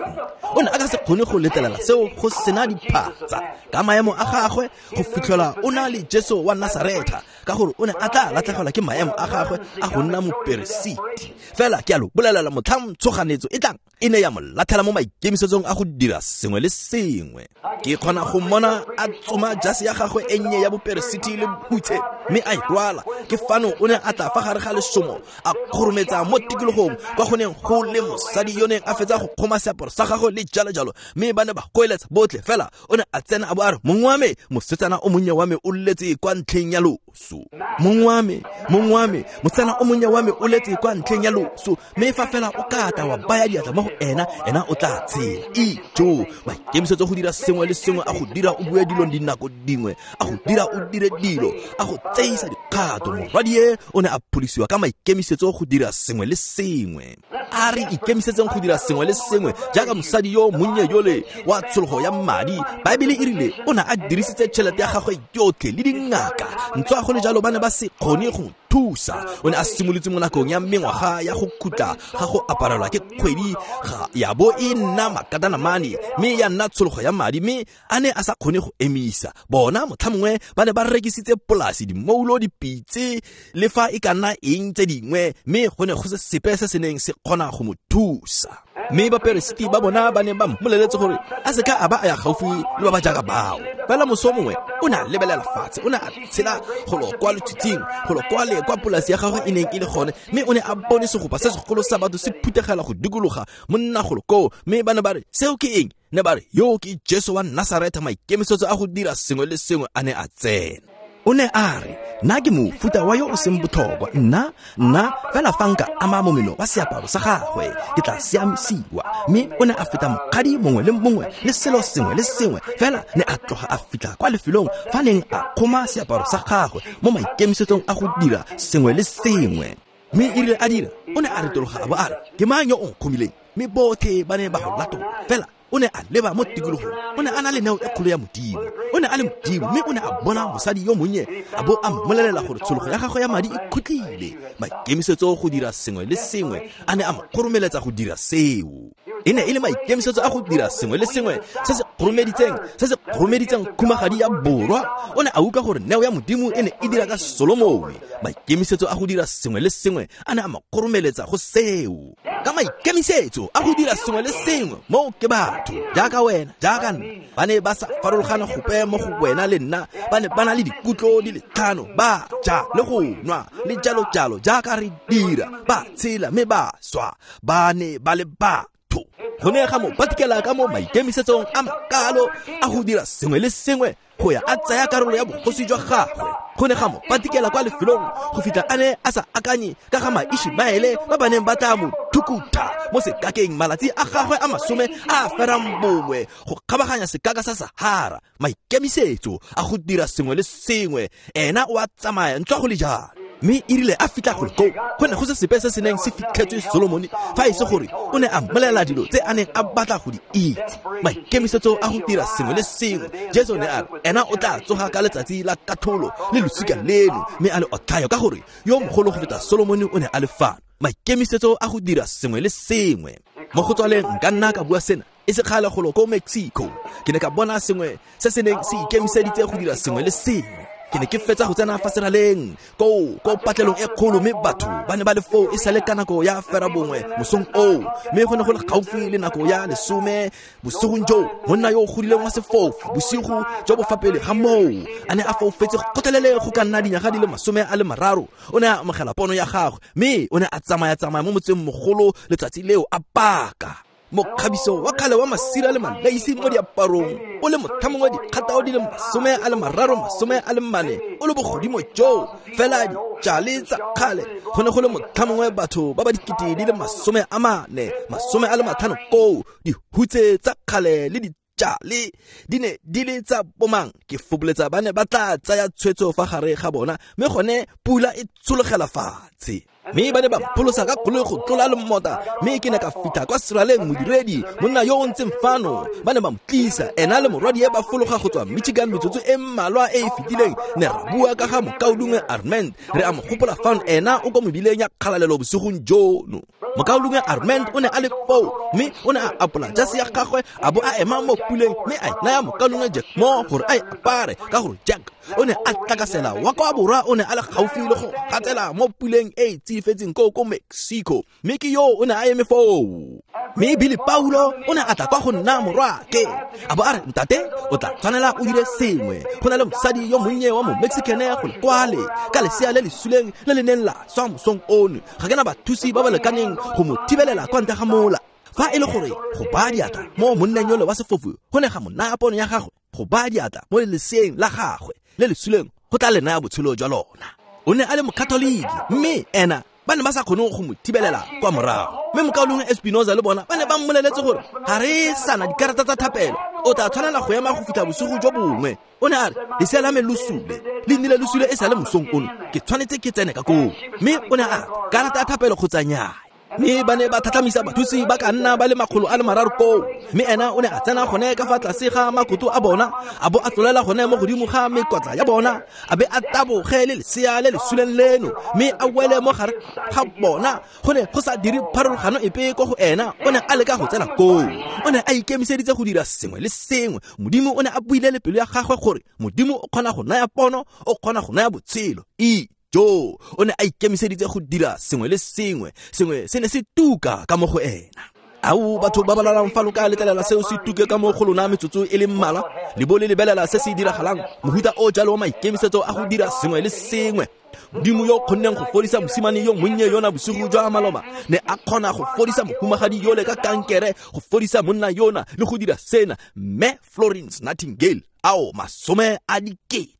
B: O ne a ka se kgone go letlelela seo go sena diphatsa ka maemo a gagwe go fitlhela o na le Jesu wa Nasaretha ka gore o ne a tla latlhegelwa ke maemo a gagwe a go nna moperesiti. Fela ke a lo bolelela, motlhang tshoganetso e tlang e ne ya mo latlhela mo maikemisetsong a go dira sengwe le sengwe. Ke kgona go mmona a tsoma jase ya gagwe e nnye ya boperesiti le hutshe mme a e rwala. Ke fano o ne a tla fa gare ga lesomo, a kgorometsa mo tikologong kwa go neng go le mosadi yo neng a fetsa go kgoma seaparo sa gagwe le jalo jalo, mme ba ne ba goeletsa botlhe. Fela o ne a tsena a bo a re, mong wa me, mosetsana o monnye wa me o letse kwa ntlheng ya loso. Mong wa me, mong wa me, mosetsana o monnye wa me o letse kwa ntlheng ya loso, mme fa fela o ka tla wa baya diatla mo go ena, ena o tla tshela. Ijo, maikemisetso go dira sengwe le sengwe a go dira o bue dilo dinako dingwe, a go dira o dire dilo, a go tseisa dikgato. Morwadie o ne a pholosiwa ka maikemisetso go dira sengwe le sengwe. A re ikemisetseng go dira sengwe le sengwe jaaka mosadi yo monnye yole wa tshologo ya madi. Baebele e rile o ne a dirisitse tšhelete ya gagwe yotlhe le dingaka, ntswa go le jalo ba ne ba se kgone go thusa. O ne a simolotse mo nakong ya mengwaga ya go khutla ga go aparelwa ke kgwedi ga ya bo e nna makatanamane, mme ya nna tshologo ya madi, mme a ne a sa kgone go emisa. Bona motlha mongwe ba ne ba rekisitse polasi, dimoulo, dipitse le fa e ka nna eng tse dingwe, mme go ne go se sepe se se neng se kgona go mo thusa. Mme baperesiti ba bona ba ne ba mmoleletse gore a se ka a ba a ya gaufi le ba ba jaaka bao. Fela moso mongwe o ne a lebelela fatshe, o ne a tshela golo kwa letshitshing, golo kwa le kwa polasi ya gagwe e neng e le gone, mme o ne a bone segopa se segolo sa batho se phuthegela go dikologa monna golo koo, mme ba ne ba re, seo ke eng? Ne ba re, yo ke Jesu wa Nasaretha. Maikemisetso a go dira sengwe le sengwe a ne a tsena. O ne a re, nna ke mofuta wa yo o seng botlhokwa, nna nna fela fa nka ama momeno wa seaparo sa gagwe ke tla siamisiwa. Mme o ne a feta mokgadi mongwe le mongwe le selo sengwe le sengwe, fela ne a tloga a fitlha kwa lefelong fa neng a kgoma seaparo sa gagwe mo maikemisetsong a go dira sengwe le sengwe. Mme e rile a dira, o ne a retologa a bo a re, ke mang yo o nkgomileng? Mme botlhe ba ne ba go latola. Fela o ne a leba mo tikologong, o ne a na le neo e kgolo ya Modimo, o ne a le Modimo, mme o ne a bona mosadi yo monnye a bo a mmolelela gore tshologo ya gagwe ya madi e khutlile. Maikemisetso go dira sengwe le sengwe a ne a mo kgoromeletsa go dira seo. E ne e le maikemisetso a go dira sengwe le sengwe se se kgoromeditseng se se kgoromeditseng khumagadi ya borwa. O ne a utlwa gore neo ya Modimo e ne e dira ka Solomone. Maikemisetso a go dira sengwe le sengwe a ne a mo kgoromeletsa go seo. Ka maikemisetso a go dira sengwe le sengwe, mo ke batho jaaka wena, jaaka nna, ba ne ba sa farologana gope mo go wena le nna. Ba ne ba na le dikutlo di le tlhano, ba ja le go nwa le jalo jalo jaaka re dira, ba tshela mme ba swa. Ba ne ba le batho. Go ne ga mo patikela ka mo maikemisetsong a makalo a go dira sengwe le sengwe go ya a tsaya karolo ya bogosi jwa gagwe. Go ne ga mo patikela kwa lefelong go fitlha a ne a sa akanye ka ga Maishmaele ba ba neng ba tla mo thukutha mo sekakeng malatsi a gagwe a masome a ferang bongwe go kgabaganya sekaka sa Sahara. Maikemisetso a go dira sengwe le sengwe, ena o a tsamaya ntswa go le jalo. Mme e rile a fitlha golo koo, go ne go se sepe se se neng se fitlhetswe Solomone fa e se gore o ne a mmolelela dilo tse a neng a batla go di itse. Maikemisetso a go dira sengwe le sengwe, Jesu ne a re ena o tla tsoga ka letsatsi la katlholo le losika leno, mme a le otlhayo ka gore yo mogolo go feta Solomone o ne a le fano. Maikemisetso a go dira sengwe le sengwe. Mo go tswaleng nka nna ka bua sena e se kgale golo ko Mexico, ke ne ka bona sengwe se se neng se ikemiseditse go dira sengwe le sengwe. Ke ne ke fetsa go tsena fa seraleng ko ko patlelong e kgolo, mme batho ba ne ba le foo e sale ka nako ya fera bongwe mosong oo, mme go ne go le gaufi le nako ya lesome bosigong joo. Monna yo o godileng wa sefofu bosigo jo bo fa pele ga moo a ne a foufetse gotlhelele go ka nna dinyaga di le masome a le mararo. O ne a amogela pono ya gagwe, mme o ne a tsamaya-tsamaya mo motseng mogolo letsatsi leo a paka mokgabiso wa kgale wa masira le malaisi mo diaparong, o le motlha mongwe dikgatao di le masome a le mararo masome a le mane, o le bogodimo joo fela dijale tsa kgale. Go ne go le motlha mongwe batho ba ba dikete di le masome a mane masome a le matlhano koo, dihutse tsa kgale le dijale di ne di le tsa bomang. Ke foboletsa ba ne ba tla tsaya tshwetso fa gare ga bona, mme gone pula e tshologela fatshe. Mme ba ne ba mpholosa ka koloi go tlola lomota, mme ke ne ka fitlha kwa seraleng modiredi, monna yo o ntseng fano, ba ne ba mo tlisa, ena le morwadie ba fologa go tswa Michigan metsotso e mmalwa e e fetileng. Ne ra bua ka ga mokaulengwe Armand, re a mo gopola fano, ena o ko mebileng ya kgalalelo bosigong jono. Mokaulengwe Armand o ne a le foo, mme o ne a apola jase ya gagwe a bo a ema mo puleng, mme a e naya mokaulengwe Jack Moore gore a e apare, ka gore Jack o ne a tlakasela wa kwa borwa, o ne a le gaufi le go gatsela mo puleng e e tsifetseng ko ko Mexico, mme ke yo o ne a eme foo. Mme Billy Paulo o ne a tla kwa go nna morwake, a bo a re, ntate o tla tshwanela o dire sengwe, go na le mosadi yo monnye wa mo Mexicane go le kwale ka lesea le le suleng le le neng la swa mosong ono, ga ke na bathusi ba ba lekaneng go mo thibelela kwa ntle ga mola. Fa e le gore go baya diatla mo monneng yole wa sefofu go ne ga mo naya pono ya gagwe, go baya diatla mo leseeng la gagwe le le suleng go tla le naya botshelo jwa lona. O ne a le mokatoliki, mme ena ba ne ba sa kgone go mo thibelela kwa morago. Mme mokaulengwe Espinoza le bona ba ne ba mmoleletse gore ga re sana dikarata tsa thapelo, o tla tshwanela go ema go fitlha bosigo jo bongwe. O ne a re, lesea la me lo sule, le nnile lo sule e sa le mosong ono, ke tshwanetse ke tsene ka koo. Mme o ne a re, karata ya thapelo kgotsa nnyaa. Mme ba ne ba tlhatlhamisa bathusi ba ka nna ba le makgolo a le mararo koo, mme ena o ne a tsena gone ka fa tlase ga makoto a bona, a bo a tlolela gone mo godimo ga mekotla ya bona, a be a taboge le lesea le le suleng leno, mme a wele mo gare ga bona. Go ne go sa dire pharologano epe ko go ena, o ne a leka go tsena koo. O ne a ikemiseditse go dira sengwe le sengwe. Modimo o ne a buile le pelo ya gagwe gore Modimo o kgona go naya pono, o kgona go naya botshelo. E Jo, o ne a ikemiseditse go dira sengwe le sengwe, sengwe se ne se tuka ka mo go ena. Ao batho ba ba lalang fa lo ka letlelela seo se tuke ka mo go lona metsotso e le mmalwa, le bo le lebelela se se diragalang, mohuta o jalo wa maikemisetso a go dira sengwe le sengwe. Modimo yo kgonneng go fodisa mosimane yo monnye yona bosigo jwa maloba, ne a kgona go fodisa mohumagadi yole ka kankere, go fodisa monna yona le go dira sena, mme Florence Nightingale, ao masome a dikete.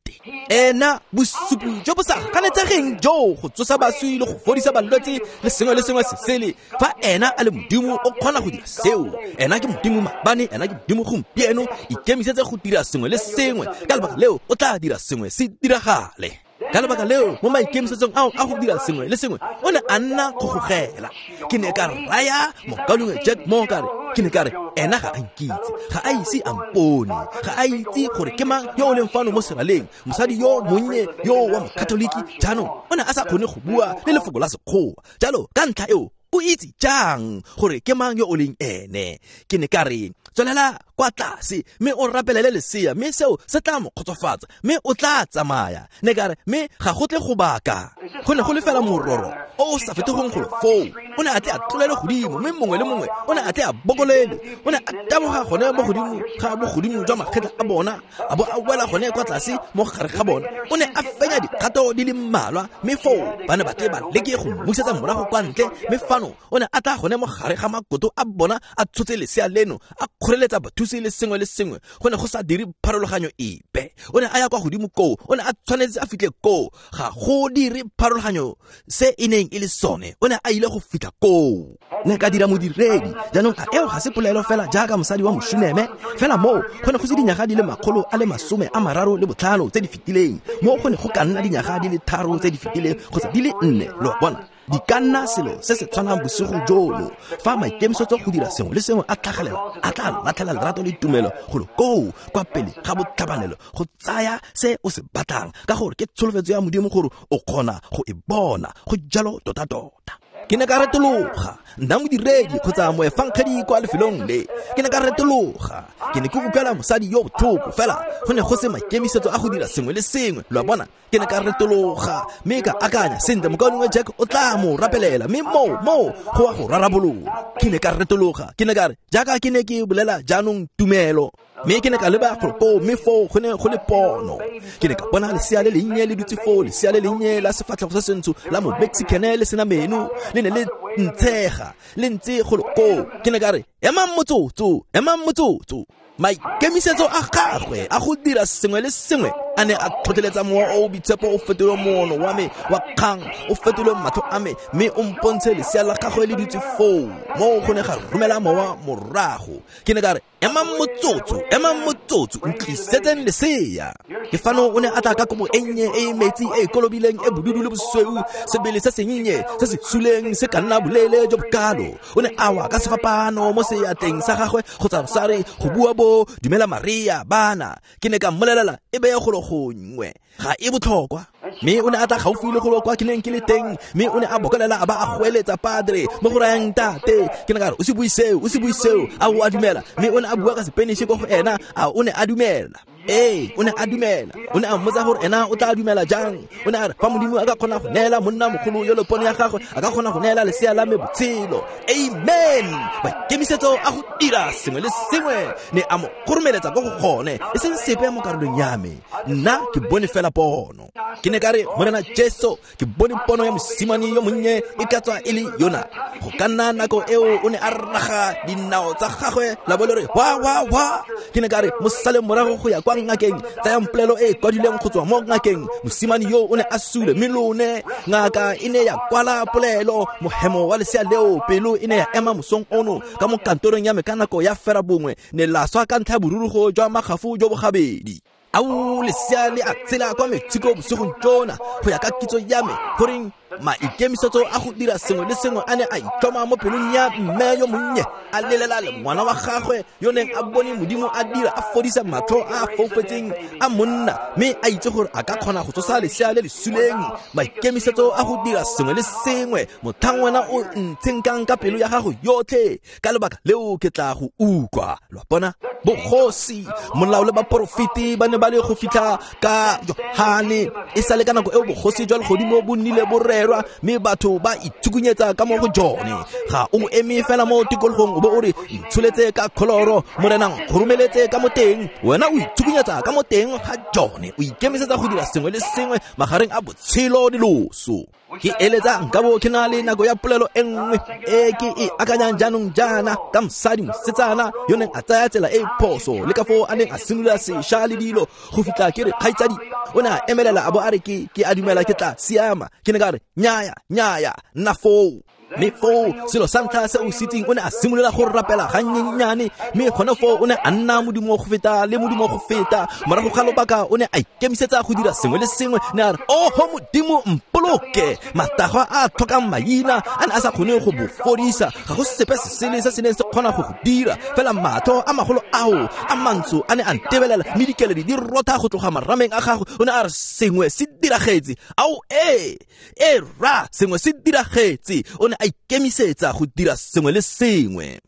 B: Ena bosupi jo bo sa ganetsegeng jo go tsosa baswi le go fodisa balwetse le sengwe le sengwe se sele. Fa ena a le Modimo, o kgona go dira seo. Ena ke Modimo maabane, ena ke Modimo gompieno. Ikemisetse go dira sengwe le sengwe, ka lebaka leo o tla dira sengwe se diragale. Ka lebaka leo mo maikemisetsong ao a go dira sengwe le sengwe, o ne a nna kgogela. Ke ne ka raya mokaulengwe Jack Moore ka re, ke ne ka re, ena ga a nkitse, ga a ise a mpone, ga a itse gore ke mang yo o leng fano mo seraleng, mosadi yo monnye yo wa mokatoliki. Jaanong o ne a sa kgone go bua le lefoko la Sekgowa, jalo ka ntlha eo o itse jang gore ke mang yo o leng ene? Ke ne ka re, tswelela kwa tlase mme o rapelele lesea, mme seo se tla mo kgotsofatsa, mme o tla tsamaya. Ne ka re, mme ga go tle go baka, go ne go le fela mororo o o sa fetogeng golo foo. O ne a tle a tlolele godimo, mme mongwe le mongwe o ne a tle a bokolele. O ne a taboga gone mo godimo ga bogodimo jwa makgetla a bona, a bo a wela gone kwa tlase mo gare ga bona. O ne a fenya dikgato di le mmalwa, mme foo ba ne ba tle ba leke go mmusetsa morago kwa ntle. Mme fano o ne a tla gone mo gare ga makoto a bona, a tshotse lesea leno, a kgoreletsa bathusi le sengwe le sengwe. Go ne go sa dire pharologanyo epe. O ne a ya kwa godimo koo, o ne a tshwanetse a fitlhe koo. Ga go dire pharologanyo se e neng e le sone, o ne a ile go fitlha koo. Ne ka dira modiredi. Jaanong a eo ga se polelo fela jaaka mosadi wa Moshuneme? Fela moo go ne go se dinyaga di le makgolo a le masome a mararo le botlhano tse di fetileng, moo go ne go ka nna dinyaga di le tharo tse di fetileng kgotsa di le nne, lo a bona. Di ka nna selo se se tshwanang bosigo jono. Fa maikemisetso go dira sengwe le sengwe a tlhagelela, a tla latlhela lerato le tumelo golo koo kwa pele ga botlhabanelo go tsaya se o se batlang, ka gore ke tsholofetso ya Modimo gore o kgona go e bona. Go jalo tota-tota. Ke ne ka retologa, nna modiredi kgotsa moefangedi kwa lefelong le. Ke ne ka retologa, ke ne ke utlwela mosadi yo botlhoko, fela go ne go se maikemisetso a go dira sengwe le sengwe, lo a bona. Ke ne ka retologa mme ka akanya, sentle, mokaulengwe Jack o tla mo rapelela, mme moo moo go a go rarabolola. Ke ne ka retologa, ke ne ka re, jaaka ke ne ke bolela jaanong tumelo, mme ke ne ka leba golo koo, mme foo go ne go le pono. Ke ne ka bona lesea le lennye le dutse foo, lesea le lennye la sefatlhego se sentsho la mo Mexicane le sena meno, le ne le ntshega le ntse golo koo. Ke ne ka re, emang motsotso, emang motsotso. Maikemisetso a gagwe a go dira sengwe le sengwe A ne a tlhotlheletsa mowa o o boitshepo o fetole moono wa me wa kgang, o fetole matlho a me, mme o mpontshe lesea la gagwe le dutse foo. Moo go ne ga romela mowa morago. Ke ne ka re, emang motsotso, emang motsotso, ntlisetseng lesea. Ke fano o ne a tla ka kobo e nnye e e metsi e e kolobileng e bodudu le bosweu, sebele se sennye se se suleng se ka nna boleele jo bokalo. O ne a wa ka sefapano mo seatleng sa gagwe kgotsa rosari go bua bo dumela Maria bana. Ke ne ka mmolelela e beye golo gongwe, ga e botlhokwa. Mme o ne a tla gaufi le golo kwa ke neng ke le teng, mme o ne a bokolela a ba a goeletsa padre mo go rayang tate. Ke ne ka re, o se bue seo, o se bue seo, a o a dumela? Mme o ne a bua ka Spanish ko go ena, a o ne a dumela. Ee, o ne a dumela. O ne a mmotsa gore ena o tla dumela jang. O ne a re, fa Modimo a ka kgona go neela monna mogolo yo le pono ya gagwe, a ka kgona go neela lesea la me botshelo. Amen. Maikemisetso a go dira sengwe le sengwe ne a mo kgoromeletsa ko go gone, e seng sepe mo karolong ya me. Nna ke bone fela pono. Ke ne ka re, Morena Jesu, ke bone pono ya mosimane yo monnye e ka tswa e le yona. Go ka nna nako eo o ne a raga dinao tsa gagwe la bo le re wa wa wa. Ke ne ka re, mo sale morago go ya kwa ngakeng, tsayang polelo e e kwadilweng go tswa mo ngakeng. Mosimane yo o ne a sule, mme lone ngaka e ne ya kwala polelo. Mohemo wa lesea leo pelo e ne ya ema mosong ono ka mo kantorong ya me ka nako ya fera bongwe, ne la swa ka ntlha ya borurugo jwa makgafo jo bo gabedi. Ao lesea le a tshela kwa Mexico bosigong jona, go ya ka kitso ya me, goreng maikemisetso a go dira sengwe le sengwe a ne a itlhoma mo pelong ya mme yo monnye, a lelela le ngwana wa gagwe yo neng a bone Modimo a dira a fodisa matlho a a foufetseng a monna, mme a itse gore a ka kgona go tsosa lesea le le suleng. Maikemisetso a go dira sengwe le sengwe, motlhang wena o ntshenkang ka pelo ya gago yotlhe, ka lebaka leo ke tla go utlwa. Lo a bona? Bogosi, molao le baporofeti ba ne ba le go fitlha ka Johane. E sale ka nako eo bogosi jwa legodimo bo nnile bo rerwa, mme batho ba ithukunyetsa ka mo go jone. Ga o eme fela mo tikologong o bo o re, ntsholetse ka kholoro, Morena nkgoromeletse ka mo teng. Wena o ithukunyetsa ka mo teng ga jone, o ikemisetsa go dira sengwe le sengwe magareng a botshelo le loso. Ke eletsa nka bo ke na le nako ya polelo e nngwe e ke e akanyang jaanong jaana ka mosadi mosetsana yo neng a tsaya tsela e e phoso, le ka foo a neng a simolola sešwa le dilo go fitlha ke re kgaitsadi. O ne a emelela a bo a re, ke ke a dumela ke tla siama. Ke ne ka re, nnyaya, nnyaya, nna foo. Mme foo selo sa ntlha se o se itseng, o ne a simolola go rapela gannyenyane, mme gone foo o ne a nna modimo go feta le modimo go feta. Morago ga lobaka o ne a ikemisetsa go dira sengwe le sengwe. Ne a re, oho Modimo mpoloke. Matagwa a a tlhokang maina a ne a sa kgone go bo fodisa, ga go sepe se sele se se neng se kgona go go dira. Fela matlho a magolo ao a mantsho a ne a ntebelela, mme dikeledi di rotha go tloga marameng a gagwe. O ne a re, sengwe se diragetse. Ao ee, e ra, sengwe se diragetse. O ne a ikemisetsa go dira sengwe le sengwe.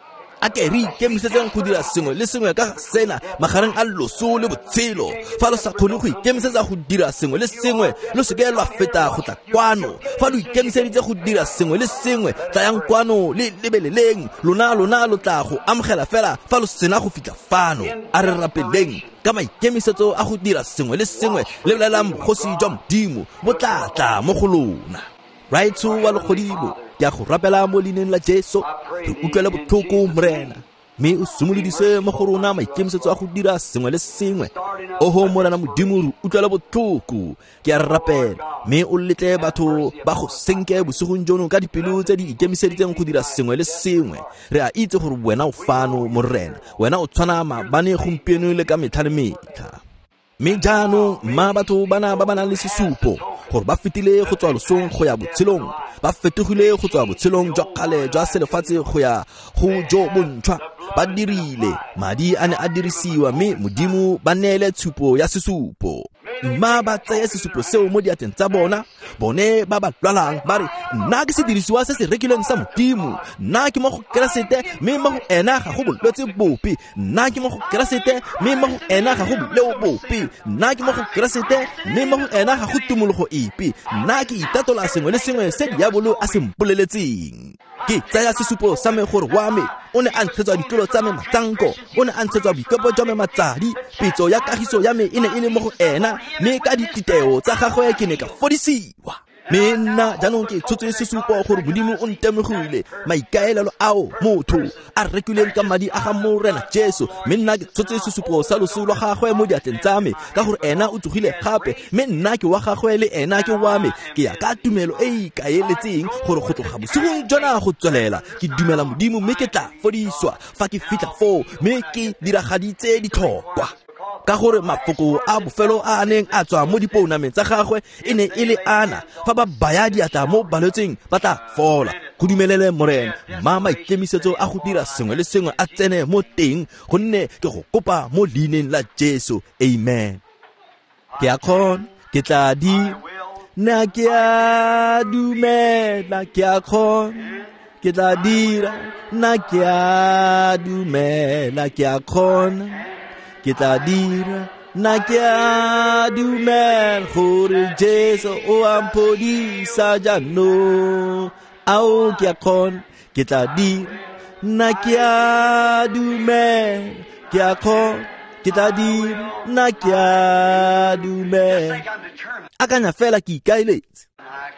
B: A ke re ikemisetseng go dira sengwe le sengwe ka sena magareng a loso le botshelo. Fa lo sa kgone go ikemisetsa go dira sengwe le sengwe, lo seke lwa feta go tla kwano. Fa lo ikemiseditse go dira sengwe le sengwe, tlayang kwano le lebeleleng. Lona lona lo tla go amogela fela fa lo sena go fitlha fano. A re rapeleng ka maikemisetso a go dira sengwe le sengwe. Lebelelang bogosi jwa Modimo bo tla tla mo go lona. Raetsho wa legodimo, ke a go rapela mo leineng la Jesu, re utlwele botlhoko Morena, mme o simolodise mo go rona maikemisetso a go dira sengwe le sengwe. Oho Morena Modimo, re utlwele botlhoko, ke a rapela, mme o letle batho ba go senke bosigong jono ka dipelo tse di ikemiseditseng go dira sengwe le sengwe. Re a itse gore wena o fano Morena, wena o tshwana maabane, gompieno le ka metlha le metlha. Mme jaanong mma batho bana ba ba nang le sesupo gore ba fetile go tswa losong go ya botshelong, ba fetogile go tswa botshelong jwa kgale jwa selefatshe go ya go jo bontšhwa. Ba dirile madi a ne a dirisiwa, mme Modimo ba neele tshupo ya sesupo. Mma ba tseye sesupo seo mo diatleng tsa bona, bone ba ba lwalang ba re, nna ke sedirisiwa se se rekilweng sa Modimo, nna ke mo go Keresete, mme mo go ena ga go bolwetse bope. Nna ke mo go Keresete, mme mo go ena ga go boleo bope. Nna ke mo go Keresete, mme mo go ena ga go tumologo epe. Nna ke itatola sengwe le sengwe se diabolo a se mpoleletseng. Ke tsaya sesupo sa me gore wa me o ne a ntshetswa ditlolo tsa me matsanko, o ne a ntshetswa boikopo jwa me matsadi. Pitso ya kagiso ya me e ne e le mo go ena, mme ka dititeo tsa gagwe ke ne ka fodisiwa. Mme nna jaanong ke tshotse sesupo gore Modimo o ntemogile maikaelelo ao motho a rekileng ka madi a ga Morena Jesu. Mme nna ke tshotse sesupo sa loso lwa gagwe mo diatleng tsa me, ka gore ena o tsogile gape, mme nna ke wa gagwe le ena ke wa me. Ke ya ka tumelo e e ikaeletseng gore go tloga bosigong jona go tswelela ke dumela Modimo, mme ke tla fodiswa fa ke fitlha foo, mme ke diragaditse ditlhokwa. Ka gore mafoko a bofelo a a neng a tswa mo dipounameng tsa gagwe e ne e le ana, fa ba baya diatla mo balwetseng ba tla fola. Go dumelele Morena, mma maikemisetso a go dira sengwe le sengwe a tsene mo teng, gonne ke go kopa mo leineng la Jesu. Amen. Ke a kgona, ke tla dira, nna ke a dumela, ke a kgona, ke tla dira, nna ke a dumela, ke a kgona, ke tla dira, nna ke a dumela gore Jesu o a mphodisa jaanong. Ao, ke a kgona, ke tla dira, nna ke a dumela, ke a kgona, ke tla dira, nna ke a dumela. Akanya fela ke ikaeletse,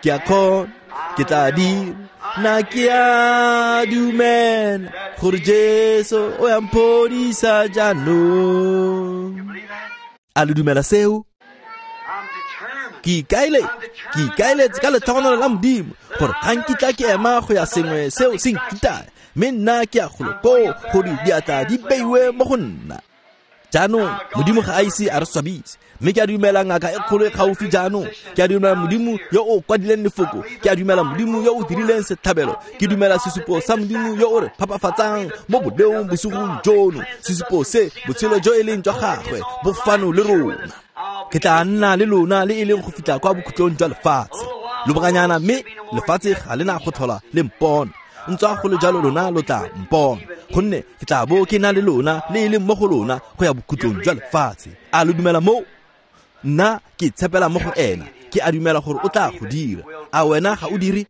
B: ke a kgona, ke tla dira, nna ke a dumela gore Jesu o a mphodisa jaanong. A lo dumela seo? Ke ikaeletse, ke ikaeletse ka letlhogonolo la Modimo gore ga nkitla ke ema go ya sengwe seo se nkitaya, mme nna ke ya golo koo gore diatla di beiwe mo go nna. Jaanong Modimo ga a ise a re swabise, mme ke a dumela ngaka e kgolo e gaufi jaanong. Ke a dumela Modimo yo o kwadileng lefoko, ke a dumela Modimo yo o dirileng setlhabelo, ke dumela sesupo sa Modimo yo o re phapafatsang mo boleong bosigong jono, sesupo se botshelo jo e leng jwa gagwe bo fano le rona. Ke tla nna le lona le e leng go fitlha kwa bokhutlong jwa lefatshe. Lobakanyana, mme lefatshe ga le na go tlhola le mpona, ntswa go le jalo lona lo tla mpona, gonne ke tla bo ke na le lona le e leng mo go lona go ya bokhutlong jwa lefatshe. A lo dumela moo? Nna ke tshepela mo go ena, ke a dumela gore o tla go dira. A wena ga o dire?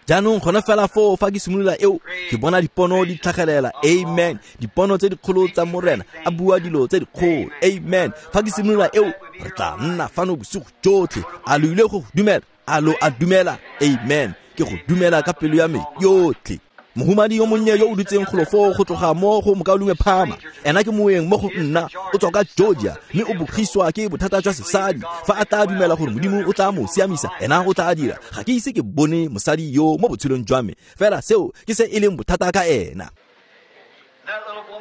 B: Jaanong gone fela foo fa ke simolola eo, ke bona dipono di tlhagelela. Amen. Dipono tse dikgolo tsa Morena a bua dilo tse dikgolo. Amen. Fa ke simolola eo, re tla nna fano bosigo jotlhe. A lo ile go dumela? A lo a dumela? Amen. Ke go dumela ka pelo ya me yotlhe. Mohumadi yo monnye yo o dutseng golo foo go tloga mo go mokaulengwe Phama, ena ke moeng mo go nna, o tswa ka Georgia, mme o bogiswa ke bothata jwa sesadi. Fa a tla dumela gore Modimo o tla mo siamisa, ena o tla dira. Ga ke ise ke bone mosadi yo mo botshelong jwa me, fela seo ke se e leng bothata ka ena.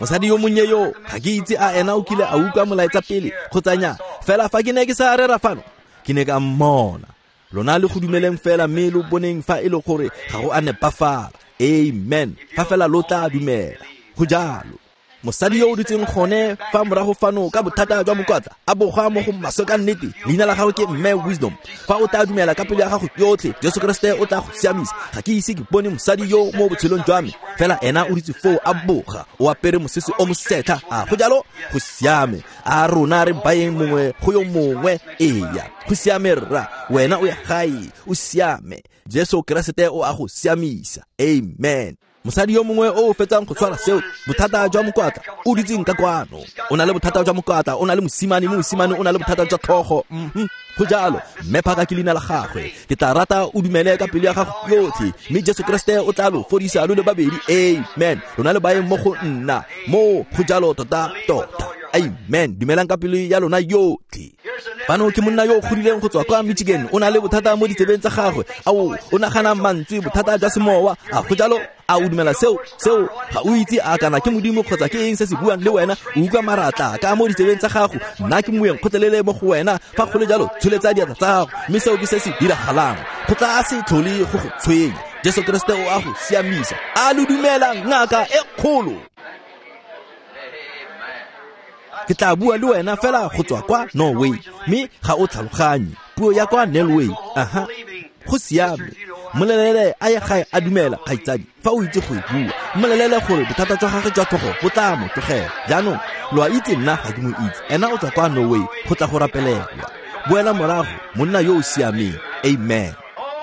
B: Mosadi yo monnye yo, ga ke itse a ena o kile a utlwa molaetsa pele kgotsa nnyaa, fela fa ke ne ke sa rera fano, ke ne ka mmona. Lona le go dumeleng fela, mme lo boneng fa e le gore ga go a nepafala. Amen. Fa fela lo tla dumela. Go jalo. Mosadi yo o dutseng gone fa morago fano ka bothata jwa mokwatla, a boga mo go maswe ka nnete, leina la gagwe ke Mme Wisdom. Fa o tla dumela ka pelo ya gago yotlhe, Jesu Kriste o tla go siamisa. Ga ke ise ke bone mosadi yo mo botshelong jwa me, fela ena o dutse foo a boga, o apere mosese o mosetlha. A go jalo? Go siame. A rona re bayeng mongwe go yo mongwe. Eya, go siame rra, wena o ya gae, o siame. Jesu Kriste o a go siamisa. Amen. Mosadi yo mongwe o fetsang go tshwara seo, bothata jwa mokwatla, o dutseng ka kwano, o na le bothata jwa mokwatla, o na le mosimane, mme mosimane o na le bothata jwa tlhogo. Mm-hmm. Go jalo. Mme Phaka ke leina la gagwe. Ke tla rata o dumele ka pelo ya gago yotlhe, mme Jesu Kriste o tla lo fodisa lo le babedi. Amen. Lona le baeng mo go nna mo go jalo tota tota. Amen. Dumelang ka pelo ya lona yotlhe. Fano ke monna yo o godileng go tswa kwa Michigan, o na le bothata mo ditsebeng tsa gagwe. Ao, o nagana mantswe, bothata jwa semowa. A go jalo? A o dumela seo? Seo ga o itse a kana ke Modimo kgotsa ke eng se se buang le wena. O utlwa maratla ka mo ditsebeng tsa gago. Nna ke moeng kgotlelele mo go wena. Fa go le jalo, tsholetsa diatla tsa gago, mme seo ke se se diragalang. Go tla se tlhole go go tshwenya. Jesu Kriste o a go siamisa. A lo dumela ngaka e kgolo? Ke tla bua le wena fela go tswa kwa Norway, mme ga o tlhaloganye puo ya kwa Norway. Aha, go siame. Mmolelele a ye gae a dumela, kgaitsadi, fa o itse go e bua. Mmolelele gore bothata jwa gagwe jwa tlhogo bo tla mo tlogela. Jaanong lo a itse nna ga ke mo itse, ena o tswa kwa Norway go tla go rapelelwa. Boela morago, monna yo o siameng. Amen.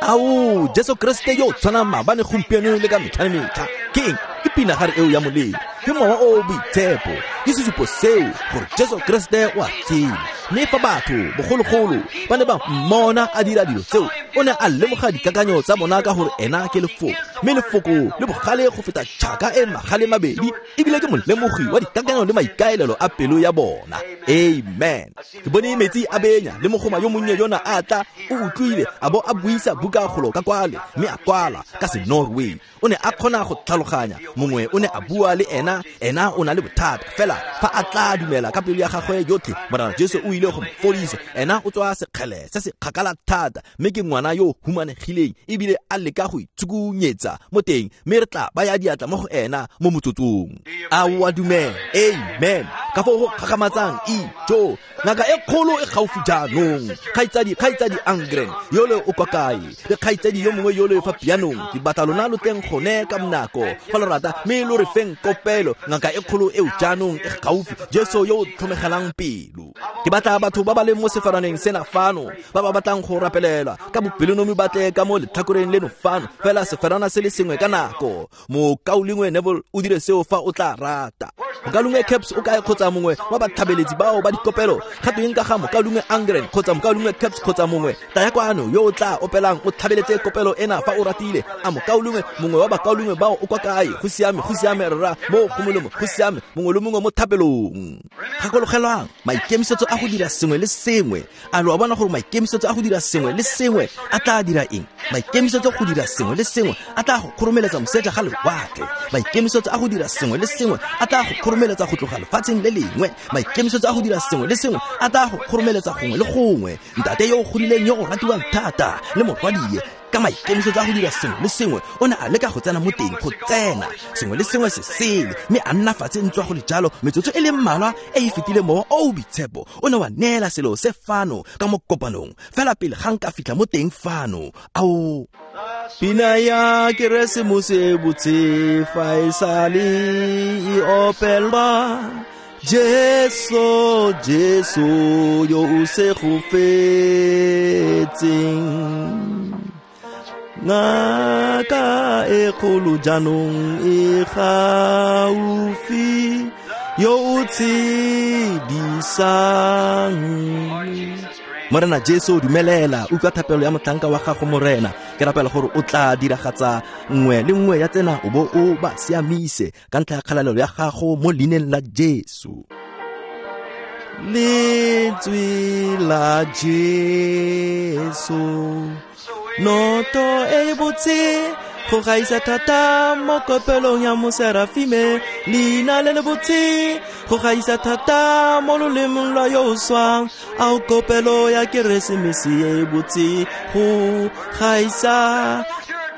B: Ao, Jesu Kriste yo tshwanang maabane, gompieno le ka metlha le metlha. Ke eng? Ke pinagare eo ya molelo. Ke Mowa o o Boitshepo, ke sesupo seo gore Jesu Keresete o a tshela. Mme fa batho bogologolo ba ne ba mmona a dira dilo tseo, o ne a lemoga dikakanyo tsa bona ka gore ena ke lefoko, mme lefoko le bogale go feta tšhaka e magale mabedi, ebile ke molemogi wa dikakanyo le maikaelelo a pelo ya bona. Amen. Ke bone metsi a benya le mogoma yo monnye yona a tla, o utlwile a bo a buisa buka golo ka kwale, mme a kwala ka se Norway. O ne a kgona go tlhaloganya, mongwe o ne a bua le ena, ena o na le bothata fela fa a tla dumela ka pelo ya gagwe yotlhe, Morena Jesu o ile go mo fodisa. Ena o tswa sekgele se se kgakala thata, mme ke ngwana yo humanegileng ebile a leka go itsukunyetsa mo teng, mme re tla baya diatla mo go ena mo motsotsong. A o a dumela? Amen. Ka foo go kgakgamatsang ijo, ngaka e kgolo e gaufi jaanong. Kgaitsadi, kgaitsadi Angren yole o kwa kae? Le kgaitsadi yo mongwe yole fa pianong. Ke batla lona lo teng gone ka monako fa lo rata, mme lo re feng kopelo. Ngaka e kgolo eo jaanong e gaufi, Jesu yo o tlhomegelang pelo. Ke batla batho ba ba leng mo sefaraneng sena fano, ba ba batlang go rapelelwa ka bopelonomi, ba tle ka mo letlhakoreng leno fano, fela seferana se le sengwe ka nako. Mokaulengwe Neville o dire seo fa o tla rata. Mokaulengwe Caps o kae kgotsa mongwe wa batlhabeletsi bao ba dikopelo? Ga tweng ka ga mokaulengwe Angren kgotsa mokaulengwe Caps kgotsa mongwe? Taya kwano yo o tla opelang o tlhabeletse kopelo ena fa o ratile. A mokaulengwe mongwe wa bakaulengwe bao o kwa kae? Go siame, go siame rra, mo go molemo, go siame, mongwe le mongwe mo thapelong. Gakologelwang maikemisetso a go dira sengwe le sengwe. A lo a bona gore maikemisetso a go dira sengwe le sengwe a tla dira eng? Maikemisetso go dira sengwe le sengwe a tla go kgoromeletsa moseja ga lewatle. Maikemisetso a go dira sengwe le sengwe a tla go kgoromeletsa go tloga lefatsheng le lengwe. Maikemisetso a go dira sengwe le sengwe a tla go kgoromeletsa gongwe le gongwe. Ntate yo o godileng yo o ratiwang thata le morwadie, ka maikemisetso a go dira sengwe le sengwe o ne a leka go tsena mo teng, go tsena sengwe le sengwe se sele, mme a nna fatshe ntswa go le jalo. Metsotso e le mmalwa e e fetile, Mowa o o Boitshepo o ne wa neela selo se fano ka mo kopanong fela pele ga nka fitlha mo teng fano. Ao, pina ya Keresemose e botse fa e sale e opelwa, Jesu, Jesu yo o segofetseng. Ngaka e kgolo jaanong e gaufi, yo o tshedisang. Morena Jesu, dumelela, utlwa thapelo ya motlhanka wa gago Morena. Ke rapela gore o tla diragatsa nngwe le nngwe ya tsena, o bo o ba siamise ka ntlha ya kgalalelo ya gago mo leineng la Jesu. Lentswe la Jesu, noto e botse go gaisa thata mo kopelong ya moserafime, leina le le botse go gaisa thata mo lolemong lwa yo o swang. Ao kopelo ya Keresemese e botse go gaisa.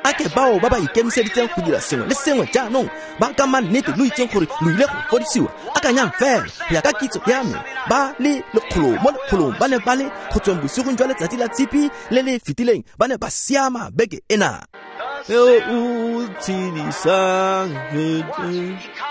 B: A ke bao ba ba ikemiseditseng go dira sengwe le sengwe jaanong ba ka mannete lo itseng gore lo ile go fodisiwa. Akanyang fela, go ya ka kitso ya me, ba le lekgolo mo lekgolong ba ne ba le go tsweng bosigong jwa letsatsi la tshipi le le fetileng, ba ne ba siama beke ena. Yo o tshedisang.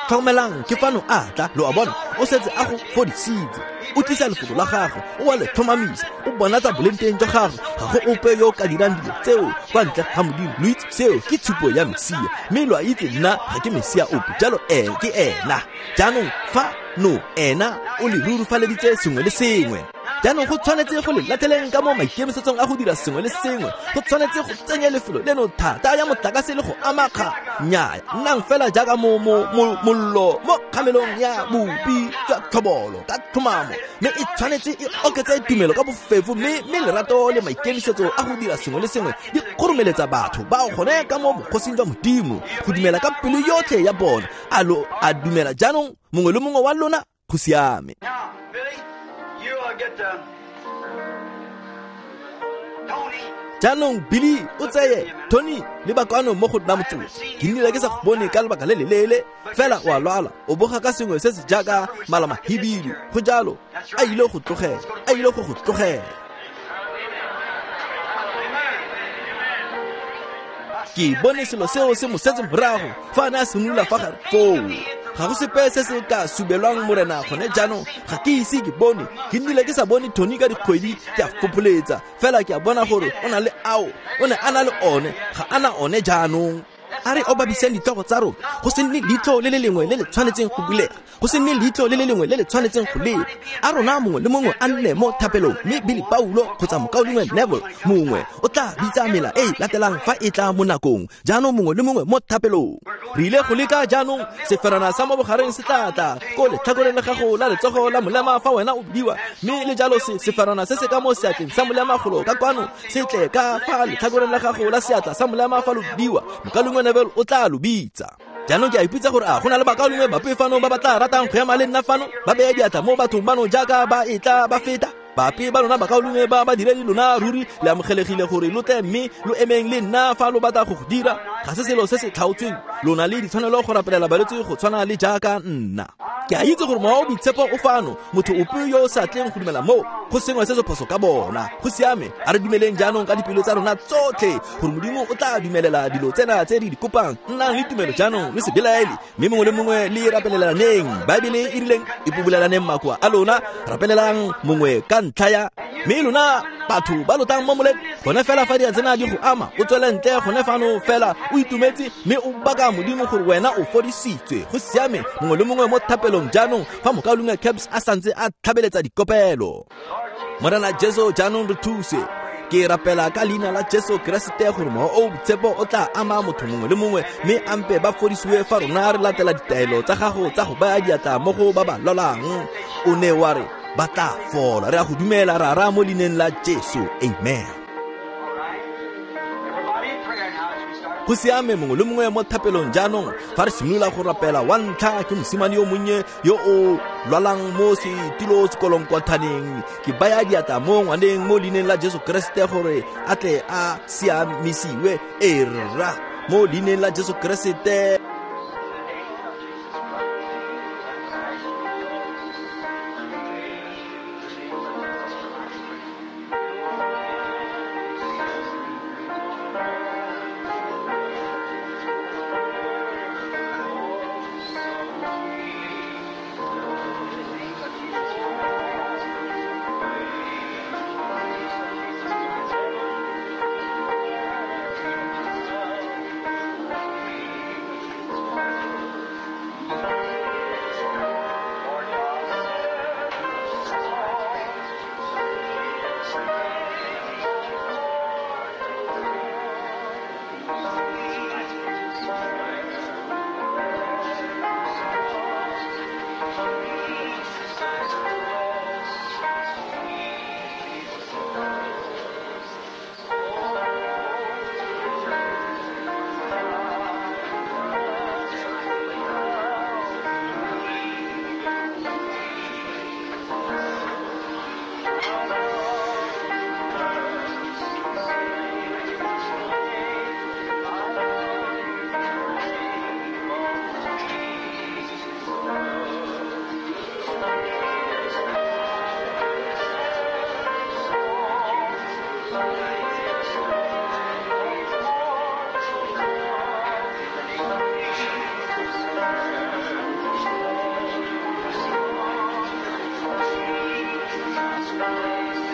B: Tlhokomelang, ke fano a tla, lo a bona, o setse a go fodisitse. O tlisa lefoko la gagwe, o a le tlhomamisa, o bonatsa boleng jwa gagwe. Ga go ope yo o ka dirang dilo tseo kwa ntle ga Modimo. Lo itse seo ke tshupo ya Mesia, mme lo a itse nna ga ke Mesia ope, jalo e ke ena. Jaanong fa no ena o le rurifaleditse sengwe le sengwe. Jaanong go tshwanetse go le lateleng ka mo maikemisetsong a go dira sengwe le sengwe. Go tshwanetse go tsenya lefelo leno thata ya motlakase le go amakga. Nnyaa, nnang fela jaaka mo mo mollo mo kgamelong ya bopi jwa tlhobolo ka tlhomamo, mme e tshwanetse e oketse tumelo ka bofefo, mme mme lerato le maikemisetso a go dira sengwe le sengwe di kgoromeletsa batho bao gone ka mo bogosing jwa Modimo go dumela ka pelo yotlhe ya bona. A lo a dumela jaanong mongwe le mongwe wa lona? Go siame. Jaanong Billy o tseye Tony le bakwano mo go nna motsotso. Ke nnile ke sa go bone ka lebaka le leleele, fela o a lwala, o boga ka sengwe se se jaaka malamahibidu. Go jalo, a ile go tlogela, a ile go go tlogela. Ke bone selo seo se mo setse morago fa a ne a simolola fa gare foo. Ga go sepe se se ka subelwang Morena gone jaanong, ga ke ise ke bone. Ke nnile ke sa bone Tony ka dikgwedi, ke a fopholetsa fela ke a bona gore o na le ao, o ne a na le one, ga a na one jaanong. A re obabiseng ditlhogo tsa rona. Go se nne leitlho le le lengwe le le tshwanetseng go bulega, go se nne leitlho le le lengwe le le tshwanetseng go leba. A rona mongwe le mongwe a nne mo thapelong, mme Billy Paulo kgotsa mokaulengwe Neville mongwe o tla bitsa mela e e latelang fa e tla mo nakong. Jaanong mongwe le mongwe mo thapelong. Re ile go leka jaanong, seferana sa mo bogareng se tla tla ko letlhakoreng la gago la letsogo la molema fa wena o bidiwa, mme le jalo se seferana se se ka mo seatleng sa molema golo ka kwano se tle ka fa letlhakoreng la gago la seatla sa molema fa lo bidiwa. Mokaulengwe Neville o tla lo bitsa. Jaanong ke a ipotsa gore a go na le bakaulengwe bape fano ba ba tla ratang go ema le nna fano, ba beye diatla mo bathong bano jaaka ba e tla ba feta. Bape ba lona bakaulengwe ba badiredi lona ruri le amogelegile gore lo tle mme lo emeng le nna fa lo batla go go dira. Ga se selo se se tlhaotsweng, lona le ditshwanelo go rapelela balwetse go tshwana le jaaka nna. Ke a itse gore mowa o boitshepo o fano, motho ope yo o sa tleng go dumela moo go sengwe se se phoso ka bona. Go siame, a re dumeleng jaanong ka dipelo tsa rona tsotlhe gore Modimo o tla dumelela dilo tsena tse re di kopang. Nnang le tumelo jaanong, le se belaele, mme mongwe le mongwe le rapelelaneng. Baebele e rileng ipobelelaneng makoa a lona, rapelelang mongwe ka ntlha ya mme lona batho ba lotang mo moleng. Gone fela fa di tsena di go ama, o tswele ntle gone fano fela o itumetse mme o baka Modimo gore wena o fodisitswe. Go siame, mongwe le mongwe mo thapelong jaanong fa mokaulengwe Caps a santse a tlhabeletsa dikopelo. Morena Jesu, jaanong re thuse. Ke rapela ka leina la Jesu Keresete gore mowa o boitshepo o tla ama motho mongwe le mongwe, mme ampe ba fodisiwe fa rona re latela ditaelo tsa gago tsa go baya diatla mo go ba ba lwalang. O ne wa re ba tla fola. Re a go dumela Rara mo leineng la Jesu. Amen. Go siame, mongwe le mongwe mo thapelong jaanong fa re simolola go rapela. Wa ntlha ke mosimane yo monnye yo o lwalang mo setilo sekolong-kwathaneng. Ke baya diatla mo ngwaneng mo leineng la Jesu Keresete gore a tle a siamisiwe. E rra, mo leineng la Jesu Keresete.
A: Thank you.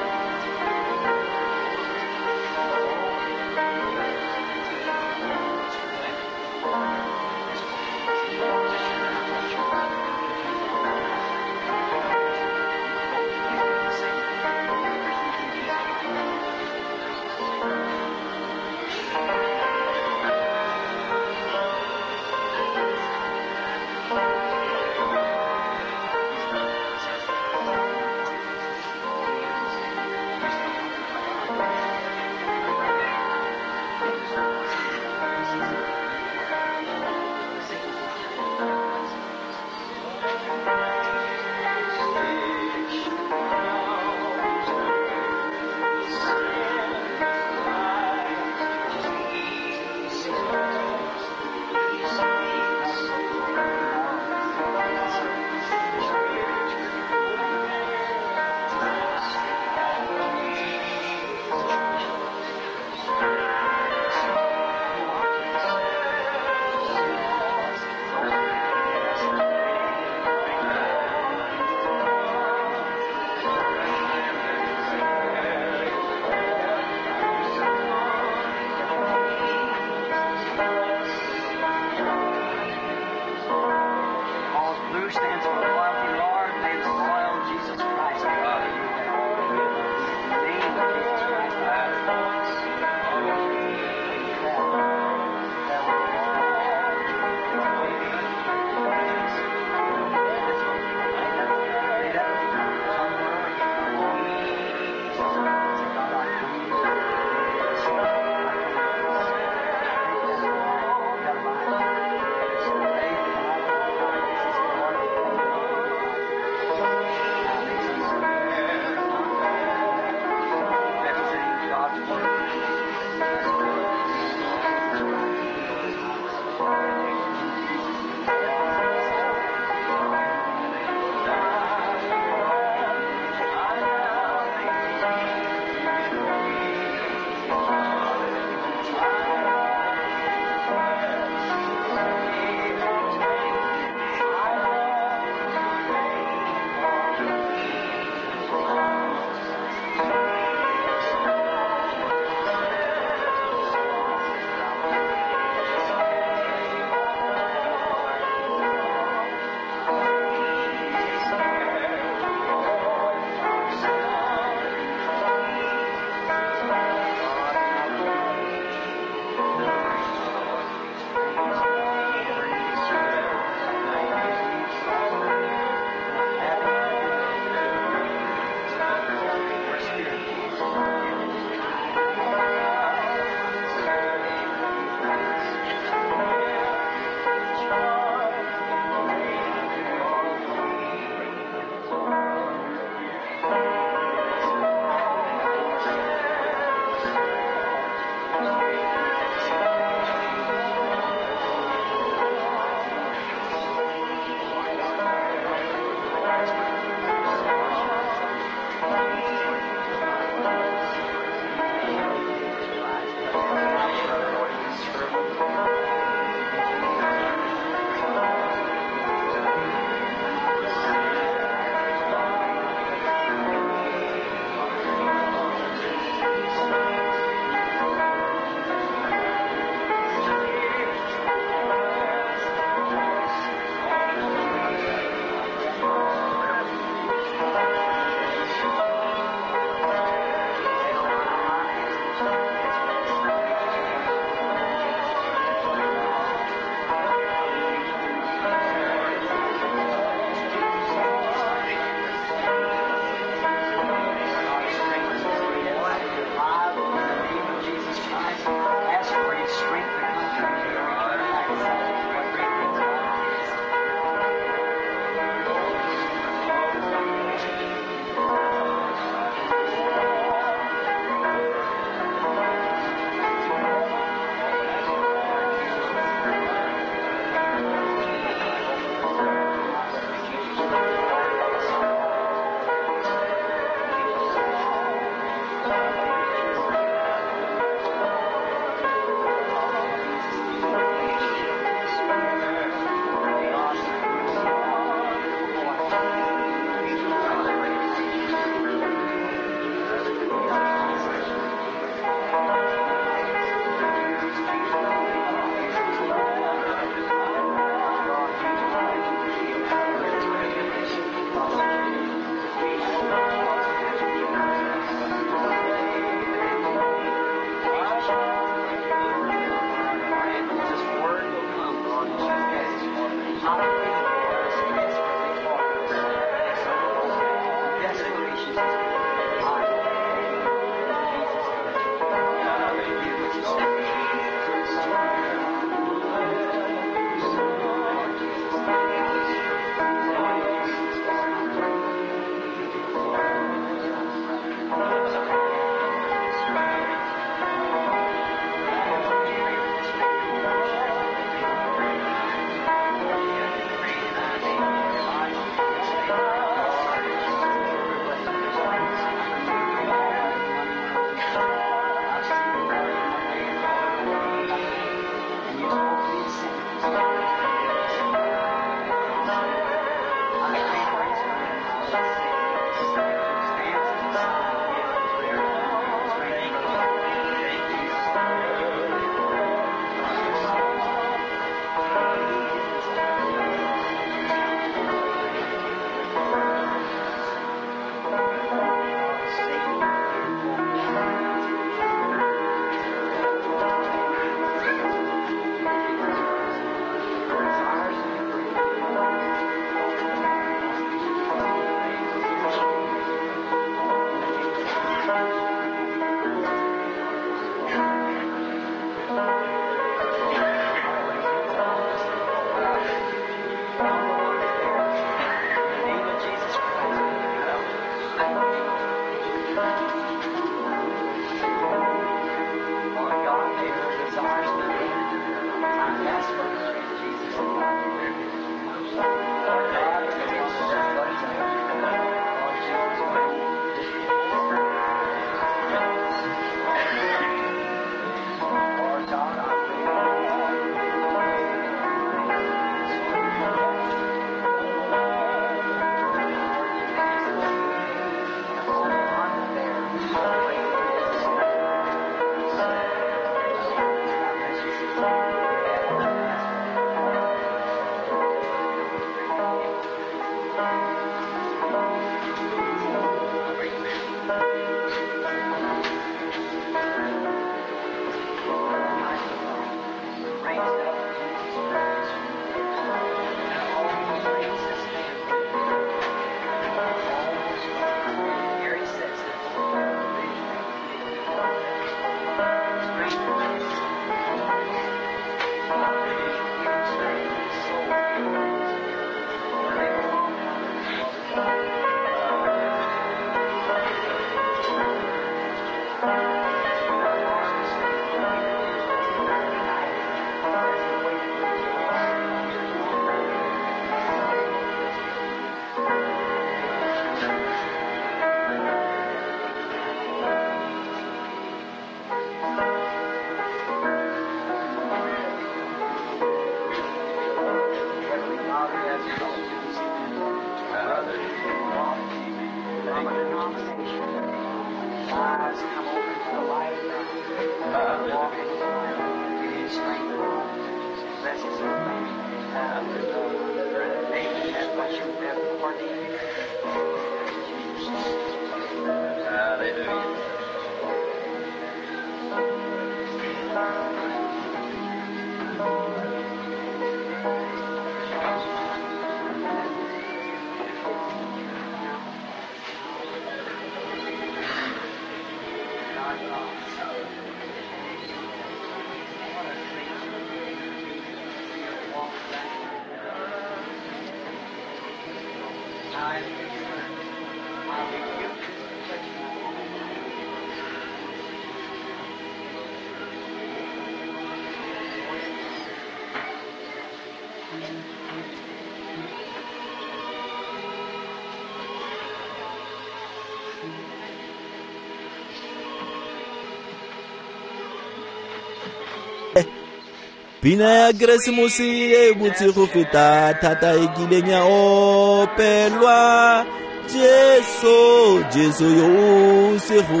B: Pina ya Keresemose e botse go feta thata e kileng ya opelwa. Jesu, Jesu yo o segofetse.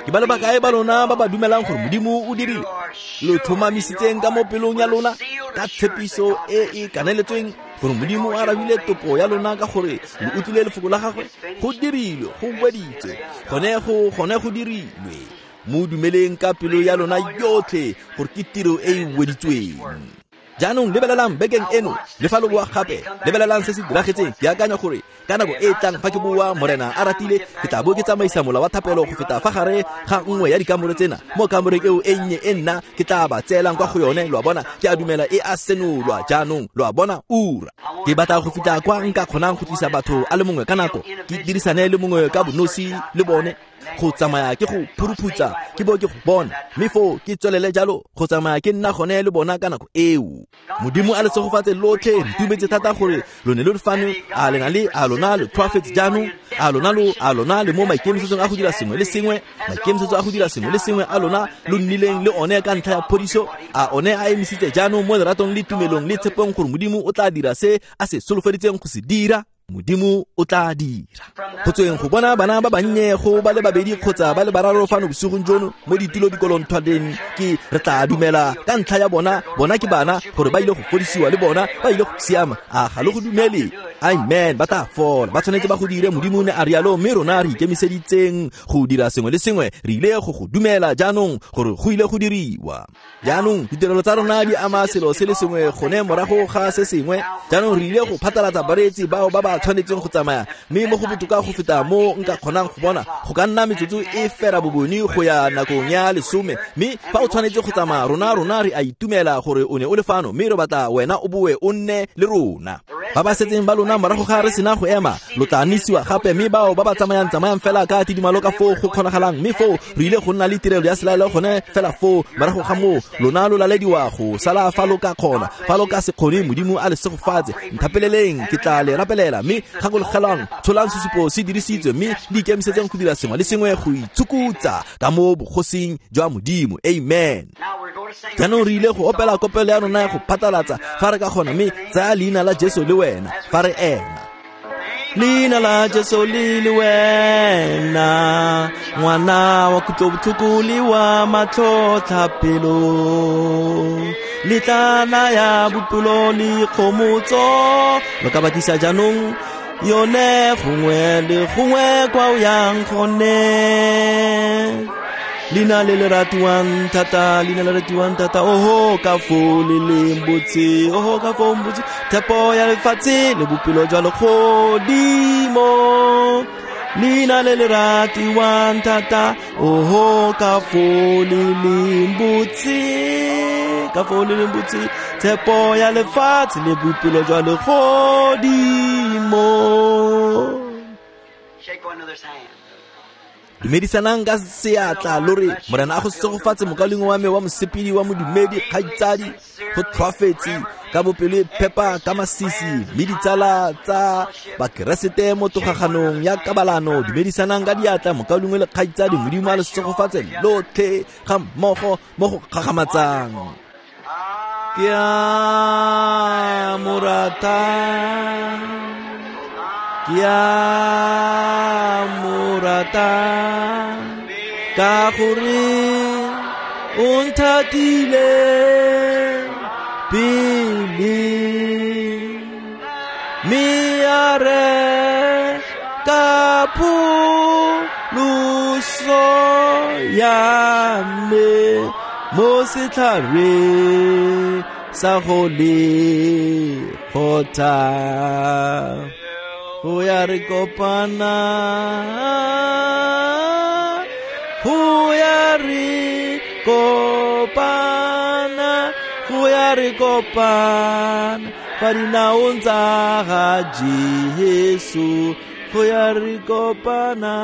B: Ke ba le bakae ba lona ba ba dumelang gore Modimo o dirile lo tlhomamisitseng ka mo pelong ya lona ka tshepiso e e kaneletsweng gore Modimo o arabile topo ya lona ka gore lo utlwile lefoko la gagwe? Go dirilwe, go weditswe, gone go gone go dirilwe. Mo dumeleng ka pelo ya lona yotlhe gore ke tiro e e weditsweng. Jaanong lebelelang bekeng eno le fa lo boa gape, lebelelang se se diragetseng. Ke akanya gore ka nako e e tlang fa ke boa Morena a ratile, ke tla bo ke tsamaisa mola wa thapelo go feta fa gare ga nngwe ya dikamore tsena. Mo kamoreng eo e nnye e nna ke tla ba tseelang kwa go yone, lo a bona. Ke a dumela e a senolwa jaanong, lo a bona, ura. Ke batla go fitlha kwa nka kgonang go tlisa batho a le mongwe ka nako, ke dirisane le mongwe ka bonosi le bone, go tsamaya ke go phuruphutsa ke bo ke go bona, mme foo ke tswelele jalo go tsamaya ke nna gone le bona ka nako eo. Modimo a le segofatse lotlhe. Re itumetse thata gore lo ne lo le fano. A le na le a lona lo tlhoafetse jaanong, a lona lo a lona le mo maikemisetsong a go dira sengwe le sengwe, maikemisetso a go dira sengwe le sengwe a lona lo nnileng le one ka ntlha ya phodiso, a one a emisitse jaanong mo leratong le tumelong le tshepong gore Modimo o tla dira se a se solofeditseng go se dira. Modimo o tla dira. Go tsweng go bona bana ba bannye go ba le babedi kgotsa ba le bararo fano bosigong jono mo ditilo dikolonthwaneng, ke re tla dumela ka ntlha ya bona, bona ke bana, gore ba ile go fodisiwa le bona ba ile go siama. A ga le go dumele? Amen. Ba tla fola, ba tshwanetse ba go dire. Modimo ne a rialo, mme rona re ikemiseditseng go dira sengwe le sengwe. Re ile go go dumela jaanong gore go ile go diriwa. Jaanong ditirelo tsa rona di ama selo se le sengwe gone morago ga se sengwe. Jaanong re ile go phatlalatsa bareetsi bao ba ba tshwanetseng go tsamaya, mme mo go botoka go feta mo nka kgonang go bona go ka nna metsotso e fera boboni go ya nakong ya lesome. Mme fa o tshwanetse go tsamaya, rona rona re a itumela gore o ne o le fano, mme re batla wena o boe o nne le rona. Ba ba setseng ba lona morago ga re sena go ema, lo tla nisiwa gape, mme bao ba ba tsamayang tsamayang fela ka tidimalo ka foo go kgonagalang. Mme foo re ile go nna le tirelo ya selaelo gone fela foo. Morago ga moo lona lo lalediwa go sala fa lo ka kgona, fa lo ka se kgone Modimo a le segofatse. Nthapeleleng, ke tla le rapelela. Mme gakologelwang, tsholang sesupo se dirisitswe, mme le ikemisetseng go dira sengwe le sengwe go itsukutsa ka mo bogosing jwa Modimo. Amen. Jaanong re ile go opela kopelo ya rona ya go phatlalatsa fa re ka kgona, mme tsaya leina la Jesu le wena fa re ema. Leina la Jesu le le wena, ngwana wa kutlobotlhoko le wa matlhotlhapelo, le tla naya bophelo le kgomotso. Lo ka batisa jaanong yone gongwe le gongwe kwa o yang gone. Leina le le ratiwang thata, leina le ratiwang thata, oho ka foo le leng botse, oho ka foo botse, tshepo ya lefatshe le bophelo jwa legodimo. Leina le le ratiwang thata, oho ka foo le leng botse, ka foo le leng botse, tshepo ya lefatshe le bophelo jwa legodimo.
A: Shake one another's hand.
B: Dumedisanang ka seatla lo re Morena a go segofatse mokaulengwe wa me wa mosepedi wa modumedi, kgaitsadi, go tlhoafetse ka bopelo e phepa ka masisi, mme ditsala tsa bakeresete mo togaganong ya kabalano. Dumedisanang ka diatla mokaulengwe le kgaitsadi. Modimo a le segofatse lotlhe ga mmogo mo go gagamatsang. Ke a mo rata, ke a mo rata, ka gore o nthatile pele, mme a reka pholoso ya me mo setlhareng sa go lekgotha. Go ya re kopana, go ya re kopana, go ya re kopana fa dinaong tsa ga Jesu. Go ya re kopana,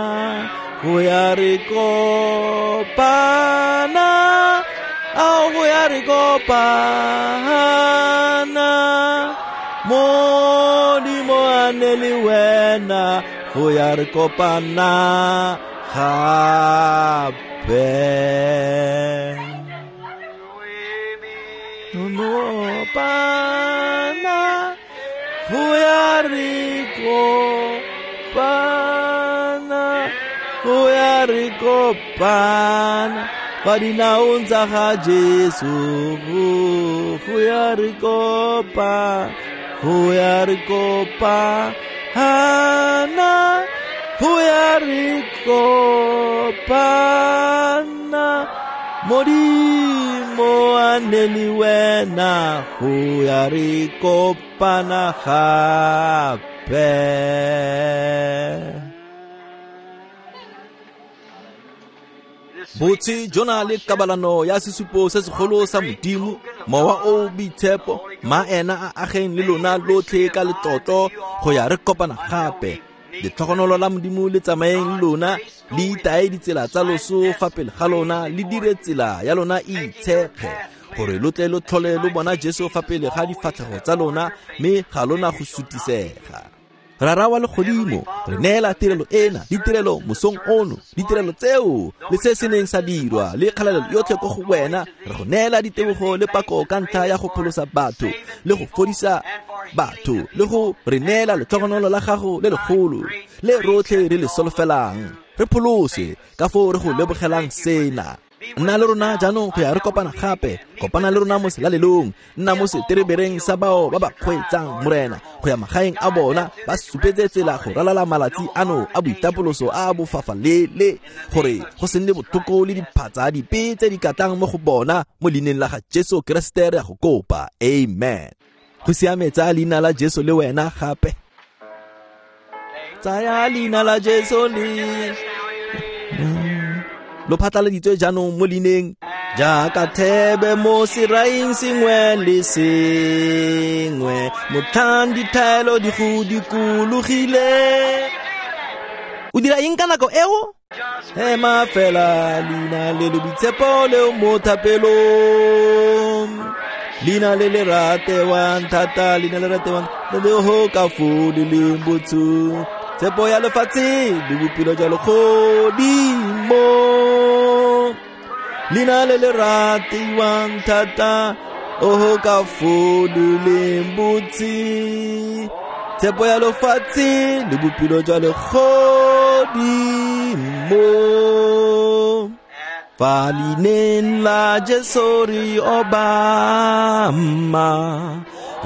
B: go ya re kopana, ao go ya re kopana. Modimo a ne le wena, go ya re kopana gape. Kopana, go ya re kopana, go ya re kopana fa dinaong tsa ga Jesu. Go ya re kopana, go ya re kopana, go ya re kopana. Modimo Modimo a nne le wena go ya re kopana gape. Botse jona le kabalano ya sesupo se segolo sa Modimo, mowa o boitshepo, ma ena a ageng le lona lotlhe ka letlotlo go ya re kopana gape. Letlhogonolo la Modimo le tsamaeng le lona, le itae ditsela tsa loso fa pele ga lona, le dire tsela ya lona e itshephe, gore lo tle lo tlhole lo bona Jesu fa pele ga difatlhego tsa lona, mme ga lona go sutisega. Rara wa legodimo, re neela tirelo ena, ditirelo mosong ono, ditirelo tseo le se se neng sa dirwa le kgalalelo yotlhe ko go wena. Re go neela ditebogo le pako ka ntlha ya go pholosa batho le go fodisa batho le go re neela letlhogonolo la gago le legolo le rotlhe re le solofelang. Re pholose ka foo re go lebogelang sena. Nna le rona jaanong go ya re kopana gape. Kopana le rona mo selalelong, nna mo seterebereng sa bao ba ba kgweetsang Morena go ya magaeng a bona, ba supetse tsela go ralala malatsi ano a boitapoloso a bofafalele, gore go se nne botlhoko le diphatsa dipe tse di katang mo go bona. Mo leineng la ga Jesu Keresete re a go kopa, amen. Go siame, tsaya leina la Jesu le wena gape. Tsaya leina la Jesu le lo phatlaladitswe jaanong mo leineng, jaaka thebe mo seraing sengwe le sengwe, motlhang dithaelo di go dikologile. O dira eng ka nako eo? Ema fela leina le le boitshepo leo mo thapelong, leina le le ratewang thata, leina le ratewang le le ho ka foo le leng botho, tshepo ya lefatshe le bophelo jwa legodimo, leina le le ratiwang thata, oho ka foo le leng botse, tshepo ya lefatshe le bophelo jwa legodimo. Fa leineng la Jesu re obama,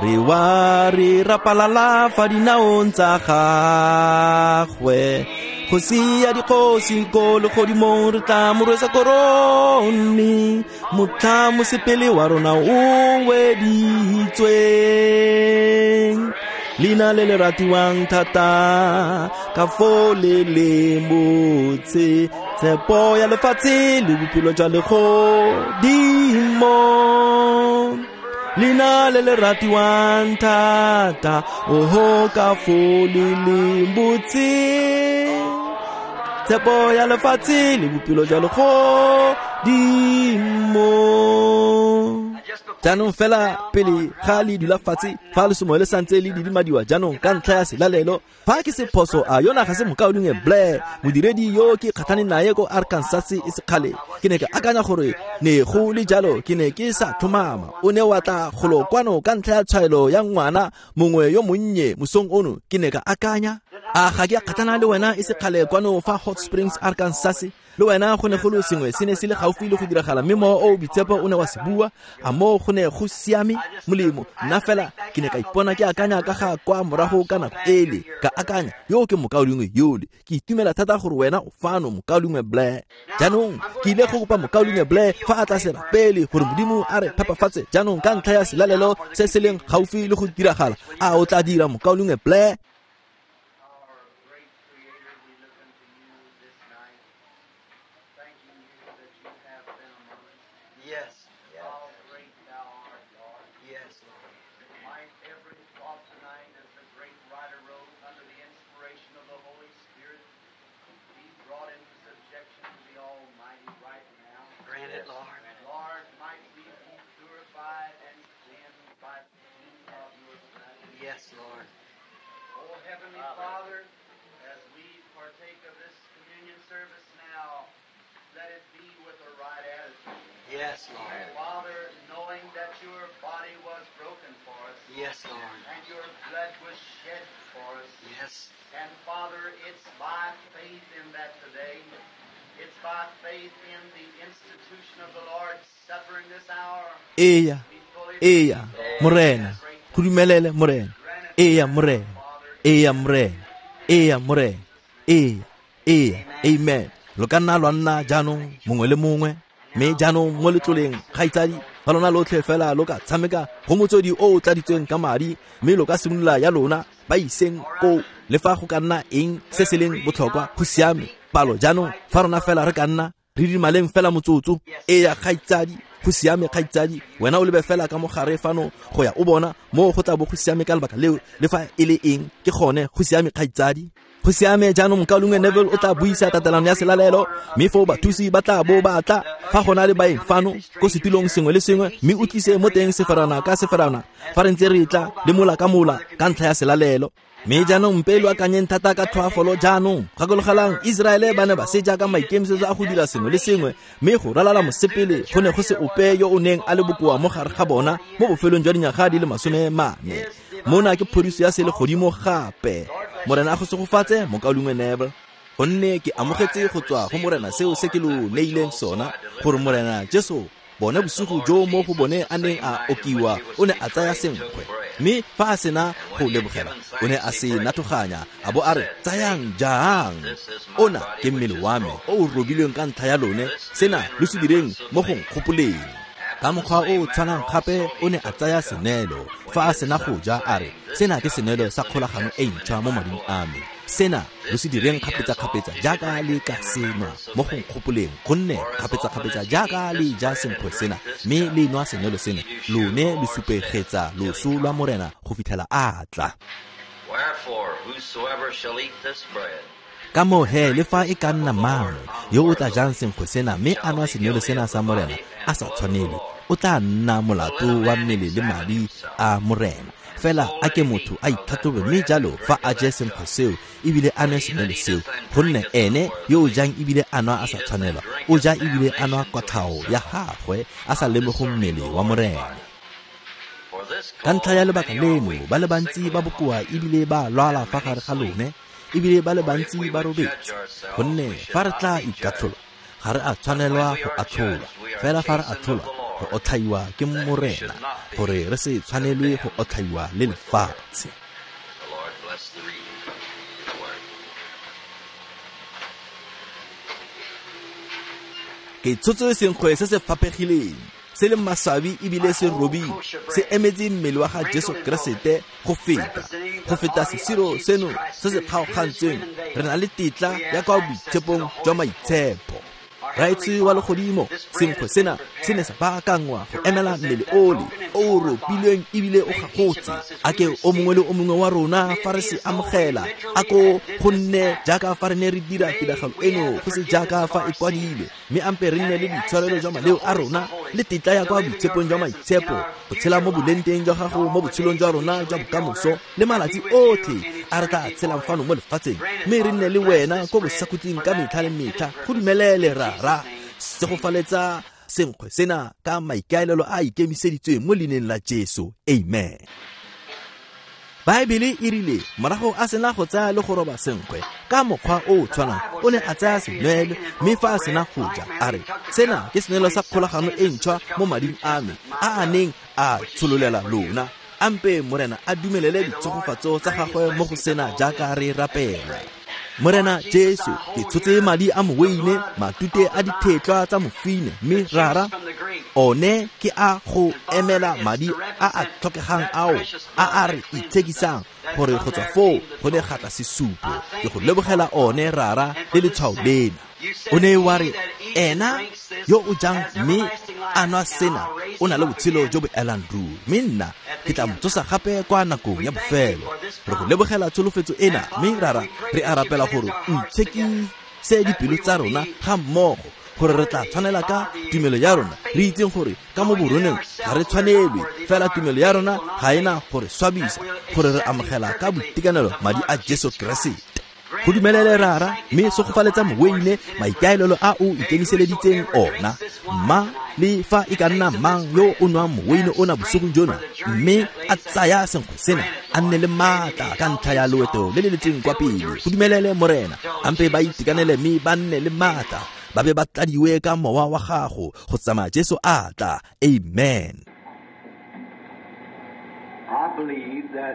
B: re wa re rapalala fa dinaong tsa gagwe, kgosi ya dikgosi ko legodimong re tla mo rwesa korone, motlha mosepele wa rona o weditsweng. Leina le le ratiwang thata ka foo le le motse, tshepo ya lefatshe le bophelo jwa legodimo, leina le le ratiwang thata, oho ka foo le le botse, tshepo ya lefatshe le bophelo jwa legodimo. Jaanong fela pele ga le dula fatshe, fa lesomo le santse le didimadiwa jaanong ka ntlha ya selalelo, fa ke se phoso a yona ga se mokaulengwe Blair, modiredi yo ke kgatlhaneng naye ko Arkansas e sekgale. Ke ne ke akanya gore ne go le jalo, ke ne ke sa tlhomama. O ne wa tla golo kwano ka ntlha ya tshwaelo ya ngwana mongwe yo monnye mosong ono. Ke ne ka akanya, a ga ke a kgatlhana le wena e sekgale kwano fa Hot Springs, Arkansas? Le wena go ne go le sengwe se ne se le gaufi le go diragala, mme mowa o boitshepo o ne wa se bua. A moo go ne go siame? Molemo, nna fela ke ne ka ipona ke akanya ka ga kwa morago ka nako ele, ka akanya yo ke mokaulengwe yole. Ke itumela thata gore wena o fano, mokaulengwe Blair. Jaanong ke ile go kopa mokaulengwe Blair fa a tla se rapele gore Modimo a re phepafatse jaanong ka ntlha ya selalelo se se leng gaufi le go diragala. A o tla dira, mokaulengwe Blair?
A: Yes. How great thou art, Lord. Yes, Lord. Might every thought tonight, as the great writer wrote, under the inspiration of the Holy Spirit, be brought into subjection to the Almighty right now. Grant it, Lord. Lord, might we be purified and cleansed by the shedding of your blood. Yes, Lord. Oh, Heavenly Father, as we partake of this communion service now, let it be with the right attitude. Yes, Lord. Father, knowing that your body was broken for us. Yes, Lord. And your blood was shed for us. Yes. And Father, it's by faith in that today. It's by faith in the institution of the Lord's Supper in this hour.
B: Eya, eya, Morena, go dumelele Morena. Eya, Morena. Eya, Morena. Eya, Morena. Eya, eya, amen. Lo ka nna lwa nna jaanong mongwe le mongwe. Mme jaanong mo letloleng kgaitsadi fa lona lotlhe fela lo ka tshameka go motswedi o o tladitsweng ka madi mme lo ka simolola ya lona ba iseng koo le fa go ka nna eng se se leng botlhokwa go siame palo jaanong fa rona fela re ka nna re dimaleng fela motsotso e ya kgaitsadi go siame kgaitsadi wena o lebe fela ka mogare fano go ya o bona mo go tla bo go siame ka lebaka leo le fa e le eng ke gone go siame kgaitsadi go siame jaanong mokaulengwe Neville o tla buisa tatelano ya selalelo mme foo bathusi ba tla bo ba tla fa go na le baeng fano ko setulong sengwe le sengwe mme o tlise mo teng seferana ka seferana fa re ntse re tla le mola ka mola ka ntlha ya selalelo. Mme jaanong mpe lo akanyeng thata ka tlhoafalo jaanong gakologelang Iseraele ba ne ba se jaaka maikemisetso a go dira sengwe le sengwe mme go ralala mosepele go ne go se ope yo o neng a le bokoa mo gare ga bona mo bofelong jwa dinyaga di le masome mane. Mona ke phodiso ya selegodimo gape. Morena a go segofatse mokaulengwe Neville gonne ke amogetse go tswa go Morena seo se ke lo neileng sona gore Morena Jesu bone bosigo jo mo go bone a neng a okiwa o ne a tsaya senkgwe mme fa a sena go lebogela o ne a se nathoganya a bo a re tsayang jang ona ke mmele wa me o o robilweng ka ntlha ya lone sena lo se direng mo go nkgopoleng. Ka mokgwa o o tshwanang gape o ne a tsaya senelo fa a sena go ja a re sena ke senelo sa kgolagano e ntšhwa mo mading a me sena lo se direng kgapetsa-kgapetsa jaaka le ka senwa mo go nkgopoleng gonne kgapetsa-kgapetsa jaaka le ja senkgwe sena mme le nwa senelo sena lone lo supegetsa loso lwa Morena go fitlhela a tla. Ka moo he le fa e ka nna mang yo o tla jang senkgwe sena mme a nwa senelo sena sa Morena a sa tshwanele o tla nna molato wa mmele le madi a Morena. Fela a ke motho a itlhatlhobe mme jalo fa a je senkgwe seo ebile a nwe senelo seo gonne ene yo o jang ebile a nwa a sa tshwanelwa o ja ebile a nwa kwatlhao ya gagwe a sa lemoge mmele wa Morena. Ka ntlha ya lebaka leno ba le bantsi ba bokoa ebile ba lwala fa gare ga lone ebile ba le bantsi ba robetse gonne fa re tla ikatlhola ga re a tshwanelwa go atlholwa fela fa re atlholwa go otlhaiwa ke Morena gore re se tshwanelwe go otlhaiwa le lefatshe. Ke tshotse senkgwe se se faphegileng se le maswabi ebile se robile se emetse mmele wa ga Jesu Keresete go feta go feta sesiro seno se se kgaogantsweng re na le tetla ya kwa boitshepong jwa maitshepo. Raetswe wa legodimo senkgwe sena se ne sa baakangwa go emela mmele ole o o ropilweng ebile o gagotse a ke o mongwe le o mongwe wa rona fa re se amogela a ko go nne jaaka fa re ne re dira tiragalo eno go se jaaka fa e kwadilwe mme ampe re nne le boitshwarelo jwa maleo a rona le tetla ya kwa boitshepong jwa maitshepo go tshela mo bolenteng jwa gago mo botshelong jwa rona jwa bokamoso le malatsi otlhe a re tla tshelang fano mo lefatsheng mme re nne le wena ko bosakhutleng ka metlha le metlha go dumelele rara segofaletsa senkgwe sena ka maikaelelo a ikemiseditsweng mo leineng la Jesu. Amen. Baebele e rile morago a sena go tsaya le go roba senkgwe ka mokgwa o o tshwanang o ne a tsaya senwelo mme fa a sena go ja a re sena ke senwelo sa kgolagano e ntšhwa mo mading a me a a neng a tshololela lona. Ampe Morena a dumelele ditshegofatso tsa gagwe mo go sena jaaka re rapela. Morena Jesu ke tshotse madi a moweine matute a dithetlwa tsa mofine mme rara one ke a go emela madi a a tlhokegang ao a a re itshekisang gore go tswa foo go ne ga tla sesupo ke go lebogela one rara le letshwao lena. O ne wa re ena yo o jang mme a nwa sena o na le botshelo jo bo elang ruri mme nna ke tla mo tsosa gape kwa nakong ya bofelo. Re go lebogela tsholofetso ena mme rara re a rapela gore o itshekise dipelo tsa rona ga mmogo gore re tla tshwanela ka tumelo ya rona re itseng gore ka mo boroneng ga re tshwanelwe fela tumelo ya rona ga ena gore swabisa gore re amogela ka boitekanelo madi a Jesu Keresete. Go dumelele rara mme segofaletsa moweine maikaelelo a o ikemiseleditseng ona mma le fa e ka nna mang yo o nwang moweine ona bosigong jona mme a tsaya senkgwe sena a nne le maatla ka ntlha ya loeto le le letseng kwa pele. Go dumelele Morena ampe ba itekanele mme ba nne le maatla ba be ba tladiwe ka mowa wa gago go tsamaya Jesu a tla. Amen.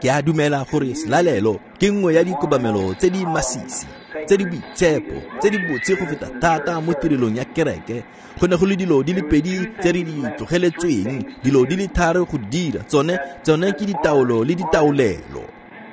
B: Ke a dumela gore selalelo ke nngwe ya dikobamelo tse di masisi tse tse di boitshepo tse di botse go feta thata mo tirelong ya kereke. Go ne go le dilo di le pedi tse re di tlogeletsweng, dilo di le tharo go dira, tsone tsone ke ditaolo le ditaolelo.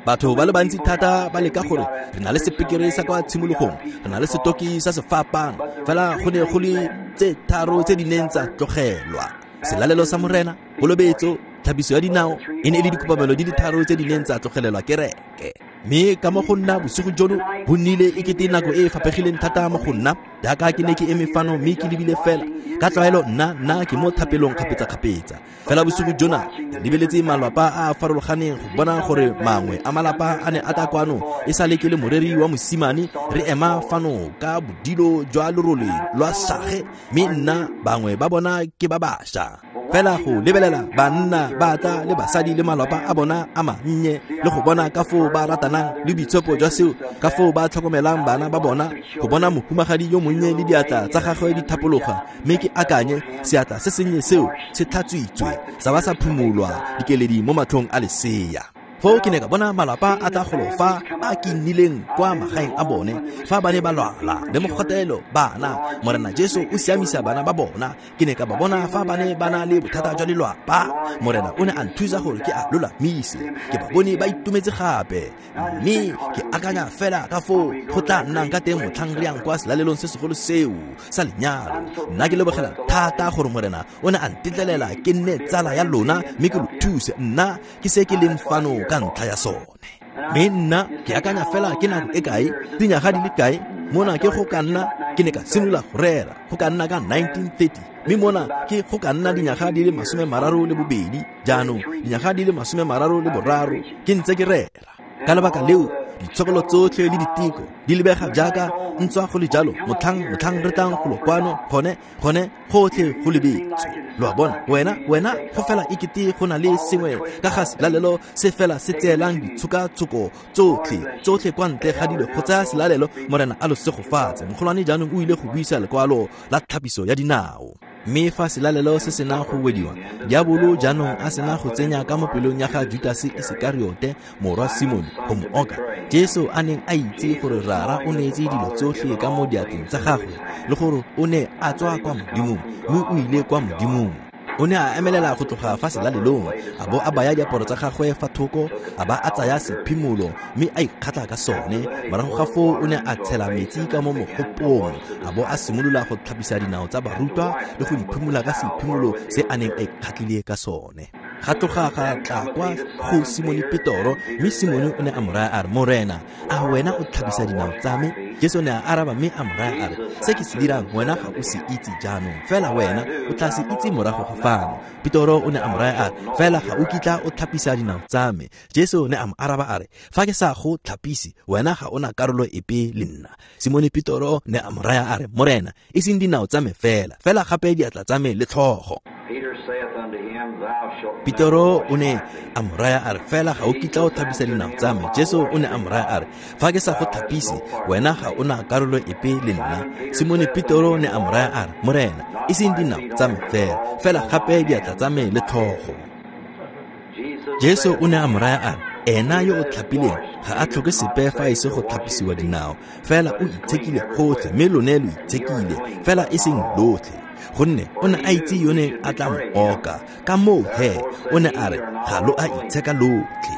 B: Batho ba le bantsi thata ba leka gore re na le sepekere sa kwa tshimologong, re na le setoki sa sefapano, fela go ne go le tse tharo tse di neng tsa tlogelwa. Selalelo sa Morena, kolobetso, tlhapiso ya dinao, e ne e le dikopamelo di le tharo tse di neng tsa tlogelelwa kereke. Mme ka mo go nna bosigo jono bo nnile e kete nako e e faphegileng thata mo go nna, jaaka ke ne ke eme fano mme ke lebile fela. Ka tlwaelo nna nna ke mo thapelong kgapetsa-kgapetsa. Fela bosigo jona ke lebeletse malapa a a farologaneng go bona gore mangwe a malapa a ne a tla kwano e sale ke le moreri wa mosimane, re ema fano ka bodilo jwa lerole lwa sage, mme nna bangwe ba bona ke ba bašwa. Fela go lebelela banna ba tla le basadi le malapa a bona a mannye, le go bona ka foo ba ratanang le boitshepo jwa seo, ka foo ba tlhokomelang bana ba bona, go bona mohumagadi yo monnye le diatla tsa gagwe di thapologa, mme ke akanye seatla se sennye seo se tlhatswitswe sa ba sa phumolwa dikeledi mo matlhong a lesea. Foo ke ne ka bona malapa a tla golo fa a ke nnileng kwa magaeng a bone fa ba ne ba lwala le mogotelo bana. Morena Jesu o siamisa bana ba bona. Ke ne ka ba bona fa ba ne ba na le bothata jwa lelwapa. Morena o ne a nthusa gore ke a lolamise. Ke ba bone ba itumetse gape, mme ke akanya fela ka foo go tla nnang ka teng motlhang re yang kwa selalelong se segolo seo sa lenyalo. Nna ke lebogela thata gore Morena o ne a ntetlelela ke nne tsala ya lona mme ke lo thuse. Nna ke se ke leng fano ka ntlha ya sone. Mme nna ke akanya fela ke nako e kae, dinyaga di le kae, mona ke go ka nna ke ne ka simolola go rera go ka nna ka nineteen thirty, mme mona ke go ka nna dinyaga di le masome mararo le bobedi, jaanong dinyaga di le masome mararo le boraro ke ntse ke rera. Ka lebaka leo ditshokolo tsotlhe le diteko di lebega jaaka ntswa go le jalo motlhang motlhang re tlang golo kwano gone gone gotlhe go lebetswe. Lo a bona, wena wena go fela e kete go na le sengwe ka ga selalelo se fela se tseelang ditshokatshoko tsotlhe tsotlhe kwa ntle ga dilo go tsaya selalelo. Morena a lo segofatse. Mogolwane jaanong o ile go buisa lekwalo la tlhapiso ya dinao. Mme fa selalelo se sena go wediwa, diabolo jaanong a sena go tsenya ka mo pelong ya ga Judase Isekariote morwa Simone go mo oka, Jesu a neng a itse gore Rara o neetse dilo tsotlhe ka mo diatleng tsa gagwe le gore o ne a tswa kwa Modimong mme o ile kwa Modimong. O ne a emelela go tloga fa selalelong, a bo a baya diaparo tsa gagwe fa thoko, a ba a tsaya sephimolo mme a ikgatla ka sone. Morago ga foo o ne a tshela metsi ka mo mogopong, a bo a simolola go tlhapisa dinao tsa barutwa le go di phimola ka sephimolo se a neng a ikgatlile ka sone. Ga tloga ga tla kwa go Simone Petoro, mme Simone o ne a mo raya a re, Morena, a wena o tlhapisa dinao tsa me? Jesu ne a araba mme a mo raya a re, se ke se dirang wena ga o se itse jaanong, fela wena o tla se itse morago ga fano. Petoro o ne a mo raya a re, fela ga o kitla o tlhapisa dinao tsa me. Jesu ne a mo araba a re, fa ke sa go tlhapise, wena ga o na karolo epe le nna. Simone Petoro ne a mo raya a re, Morena, e seng dinao tsa me fela, fela gape diatla tsa me le tlhogo. Petoro o ne a mo raya a re, fela ga o kitla o tlhapisa dinao tsa me. Jesu o ne a mo raya a re, fa ke sa go tlhapise, wena ga o na karolo epe le nna. Simone Petoro ne a mo raya a re, Morena, e seng dinao tsa me fela, fela gape diatla tsa me le tlhogo. Jesu o ne a mo raya a re, ena yo o tlhapileng ga a tlhoke sepe fa e se go tlhapisiwa dinao, fela o itshekile gotlhe, mme lone lo itshekile, fela e seng lotlhe. Gonne o ne a itse yo neng a tla mo oka, ka moo he o ne a re ga lo a itsheka lotlhe.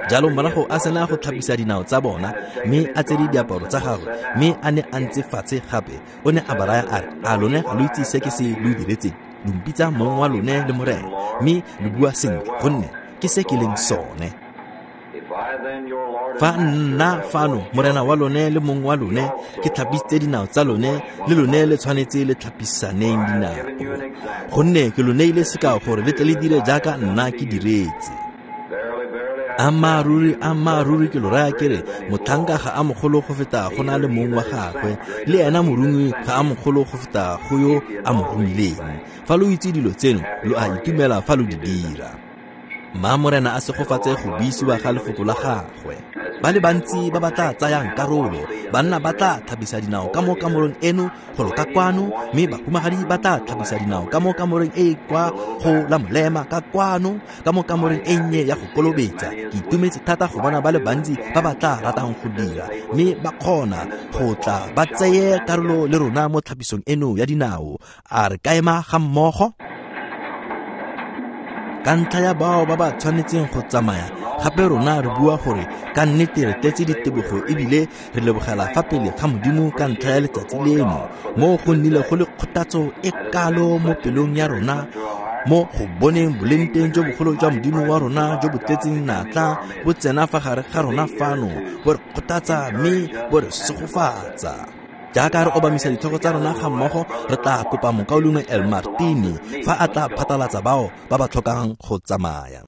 B: Jalo morago a sena go tlhapisa dinao tsa bona, mme a tsere diaparo tsa gagwe, mme a ne a ntse fatshe gape, o ne a ba raya a re, a lone ga lo itse se ke se lo diretseng? Lo mpitsa mong wa lone le Morena, mme lo bua sentle, gonne ke se ke leng sone. Fa nna fano, Morena wa lone le mong wa lone, ke tlhapisitse dinao tsa lone, le lone le tshwanetse le tlhapisaneng dinao. Gonne ke lo neile sekao gore le tle le dire jaaka nna ke diretse. Ammaaruri, ammaaruri ke lo raya ke re, motlhanka ga a mogolo go feta go na le mong wa gagwe, le ena morongwi ga a mogolo go feta go yo a mo romileng. Fa lo itse dilo tseno, lo a itumela fa lo di dira. Mma Morena a segofatse go buisiwa ga lefoko la gagwe. Ba le bantsi ba ba tla tsayang karolo, banna ba tla tlhapisa dinao ka mo kamoreng eno golo ka kwano, mme bahumagadi ba tla tlhapisa dinao ka mo kamoreng e e kwa go la molema ka kwano, ka mo kamoreng e nnye ya go kolobetsa. Ke itumetse thata go bona ba le bantsi ba ba tla ratang go dira, mme ba kgona go tla ba tseye karolo le rona mo tlhapisong eno ya dinao. A re ka ema ga mmogo? Ka ntlha ya bao ba ba tshwanetseng go tsamaya, gape rona re bua gore ka nnete re tletse ditebogo ebile re lebogela fa pele ga Modimo ka ntlha ya letsatsi leno, mo go nnile go le kgothatso e kalo mo pelong ya rona, mo go boneng bolengteng jo bogolo jwa Modimo wa rona jo bo tletseng natla bo tsena fa gare ga rona fano, bo re kgothatsa mme bo re segofatsa. Jaaka re obamisa ditlhogo tsa rona ga mmogo, re tla kopa mokaulengwe El Martini fa a tla phatalatsa bao ba ba tlhokang go tsamaya.